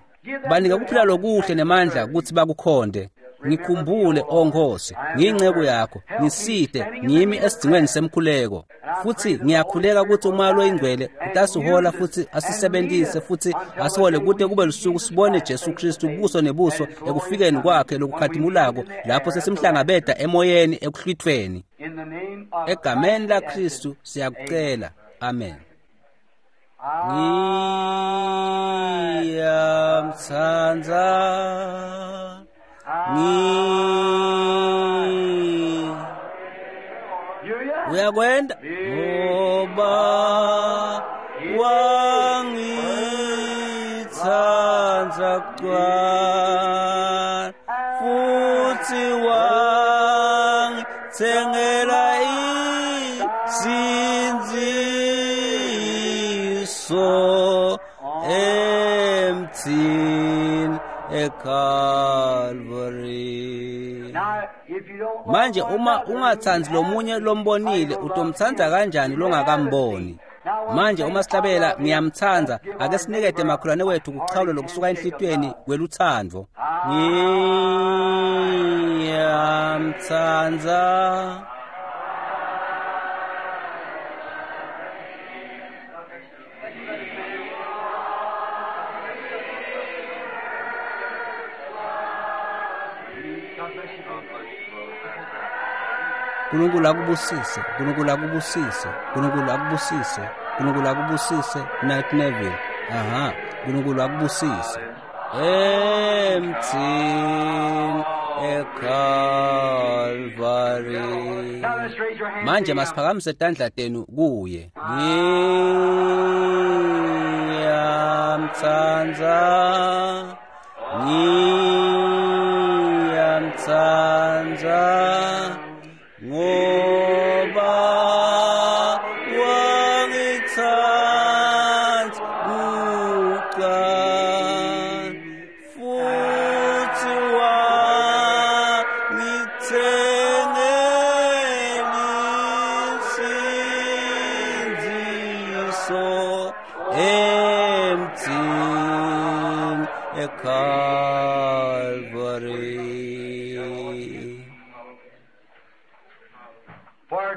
Banike kuphila lokuhle nemandla kutsi bakukhonde. Ngikhumbule o Nkosi, ngiyinceku yakho, ngisite ngimi esidzingweni semkhuleko. Futhi ngiyakhuleka kutsi uMoya loyiNgcwele utasihola futhi asisebentise futhi asihole kute kube lusuku sibone Jesu Kristu buso nebuso ekufikeni kwakhe lokukhatimulako, lapho sesimhlangabeta emoyeni ekuhlwithweni. Egameni laKristu siyakucela. Amen. Ngiyamtsandza. Ngi uyakwenda ngoba wangitsandza kuqala, futhi wangithengela eCalvary. Manje uma ungatsandzi lomunye lombonile, utomtsandza kanjani longakamboni? Manje uma sihlabela ngiyamtsandza, ake sinikete makholwane wethu kuchawula lokusuka enhlitiyweni kwelutsandvo. Ngiyamtsandza. Nkulunkulu akubusise, Nkulunkulu akubusise, Nkulunkulu akubusise, Nkulunkulu akubusise, Knight Neville. Aha, Nkulunkulu akubusise. Emthini eCalvary. Manje masiphakamise tandla tenu kuye. Ngiyamtsandza, ngiyamtsandza, ngoba wangitsandza kuqala futhi wangithengela insindziso emthini eCalvary.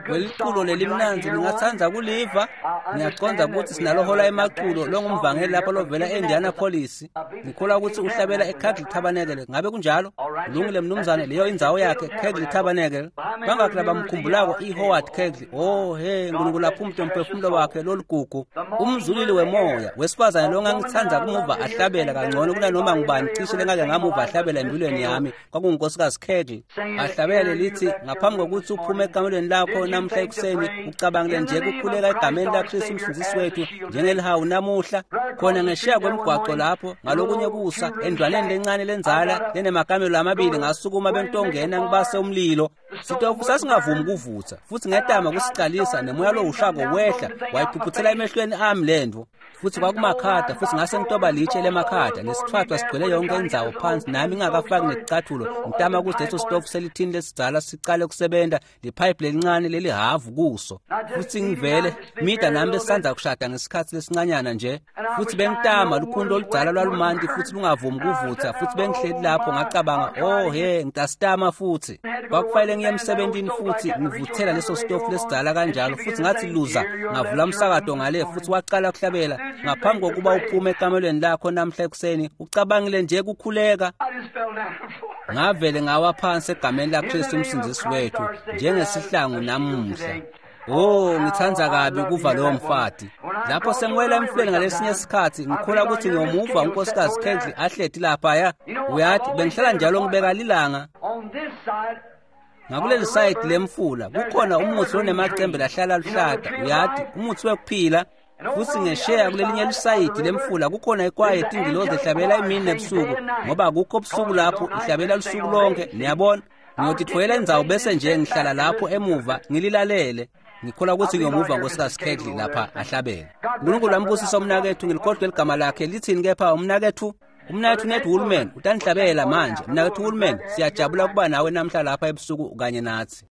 Leliculo lelimnandzi ningatsandza kuliva. Ngiyacondza kutsi sinalohola emaculo longumvangeli lapha lovela e-Indianapolis. Ngikholwa kutsi uhlabela eCagle Tabernacle. Ngabe kunjalo? Kulungile mnumzane, leyo indzawo yakhe, Cagle Tabernacle. Bangakhi labamkhumbulako iHoward Cagle? Oh he, Nkulunkulu aphumute umphefumulo wakhe loligugu. Umzulili wemoya, wesifazane longangitsandza kumuva ahlabela kangcono kunanoma ngubani cishe lengake ngamuva ahlabela empilweni yami, kwakungunkosikazi Cagle. Ahlabele lithi ngaphambi kokuthi uphume ekamelweni lakho namhla ekuseni, ucabangile nje kukhuleka egameni laKristu umsindzisi wethu njengelihawu namuhla khona ngesheya kwemgwaco lapho ngalokunye kusa endlwaneni lencane lenzala lenemakamelo amabili, ngasukuma bengitongena ngibase umlilo. Sitofu sasingavumi kuvutsa futhi ngetama kusicalisa, nemoya lowushako wehla wayiphuphuthela emehlweni ami lendvo. Futhi kwakumakhada, futhi ngase ngitoba litshe lemakhada nesithwathwa sigcwele yonke indzawo phansi, nami ngingakafaki neticathulo, ngitama ukuthi leso sitofu selithini lesidzala sicale kusebenta, liphayiphi lelincane lelihavu kuso. Futhi ngivele mida nami besisandza kushada ngesikhatsi lesincanyana nje, futhi bengitama lukhuni loludzala lwalumanti futhi lungavumi kuvutsa, futhi bengihleli lapho ngacabanga, oh he, ngitasitama futhi. Kwakufanele ngiye emsebentini futhi ngivuthela leso sitofu lesidzala kanjalo, futhi ngathi luza, ngavula umsakato ngale futhi waqala kuhlabela. Ngaphambi kokuba uphume ekamelweni lakho namhla ekuseni, ucabangile nje kukhuleka. Ngavele ngawa phansi egameni laKristu umsindzisi wethu njengesihlangu namuhla. Oh, ngitsandza kabi kuva lowo mfati. Lapho sengiwela emfuleni ngalesinye isikhathi, ngikholwa ukuthi ngiyomuva unkosikazi Cagle ahleti laphaya. Uyathi bengihlala njalo ngibeka lilanga. Ngakuleli sayidi lemfula kukhona umuthi lonemacembe lahlala luhlata, uyathi umuthi wekuphila. Futhi ngesheya kulelinye lisayidi lemfula kukhona ikwaya yetingilozi ehlabela imini nebusuku, ngoba akukho busuku lapho, ihlabela lusuku lonke. Niyabona, ngiyotitfolela indzawo bese nje ngihlala lapho emuva ngililalele. Ngikholwa ukuthi ngiyomuva nkosikazi Cagle lapha ahlabela. Nkulunkulu ambusise umnakethu, ngilikhohlwe ligama lakhe lithini kepha umnakethu? Umnakethu Ned Woolman utanihlabela manje. Mnakethu Woolman, siyajabula kuba nawe namhla lapha ebusuku kanye nathi.